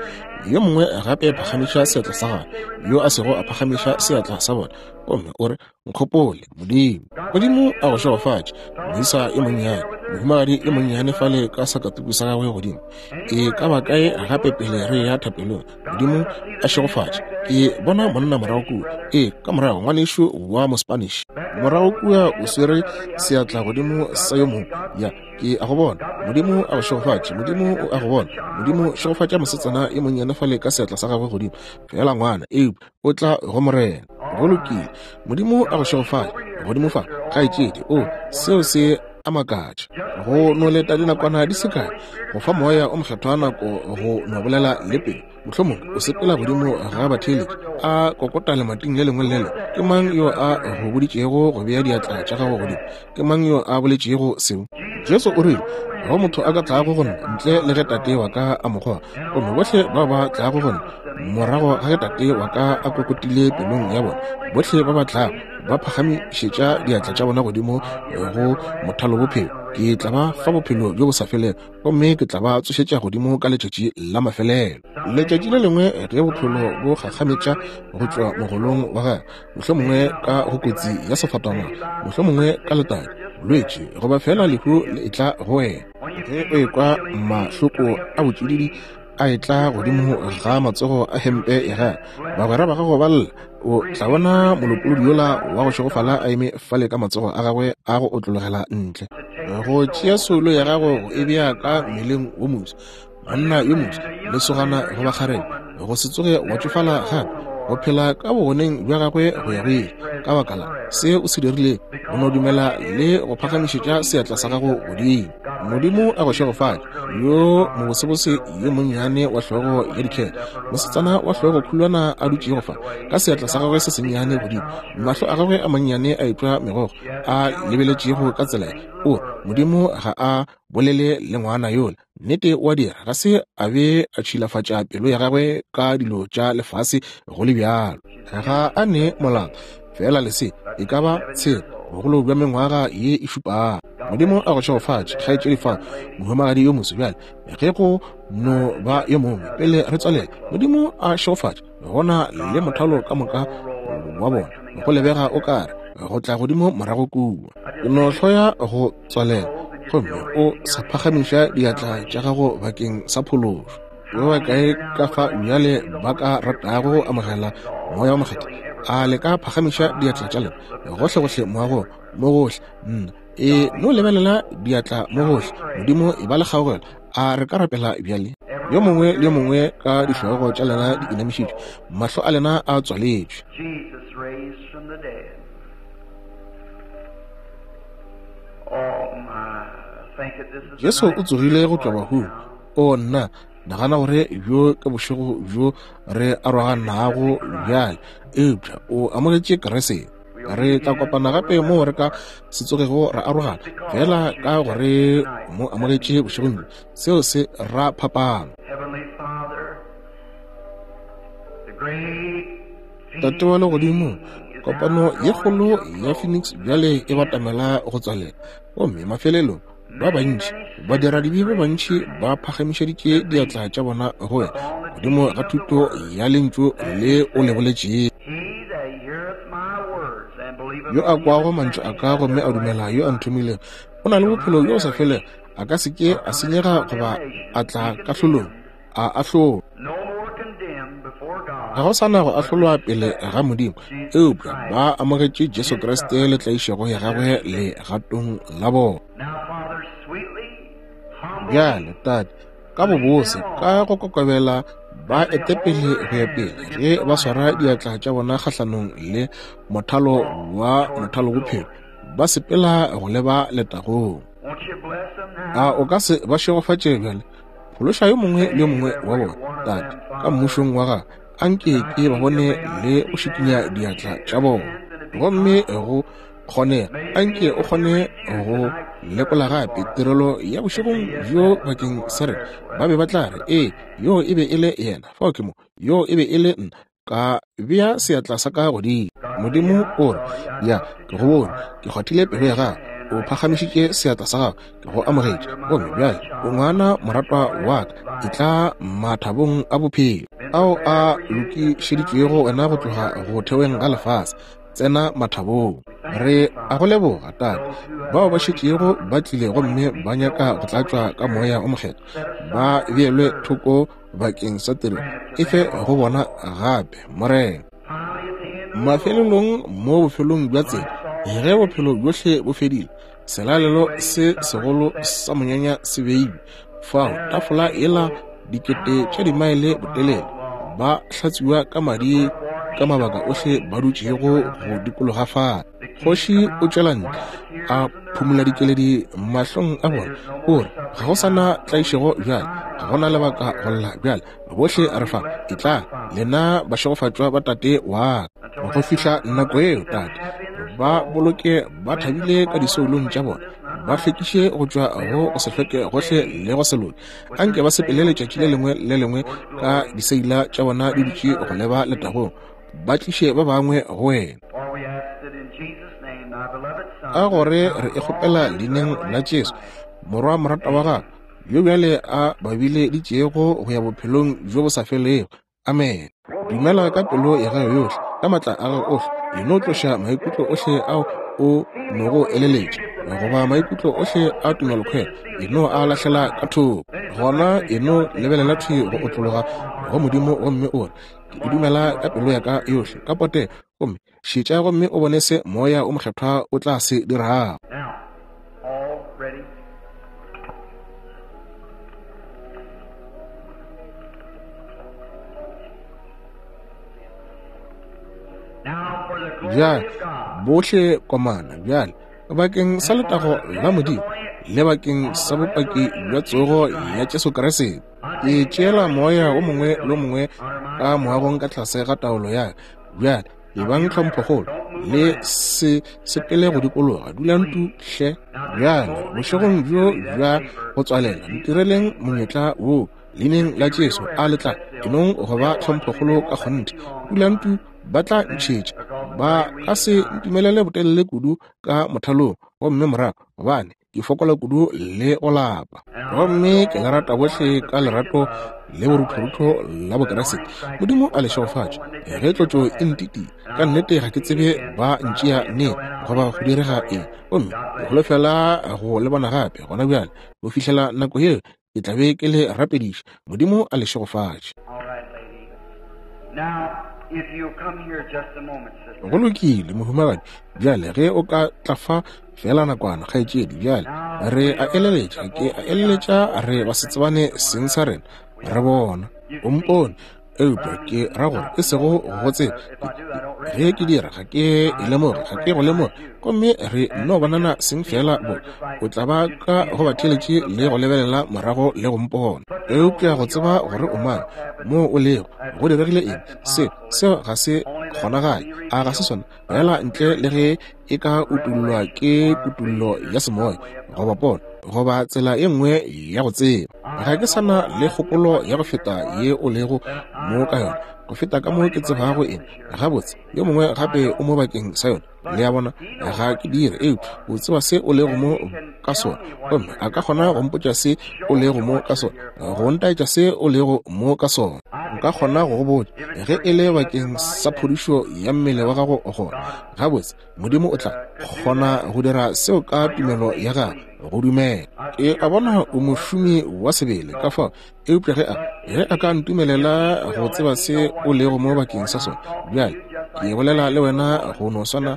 Yo mongwe gape phagamiša seatla sa gagwe, yo a sego a phagamiša seatla sa bona, gomme o re, Nkgopole, Modimo. Modimo a go šegofatše, moisa yo monnyane, mohumagadi yo monnyane fale ka sakatuku sa gagwe godimo. E ka ba kae gape pele re ya thapelong? Modimo a šegofatše. Ke bona monna morago kua. E, ka morago, ngwanešu wa Mospanish. Morago kua o swere seatla godimo sa yo mongwe. Ya, ke a go bona. Modimo a go šegofatše. Modimo o a go bona. Modimo šegofatša mosetsana yo monnyane fale ka seatla sa gagwe godimo. Feela ngwana, eupša o tla go Morena. Go lokile. Modimo a go šegofatše. Godimo fa, kgaetšedi. O, seo se a makatša. Go no leta dinakwana di se kae, go fa Moya o Mokgethwa nako go no bolela le pelo. Mohlomongwe o sepela godimo ga batheeletši, a kokota lemating le lengwe le le lengwe. Ke mang yo a go boditšego go bea diatla tša gago godimo? Ke mang yo a boletšego seo? Jesu o rile, Ga go motho a ka tlago go nna ntle le ge Tate wa ka a mo goga. Gomme bohle ba ba tlago go nna morago ga ge Tate wa ka a kokotile pelong ya bona, bohle ba ba tlago ba phagamišetša diatla tša bona godimo go mothalobophelo, ke tla ba fa bophelo bjo bo sa felego, gomme ke tla ba tsošetša godimo ka letšatši la mafelelo. Letšatši le lengwe ge bophelo bo gakgametša go tšwa mogolong wa gagwe, mohlomongwe ka go kotsi ya sefatanaga, mohlomongwe ka letadi, bolwetši goba feela lehu le etla go wena. Ge o ekwa mahloko a botšididi a etla godimo ga matsogo a hempe ya gago, bagwera ba gago ba lla, o tla bona molopolodi yola wa go šegofala a eme fale ka matsogo a gagwe a go otlologela ntle go tšea soulo ya gago go e bea ka mmeleng wo moswa. Monna yo moswa, lesogana goba kgarebe, go se tsoge wa tšofala gape, go phela ka bogoneng bja gagwe go ya go ile, ka baka la se o se dirilego, go no dumela le go phagamišetša seatla sa gago godimo. Modimo a go šegofatše, yo mobosebose yo monnyane wa hlogo ya dikhele, mosetsana wa hlogo khulwana a dutšego fa, ka seatla sa gagwe se sennyane godimo, mahlo a gagwe a mannyane a etšwa megokgo, a lebeletšego ka tsela ye. O, Modimo ga a bolele le ngwana yola. Nnete o a dira, ga se a be a tšhilafatša pelo ya gagwe ka dilo tša lefase go le bjalo. Ga a ne molato, feela le se e ka ba tshela, bogolo bja mengwaga ye e šupago. Modimo a go šegofatše, kgaetšedi fa, mohumagadi yo moso. Bjale, ge go no ba yo mongwe pele re tswalela, Modimo a šegofatše gona le mothalo ka moka wa bona. Go lebega o ka re go tla godimo morago kua. Ke no hloya go tswalela gomme o sa phagamiša diatla tša gago bakeng sa phološo. Ba bakae ka fa bjale ba ka ratago go amogela Moya wo Mokgethwa? A le ka phagamiša diatla tša lena gohlegohle moagong, mo gohle? Nna, e no lebelela diatla mo gohle. Modimo, e ba le kgaogelo. A re ka rapela bjale? Yo mongwe le yo mongwe ka dihlogo tša lena di inamišitšwe, mahlo a lena a tswaletšwe. Jesus raised from the dead. Oh my, think that this is Jesu o tsogile go tšwa bahung. O nna, nagana gore bjo ke bošego bjo re aroganago bjale, eupša o amogetše Kriste. Re tla kopana gape moo re ka se tsogego ra arogana, feela ka gore o mo amogetše bošegong bjo. Seo se ra phapano. Tate wa Legodimo, kopano ye kgolo ya Phoenix bjale e batamela go tswalela, gomme mafelelong ba bantši, badiradibe ba bantši ba phagamišeditše diatla tša bona go wena godimo ga thuto ya lentšu le o le boletšego. Yo a kwago mantšu a ka gomme a dumela yo a nthomilego o na le bophelo bjo bo sa felego, a ka se ke a senyega goba a tla kahlolong, a ahlolwa. Ga go sa na go ahlolwa pele ga Modimo, eupša ba amogetše Jesu Kriste le tlaišego ya gagwe legatong la bona. Bjale, Tate, ka bobose, ka go kokobela, ba ete pele go ya pele ge ba swara diatla tša bona kgahlanong le mothalo wa mothalo bophelo, ba sepela go leba letagong. A o ka se ba šegofatše bjale? Phološa yo mongwe le yo mongwe wa bona, Tate, ka mmušong wa gago. Anke ke ba bone le go šikinya diatla tša bona. Gomme go kgonega, anke o kgone go lekola gape tirelo ya bošegong bjo bakeng sa rena. Ba be ba tla re, Ee, yoo e be e le yena. Fao ke mo. Yoo e be e le nna. Ka bea seatla sa ka godimo. Modimo o re, Ya, ke go bone. Ke kgwathile pelo ya gago. O phagamišitše seatla sa gago. Ke go amogetše. Gomme bjale o ngwana moratwa wa ka. Etla mathabong a bophelo ao a lokišeditšwego wena go tloga go theweng ga lefase. Tsena mathabong. Re a go leboga, Tate. Bao ba šetšego ba tlile gomme ba nyaka go tlatšwa ka Moya o Mokgethwa, ba beelwe thoko bakeng sa tiro e fe go bona gape, Morena. Mafelelong mo bofelong bja tsela, ge bophelo bjohle bo fedile, selalelo se segolo sa monyanya se beilwe fao, tafola yela dikete tša dimaele botelele, ba hlatswiwa ka madi ka mabaka ohle ba dutšego go dikologa fale. Kgoši o tšwela ntle a phumola dikeledi mahlong a bona, o re, Ga go sa na tlaišego bjale, ga go na lebaka go lla bjale, bohle re fa, etlang lena bašegofatšwa ba Tate wa ka. Go fihla nako yeo, Tate, ba boloke ba thabile ka disoulong tša bona, ba hlwekiše go tšwa go go se hlweke gohle le go se loke. Anke ba sepele letšatši le lengwe le lengwe ka diseila tša bona di dutše go leba letagong, ba tliše ba bangwe go wena. Ka gore re e kgopela leineng la Jesu, Morwa moratwa wa gago, yo bjale a babileditšego go ya bophelong bjo bo sa felego. Amene. Dumela ka pelo ya gago yohle, ka matla a gago ohle. E no tloša maikutlo ohle ao o nogo eleletša, goba maikutlo ohle a tumelokhwelo, e no a lahlela ka thoko. Gona e no lebelela thwi go otlologa go Modimo gomme o re, Ke e dumela ka pelo ya ka yohle, ka potego. Gomme šetša gomme o bone se Moya o Mokgethwa o tla se dirago. Bjale, bohle komana bjale bakeng sa letago la Modimo le bakeng sa bopaki bja tsogo ya Jesu Kriste. Ke tšeela moya o mongwe le o mongwe ka moagong ka tlase ga taolo ya ka. Bjale, ebang tlhomphokgolo, le se sepele go dikologa, dulang tu hle. Bjale, bošegong bjo bja go tswalela, ntireleng monyetla wo, leineng la Jesu, a le tla enong go ba tlhomphokgolo ka kgonthe. Dulang tu, ba tla ntšhetša. Ba ka se ntumelele botelele kudu ka mothalong, gomme morago, gobane ke fokola kudu le go lapa. Gomme ke le rata bohle ka lerato le boruthorutho la Bokeresete. Modimo a le šegofatše. Ge tlotšo e ntitia, ka nnete ga ke tsebe ba ntšea neng goba go direga eng. Gomme ke holofela go le bona gape gona bjale. Go fihlela nako yeo, ke tla be ke le rapediša. Modimo a le šegofatše. Go lokile, mohumagadi. Bjale ge o ka tla fa feela nakwana, kgaetšedi. Bjale re a eleletša, ke a eleletša re ba se tsebane seng sa rena, re bona. O mpone, eupša ke ra gore e sego go tseba. Ge ke dira, ga ke e lemoge, ga ke go lemoge. Gomme re nno bonana seng feela bo. O tla ba ka go batheeletši le go lebelela morago le go mpona. Eupša go tseba gore o mang, moo o lego, go diregile eng, se, seo ga se. kgonagale, a ga se sona? Fela ntle le ge e ka utollwa ke kutollo ya semoya, goba pono, goba tsela ye nngwe ya go tseba. Ga ke sa na le kgopolo ya go feta ye o lego mo ka yona, go feta ka mo ke tsebago eng. Gabotse, yo mongwe gape o mo bakeng sa yona. Le a bona? Ga ke dire, eupša o tseba se o lego mo ka sona, gomme a ka kgona go mpotša se o lego mo ka sona, go ntaetša se o lego mo ka sona. Nka kgona go go botša ge e le bakeng sa phodišo ya mmele wa gago gona. Gabotse, Modimo o tla kgona go dira seo ka tumelo ya gago, go dumela. Ke a bona o mošomi wa sebele, ka fao, eupša ge a, ge a ka ntumelela go tseba se o lego mo bakeng sa sona, bjale ke bolela le wena go no swana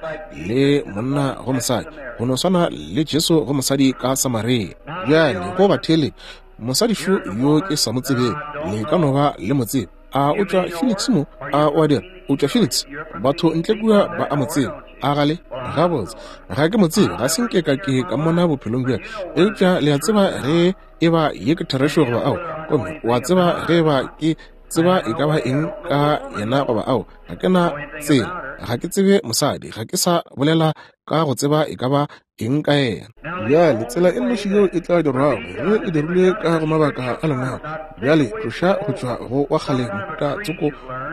le monna go mosadi, go no swana le Jesu go mosadi ka Samaria. Bjale go batheeletši, mosadi šo yo ke sa mo tsebego, le ka no ba le mo tseba. A o tšwa Phoenix mo? A o a dira? O tšwa Phoenix? Batho ntle kua ba a mo tseba. A ga le? Gabotse, ga ke mo tsebe, ga se nke ka ke ka mmona bophelong bja ka. Eupša le a tseba ge e ba ye ke therešo goba ao, gomme o a tseba ge e ba ke tseba e ka ba eng ka yena goba ao, ga ke na tsela, ga ke tsebe mosadi, ga ke sa bolela ka go tseba e ka ba eng ka yena. Bjale, tsela e nnoši yeo e tla dirwago ge e dirilwe ka go mabaka a Lengwalo. Bjale, tloša go tšwa go wa kgale mohuta tsoko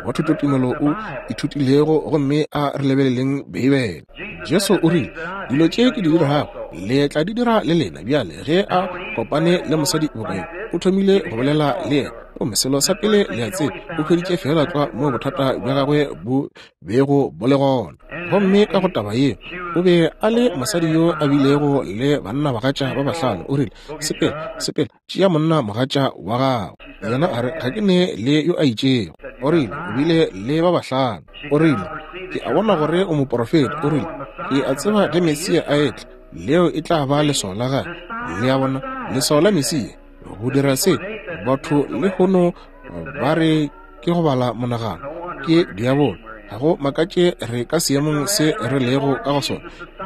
wa thutotumelo o ithutilego, gomme a re lebeleleng Beibele. Jesu o rile, Dilo tše ke di dirago, le tla di dira le lena. Bjale, ge a kopane le mosadi boka yo, o thomile go bolela le yena. Gomme selo sa pele le a tseba, o hweditše feela tlwa moo bothata bja gagwe bo bego bo le gona. Gomme ka go taba ye, o be a le mosadi yo a bilego le bannabagatša ba bahlano. O rile, Sepela, sepela, tšea monna mogatša wa gago. Yena a re, Ga ke ne le yo a itšego. O rile, O bile le ba bahlano. O rile, Ke a bona gore o moporofeta. O rile, Ke a tseba ge Mesia a etla, leo e tla ba leswao la gagwe. Le a bona, leswao la Mesia, go dira se. Batho lehono ba re ke go bala monagano, ke diabolo. Ga go makatše re ka seemong se re lego ka go sona.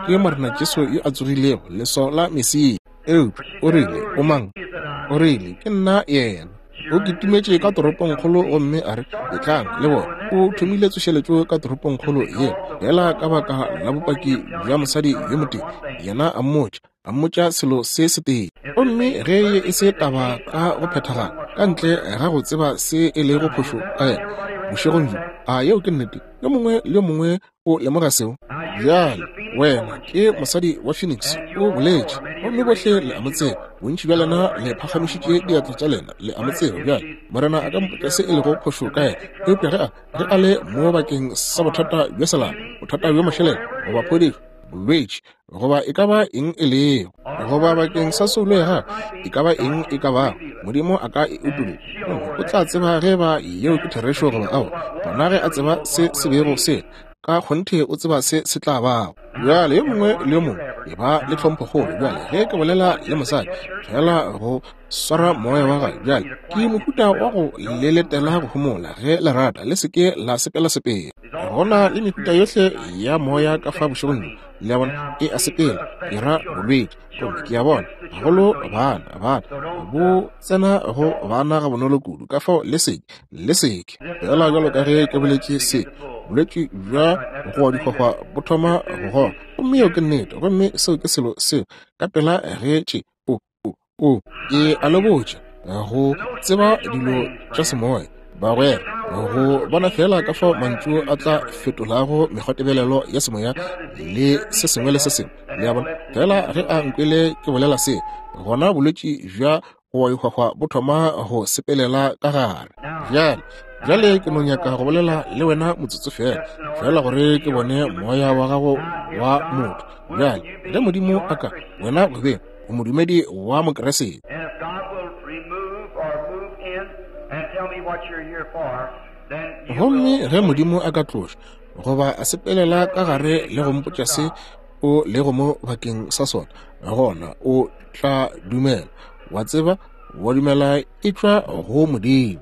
Ke Morena Jesu yo a tsogilego, leswao la Mesia. Eupša o rile, O mang? O rile, Ke nna Yena. O kitimetše ka toropongkgolo gomme a re, Etlang le bone. O thomile tsošeletšo ka toropongkgolo yela, feela ka baka la bopaki bja mosadi yo motee. Yena a mmotša, a mmotša selo se setee. Gomme ge ye e se taba ka go phethagala, ka ntle ga go tseba se e lego phošo ka yena, bošegong bjo, a yeo ke nnete? Yo mongwe le yo mongwe O lemoga seo? Bjale, wena ke mosadi wa Phoenix, o boletše, gomme bohle le a mo tseba. Bontši bja lena le phagamišitše diatla tša lena, le a mo tseba. Bjale, Morena a ka mpotša se e lego phošo ka yena. Eupša ge a, ge a le mo bakeng sa bothata bja selapa, bothata bja mašeleng, goba phodišo, bolwetši, goba e ka ba eng e lego, goba bakeng sa soulo ya gagwe, e ka ba eng e ka bago, Modimo a ka e utolla, gomme o tla tseba ge ba yeo ke therešo goba aowa. Gona ge a tseba se se bego se, ka kgonthe o tseba se se tla bago. Bjale yo mongwe le yo mongwe e ba le tlhomphokgolo. Bjale ge ke bolela le mosadi, fela go swara moya wa gagwe. Bjale ke mohuta wa go le letela go homola, ge le rata, le se ke la sepela sepela. Go na le mehuta yohle ya moya ka fa bošegong bjo. Le a bona, e a sepela, ke ra bolwetši. Gomme ke a bona, gagolo bana, bana, bo tsena go bana gabonolo kudu. Ka fao le seke, le seke. Fela bjalo ka ge ke boletše se, bolwetši bja go dihwahwa bo thoma go gola. Gomme yeo ke nnete. Gomme seo ke selo seo, ka pela ge tše, o, o, o, ke a le botša, go tseba dilo tša semoya, bagwera, go bona feela ka fao mantšu a tla fetolago mekgwatebelelo ya semoya le se sengwe le se sengwe. Le a bona? Feela ge a nkwele ke bolela se, gona bolwetši bja go ihwahwa bo thoma go sepelela ka gare. Bjale, bjale ke no nyaka go bolela le wena motsotso feela, feela gore ke bone moya wa gago wa motho. Bjale, ge Modimo a ka, wena go beng o modumedi wa Mokriste. Gomme ge Modimo a ka tloša goba a sepelela ka gare le go mpotša se o lego mo bakeng sa sona, gona o tla dumela, wa tseba, wa dumela e tšwa go Modimo.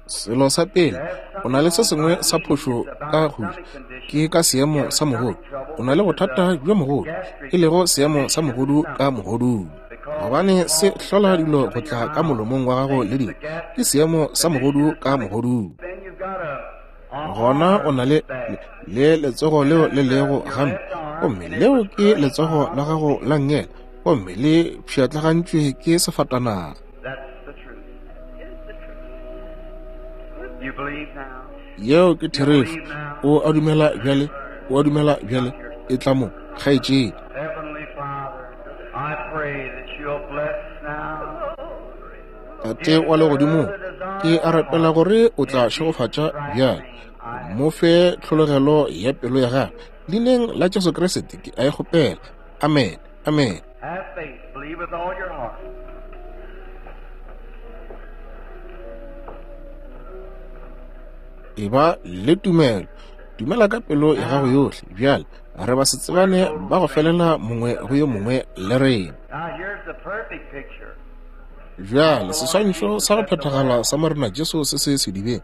Selo sa pele, o na le se sengwe sa phošo ka go ja, ke ka seemo sa mogodu. O na le bothata bja mogodu, e lego seemo sa mogodu ka mogodung. Gobane se hlola dilo go tla ka molomong wa gago le dilo, ke seemo sa mogodu ka mogodung. Gona o na le le letsogo leo le lego gampe, gomme leo ke letsogo la gago la nngele, gomme le pšhatlagantšwe ke sefatanaga. Yeo ke therešo. O a dumela bjale? O a dumela bjale? E tla mo, kgaetšedi. Tate wa Legodimong, ke a rapela gore o tla šegofatša bjale. Mo fe tlhologelo ya pelo ya gagwe. Leineng la Jesu Kriste ke a e kgopela. Amen. Amen. Eba le tumelo. Dumela ka pelo ya gago yohle. Bjale re ba se tsebane ba go felela mongwe go yo mongwe le rena. Bjale seswantšho sa go phethagala sa Morena Jesu se se sedibeng.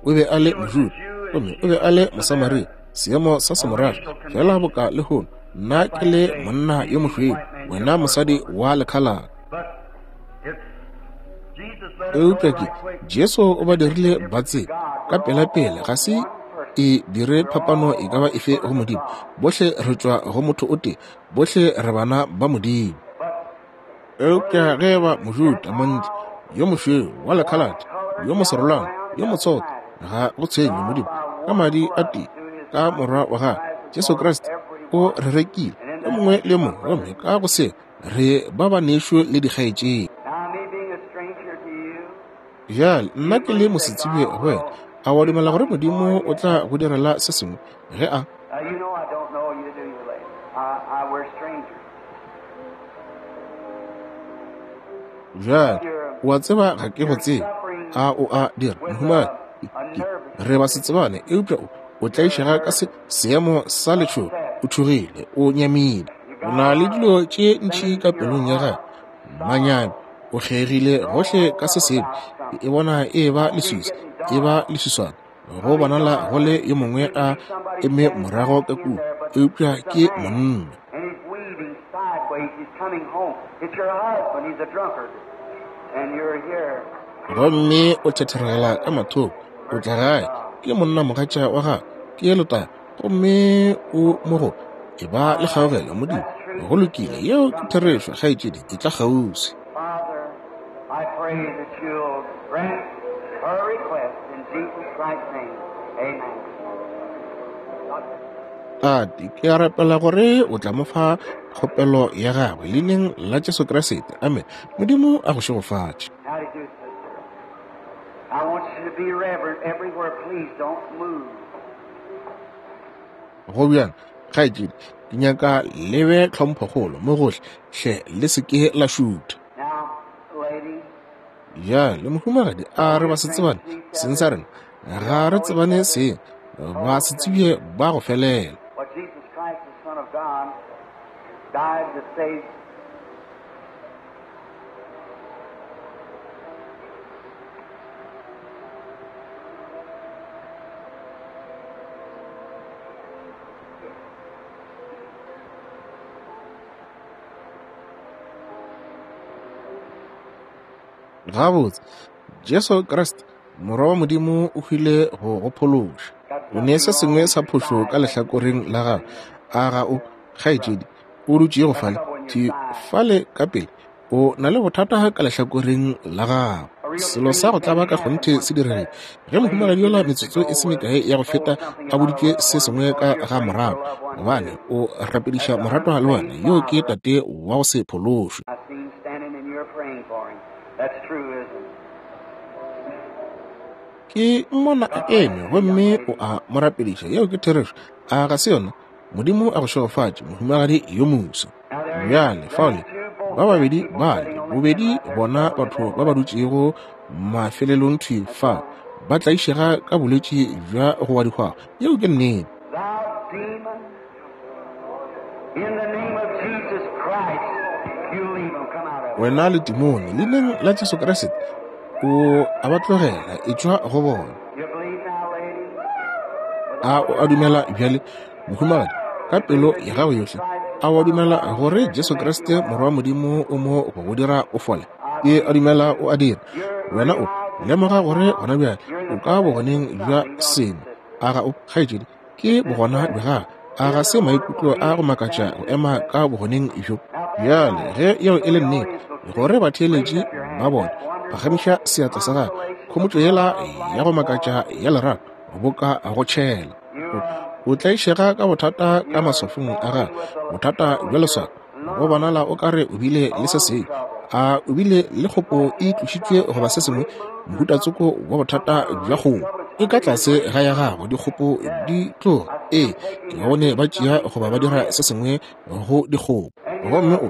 O be a le Mojuda gomme o be a le Mosamaria, seemo sa semorafe, fela boka lehono nna ke le monna yo mošweu, wena mosadi wa lekhalaka. Eupša ke Jesu o ba dirile ba tsebe ka pelapela, ga se e dire phapano e ka ba efe go Modimo. Bohle re tšwa go motho o tee, bohle re bana ba Modimo. Eupša ge e ba Mojuda, montle, yo mošweu, wa lekhalate, yo moserolwana, yo motsotho, ga go tshwenye Modimo, ka madi a tee, ka Morwa wa gagwe, Jesu Kriste, o re rekile, yo mongwe le yo mongwe, gomme ka go se re ba banešu le dikgaetšedi. Bjale, nna ke le mosetsebje go wena, a wa dumela gore Modimo o tla go direla se sengwe ge a Bjale, o a tseba ga ke go tsebe. A o a dira, mohumagadi? Re ba se tsebane, eupša o, o tlaišega ka se, seemo sa letšhogo. O tšhogile, o nyamile. O na le dilo tše ntši ka pelong ya gagwe, manyami. O kgeigile gohle ka se sengwe. E bona e ba leswiswi, e ba leswiswana. Go bonala go le yo mongwe a eme morago ka kua, eupša ke monna. Gomme o thetheregela ka mathoko, o tla gae, ke monna mogatša wa gagwe, ke lotaba, gomme o mo go e ba le kgaogelo Modimo. Go lokile, yeo ke therešo, kgaetšedi, e tla kgauswi. I pray that you'll grant her request in Jesus Christ's name. Amen. Tate, ke a rapela gore o tla mo fa kgopelo ya gagwe leineng la Jesu Kriste. Amen. Modimo a go šegofatše. Howdy do, sister. I want you to be reverent everywhere. Please don't move. Go bjang, kgaetšedi, ke nyaka le be tlhomphokgolo mo gohle, hle le se ke la šutha. Now, lady, Bjale, mohumagadi, a re ba se tsebane seng sa rena? Ga re tsebane seng, ba se tsebje ba go felela. But Jesus Christ, the Son of God, died to save Gabotse, Jesu Kriste, Morwa wa Modimo, o hwile go go phološa. O ne se sengwe sa phošo ka lehlakoreng la gago. A ga o, kgaetšedi, o dutšego fale, thwi fale ka pele? O na le bothata ka lehlakoreng la gago. Selo sa go tlaba ka kgonthe se diregile ge mohumagadi yola metsotso e se mekae ya go feta a boditšwe se sengwe ka ga morago, gobane o rapediša moratwa le wena, yo ke tate wa go se phološwe. I seen him standing and you're praying for him. That's true, isn't it? Ke mmona a eme gomme o a mo rapediša. Yeo ke therešo, a ga se yona? Modimo a go šegofatše, mohumagadi yo moso. Bjale, fale, ba babedi bale, bobedi bona batho ba ba dutšego mafelelong thwi fa, ba tlaišega ka bolwetši bja go wa dihwahwa. Yeo ke nnete. Thou demon, in the name of Jesus Christ, you leave them. Come out of them. Wena letimone, leineng la Jesu Kriste, o a ba tlogela, etšwa go bona. You believe now, lady? A o a dumela bjale, mohumagadi, ka pelo ya gago yohle? A o a dumela gore Jesu Kriste Morwa wa Modimo o mo go go dira o fole? Ke a dumela o a dira. Wena o lemoga gore gona bjale o ka bogoneng bja sengwe. A ga o, kgaetšedi? Ke bogona bja Gagwe. A ga se maikutlo a go makatša go ema ka bogoneng bjo? Bjale, ge yeo e le nnete, gore batheeletši ba bone, phagamiša seatla sa gago. Khomotšo yela ya go makatša ya lerato, boka go tšhela. O tlaišega ka bothata ka maswafong a gago, bothata bja leswao. Go bonala o ka re o bile le se sengwe. A o bile le kgopo e tlošitšwe goba se sengwe, mohuta tsoko wa bothata bja kgopo. E ka tlase ga ya gago, dikgopo di tloga. Ee, ke bone ba tšea goba ba dira se sengwe go dikgopo. Gomme o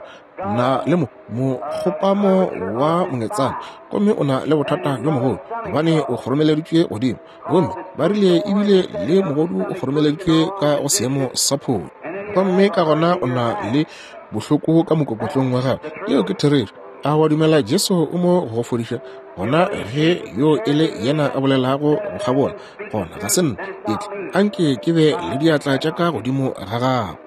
na le mokgopamo wa mongetsana, gomme o na le bothata bjo mogolo, gobane o kgoromeleditšwe godimo. Gomme ba rile ebile le mogodu o kgoromeleditšwe ka go seemo sa pholo. Gomme ka gona o na le bohloko ka mokokotlong wa gago. Yeo ke therešo. A wa dumela Jesu o mo go fodiša? Gona ge yo e le yena a bolelago go kgabola, gona ga se nna. Etla, anke ke be le diatla tša ka godimo ga gago.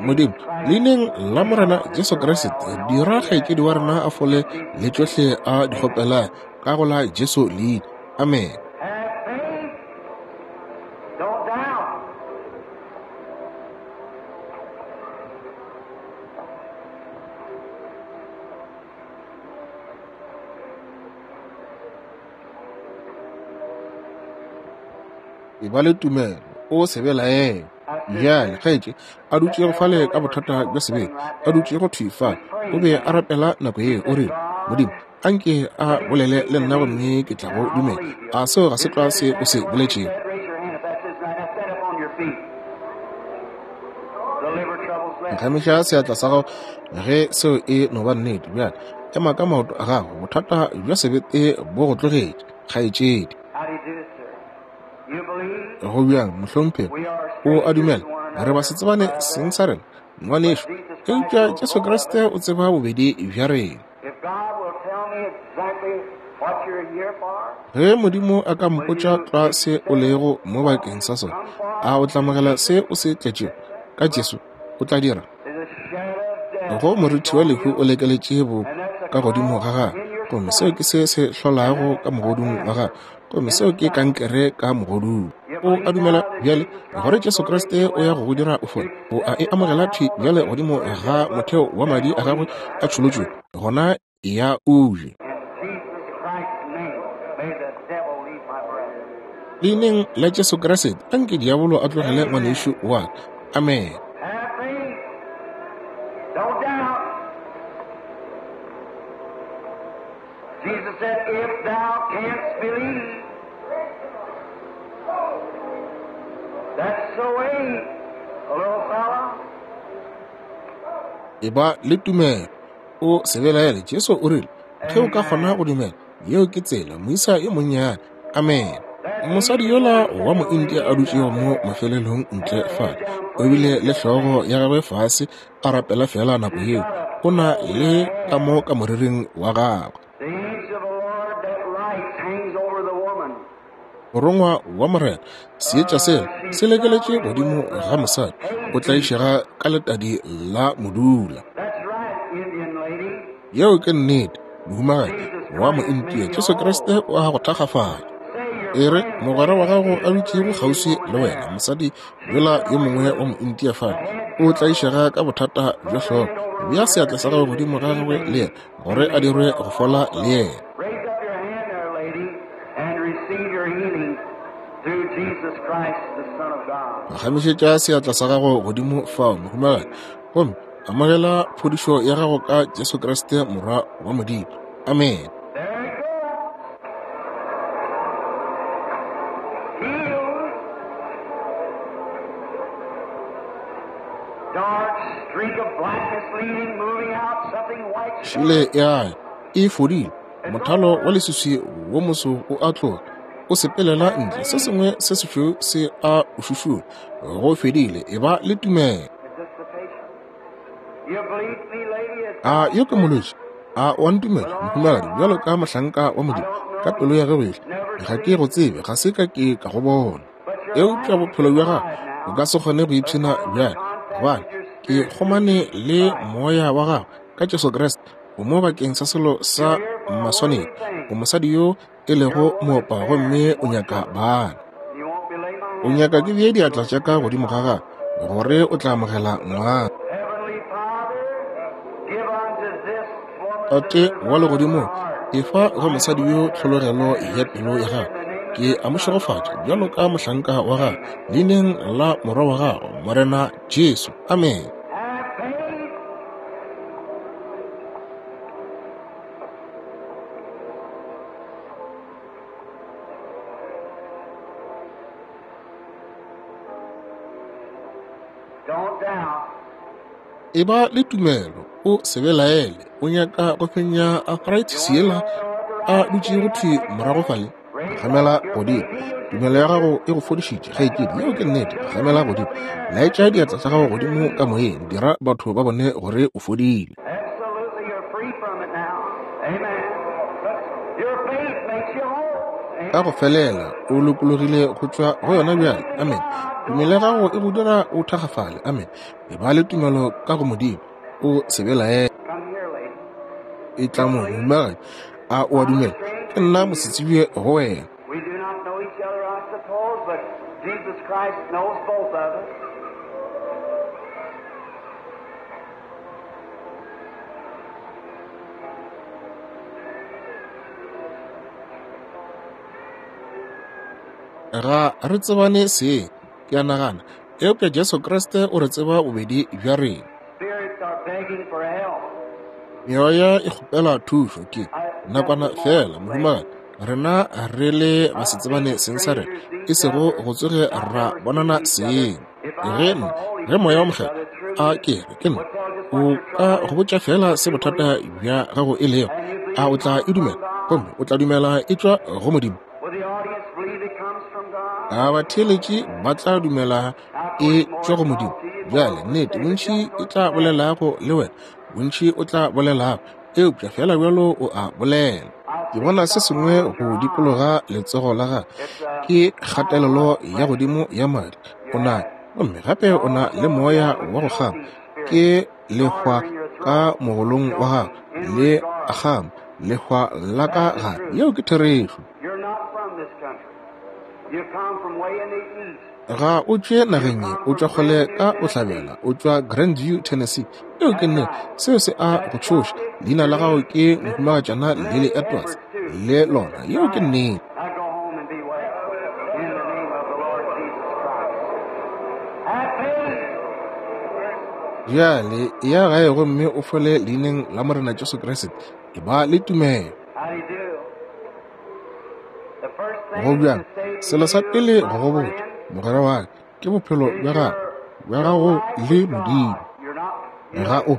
Modimo, leineng la Morena Jesu Kriste, dira kgaetšedi wa rena a fole le tšohle a di kgopela ka go la Jesu leina. Amen. E ba le tumelo, o se belaele. Bjale, kgaetše a dutšego fale ka bothata bja sebete, a dutšego thwi fale, o be a rapela nako yeo, o rile, Modimo, anke a bolele le nna gomme ke tla go dumela. A seo ga se tlwa se o se boletšego? Phagamiša seatla sa gago ge seo e no ba nnete. Bjale ema ka maoto a gago. Bothata bja sebete bo go tlogetše, kgaetšedi. Go bjang, mohlomphegi? O a dumela? Re ba se tsebane seng sa rena, ngwanešu, eupša Jesu Kriste o tseba bobedi bja rena. Ge Modimo a ka mpotša tlwa se o lego mo bakeng sa sona, a o tla amogela se o se tletšego ka Jesu? O tla dira. Go morithi wa lehu o lekeletše bo ka godimo ga gagwe, gomme seo ke se se hlolago ka mogodung wa gagwe, gomme seo ke kankere ka mogodung. O a dumela bjale gore Jesu Kriste o ya go go dira o fole? O a e amogela thwi bjale godimo ga motheo wa madi a gagwe a tšholotšwe? Gona ya o je. Leineng la Jesu Kriste, anke diabolo a tlogele ngwanešu wa ka. Amen. Jesus said, If thou canst believe. That's the way, little fella. Eba le tumelo, o se belaele. Jesu o rile, ge o ka kgona go dumela, yeo ke tsela, moisa yo monnyane. Amen. Mosadi yola wa Moindia a dutšego mo mafelelong ntle fale, o bile le hlogo ya gagwe fase a rapela fela nako yeo, o na le ka mo ka moriring wa gagwe. Morongwa wa Morena, seetša sela se lekeletše godimo ga mosadi, o tlaišega ka letadi la modula. Yeo ke nnete, mohumagadi wa Mointia. Jesu Kriste o a go thakgafatša. E re mogwera wa gago a dutšego kgauswi le wena, mosadi yola yo mongwe wa Mointia fale, o tlaišega ka bothata bja hlogo. Bea seatla sa gago godimo ga gagwe le yena, gore a dirwe go fola le yena. Raise up your hand there, lady, and receive your healing through Jesus Christ, the Son of God. Phagamišetša seatla sa gago godimo fao, mohumagadi, gomme amogela phodišo ya gago ka Jesu Kriste Morwa wa Modimo. Amen. There it goes. Healed. Dark streak of blackness leading, moving out, something white. Šile ya e fodile. Mothalo wa leswiswi wo moso o a tloga, o sepelela ntle, se sengwe se sešweu se a o šušula. Go fedile, e ba le tumelo. Is this the patient? You believe me, lady? It's A yo ke molwetši? A o a ntumela, mohumagadi, bjalo ka mohlanka wa Modimo, ka pelo ya gagwe yohle? Ga ke go tsebe, ga se ka ke ka go bona. Eupša bophelo bja gago o ka se kgone go ipshina bjale, gobane ke kgomane le moya wa gago ka Jesu Kriste. O mo bakeng sa selo sa maswanedi. O mosadi yo e lego moopa gomme o nyaka bana. O nyaka ke bee diatla tša ka godimo ga gagwe, gore o tla amogela ngwana. Tate wa legodimong, efa go mosadi yo tlhologelo ya pelo ya gagwe. Ke a mo šegofatša bjalo ka mohlanka wa gago, leineng la Morwa wa gago, Morena Jesu. Amen. Eba le tumelo, o se belaele. O nyaka go fenya arthritis yela a dutšego thwi morago fale? Phagamela godimo. Tumelo ya gago e go fodišitše, kgaetšedi. Yeo ke nnete. Phagamela godimo. Laetša diatla tša gago godimo ka moyeng. Dira batho ba bone gore o fodile. Ka go felela o lokologile go tšwa go yona bjale. Amen. Tumelo ya gago e go dira o thakgafale. Amen. Eba le tumelo ka go Modimo. O se belaele. E tla mo mohumagadi. A o a dumela? Ke nna mosetsebje go wena. Ga re tsebane seng, ke a nagana, eupša Jesu Kriste o re tseba bobedi bja rena. Meoya e kgopela thušo ke nakwana fela, mohumagadi. Rena re le basetsebane seng sa rena, e sego go tsoge ra bonana seng. Ge nna, ge Moya wa Mokgethwa a ke re ke nna, o ka go botša fela se bothata bja gago e lego, a o tla e dumela? Gomme o tla dumela e tšwa go Modimo? A batheeletši ba tla dumela e tšwa go Modimo? Bjale, nnete, bontši e tla bolelago le wena, bontši o tla bolelago, eupša fela bjalo o a bolela. Ke bona se sengwe go dikologa letsogo la gagwe, ke kgatelelo ya godimo ya madi. O na, gomme gape o na le moya wa go kgama, ke lehwa ka mogolong wa gagwe, le a kgama, lehwa la ka gare. Yeo ke therešo. Ga o tšwe nageng ye, o tšwa kgole ka bohlabela, o tšwa Grandview, Tennessee. Yeo ke nnete. Seo se a go tšhoša. Leina la gago ke Mohumagatšana Lily Edwards, le lona. Yeo ke nnete. Bjale eya gae gomme o fole leineng la Morena Jesu Kriste. Eba le tumelo. Go bjang? Selo sa pele go go botša, mogwera wa ka, ke bophelo bja gago, bja gago le Modimo. Ga o,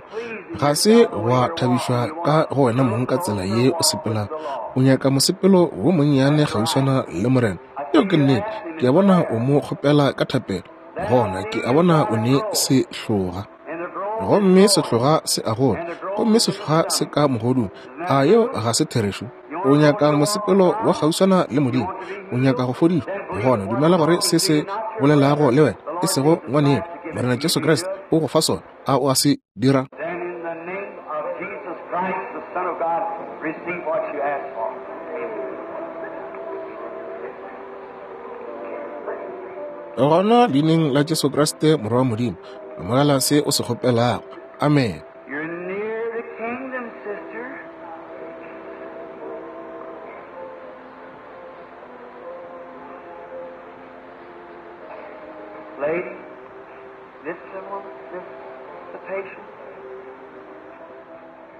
ga se wa thabišwa ka go wena mong ka tsela ye o sepelago. O nyaka mosepelo wo monnyane kgauswana le Morena. Yeo ke nnete. Ke a bona o mo kgopela ka thapelo. Gona ke a bona o ne sehloga. Gomme sehloga se a gola, gomme sehloga se ka mogodung. A yeo ga se therešo? O nyaka mosepelo wa kgauswana le Modimo. O nyaka go fodišwa. Gona dumela gore se se bolelago le wena, e sego ngwaneno, Morena Jesu Kriste o go fa sona. A o a se dira? Gona leineng la Jesu Kriste Morwa wa Modimo, amogela se o se kgopelago. Amen.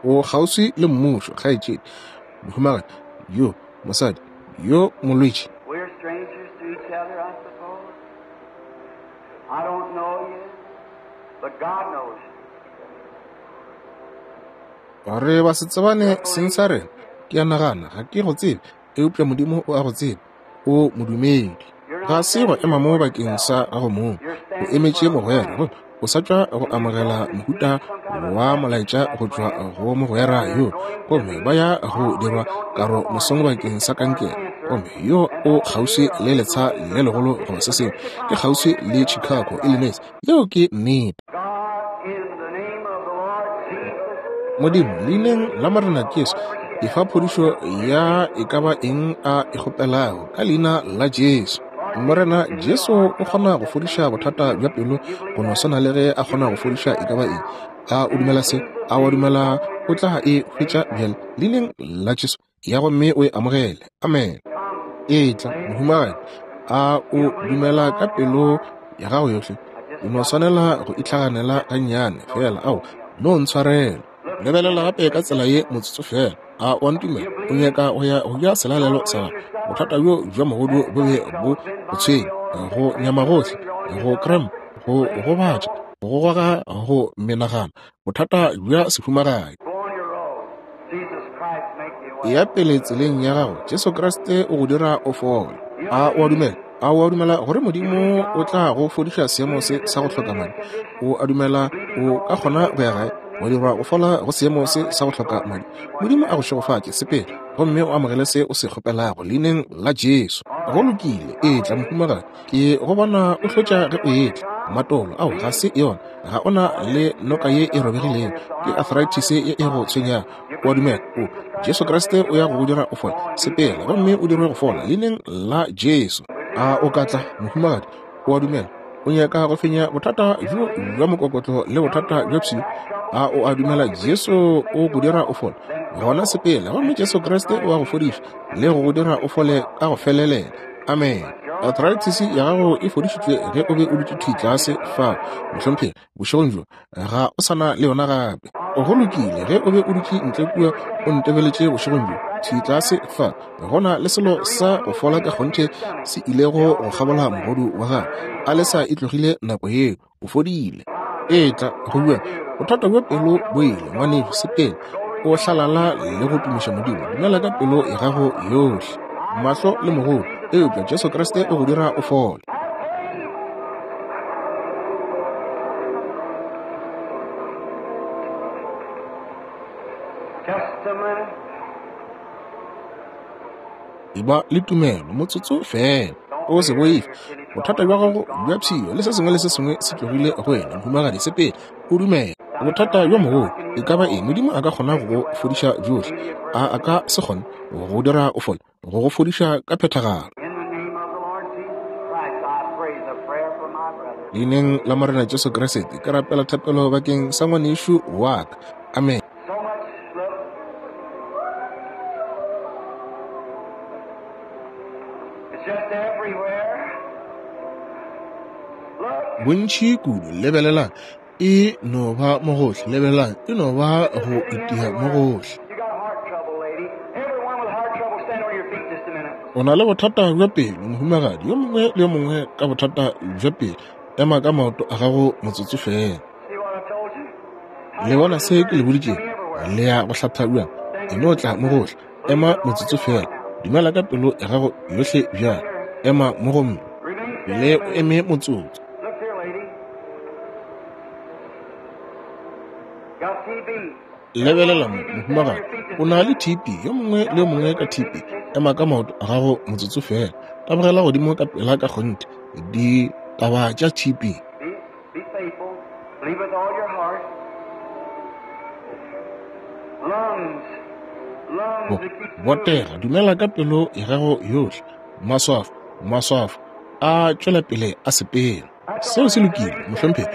O kgauswi le mmušo, kgaetšedi, mohumagadi yo, mosadi yo molwetši. Re ba se tsebane seng sa rena. Ke a nagana ga ke go tsebe, eupša Modimo o a go tseba. O modumedi. Ga se go ema mo bakeng sa gago mong. O emetše mogwera, gomme o sa tšwa go amogela mohuta wa molaetša go tšwa go mogwera yo, gomme ba ya go dirwa karo mosong bakeng sa kankere, gomme yo o kgauswi le letsha le legolo goba se sengwe, ke kgauswi le Chicago, Illinois. Yeo ke nnete. Modimo, leineng la Morena Jesu, efa phodišo ya e ka ba eng a e kgopelago, ka leina la Jesu. Morena Jesu o kgona go fodiša bothata bja pelo go no swana le ge a kgona go fodiša e ka ba eng. A o dumela se? A wa dumela o tla e hwetša bjale? Leineng la Jesu, ya gomme o e amogele. Amen. Etla, mohumagadi. A o dumela ka pelo ya gago yohle? O no swanela go itlhaganela gannyane fela. Ao, no ntshwarela. Lebelela gape ka tsela ye motsotso fela. A o a ntumela? O nyaka go ya go ja selalelo sa gago. Bothata bjo bja mogodu bo be bo go tshwenya, go nyama gohle, go cramp, go gobatša, go goga go menagana, bothata bja sehumagadi. Eya pele tseleng ya gago, Jesu Kriste o go dira o fole. A o a dumela? A o a dumela gore Modimo o tla go fodiša seemo se sa go hloka madi? O a dumela o ka kgona go ya gae wa dirwa go fola go seemo se sa go hloka madi? Modimo a go šegofatše, sepela gomme o amogele se o se kgopelago leineng la Jesu. Go lokile, etla mohumagadi. Ke go bona o hlotša ge o etla. Matolo, ao ga se yona. Ga o na le noka ye e robegilego, ke arthritis ye e go tshwenyago. O a dumela? O, Jesu Kriste o ya go go dira o fole. Sepela gomme o dirwe go fola leineng la Jesu. A o ka tla, mohumagadi? O a dumela? O nyaka go fenya bothata bjo bja mokokotlo le bothata bja pshio? A o a dumela Jesu o go dira o fole? Gona sepela gomme Jesu Kriste o a go fodiša le go go dira o fole ka go felelela. Amen. Arthritis ya gago e fodišitšwe ge o be o dutše thwi tlase fao, mohlomphegi, bošegong bjo. Ga o sa na le yona gape. Go lokile, ge o be o dutše ntle kua o ntebeletše bošegong bjo, thwi tlase fa, go na le selo sa go fola ka kgonthe se ilego go kgabola mogodu wa gago. Alesa e tlogile nako yeo. O fodile. Etla, go bua. Bothata bja pelo bo ile, ngwanešu, sepela. O hlalala le go tumiša Modimo. Dumela ka pelo ya gago yohle. Mahlo le mogodu, eupša Jesu Kriste o go dira o fole. Just a minute. Eba le tumelo motsotso fela. O se boife. Bothata bja gago bja pshio le se sengwe le se sengwe se tlogile go wena, mohumagadi. Sepela, o dumele. Bothata bjo mogolo e ka ba eng, Modimo a ka kgona go go fodiša bjohle. A a ka se kgone go go dira o fole, go go fodiša ka phethagalo. In the name of the Lord Jesus Christ, I pray the prayer for my brother. Leineng la Morena Jesu Kriste, ke rapela thapelo bakeng sa ngwanešu wa ka. Amen. So much look. It's just everywhere. Look. Bontši kudu, lebelelang, e no ba mo gohle. Lebelelang, e no ba go itia mo gohle. You got heart trouble, lady. Everyone with heart trouble, stand on your feet just a minute. O na le bothata bja pelo, mohumagadi. Yo mongwe le yo mongwe ka bothata bja pelo, ema ka maoto a gago motsotso feela. See what I told you? Le bona se ke le boditšego? Le ya go hlatha bjang? E no tla mo gohle. Ema motsotso feela. Dumela ka pelo ya gago yohle bjale. Ema mo gomme Remain le standing. o eme motsotso. Look here, lady. Got TB. Lebelela mo, mohumagadi. O na le TB. Yo mongwe le yo mongwe ka TB. Ema ka maoto a gago motsotso feela. Tabogela godimo ka pela ka kgonthe. Ditaba tša TB. Be, be faithful. Believe with all your heart. Lungs. Bo, Lungs that keeps moving. botega, dumela ka pelo ya gago yohle. Maswafo, maswafo a tšwela pele a sepela. Seo se lokile, mohlomphegi.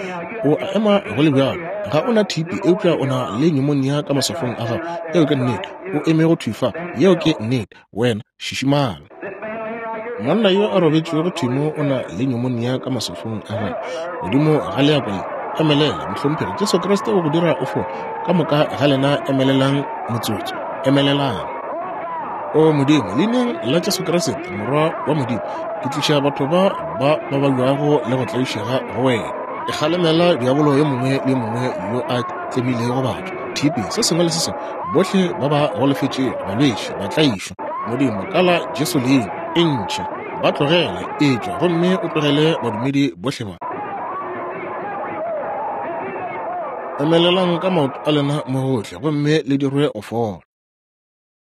O a ema go le bjalo. Ga o na TB, eupša o na le pneumonia ka maswafong a gago. Yeo ke nnete. O eme go thwi fa. Yeo ke nnete. Wena, šišimala. This man laying right here. Monna yo a robetšego thwi mo o na le pneumonia ka maswafong a gagwe. Godimo ga leako le. Emelela, mohlomphegi. Jesu Kriste o go dira o fole. Ka moka ga lena emelelang motsotso. Emelelang. O Modimo, leineng la Jesu Kriste, Morwa wa Modimo, ke tliša batho ba ba ba babjago le go tlaišega go wena. Ke kgalemela diabolo yo mongwe le yo mongwe yo a tlemilego batho, TB, se sengwe le se sengwe, bohle ba ba golofetšego, balwetši, batlaišwa. Modimo, ka la Jesu leina, e ntšhe, ba tlogele, etšwa gomme o tlogele badumedi bohle ba. Emelelang ka maoto a lena mo gohle gomme le dirwe go fola.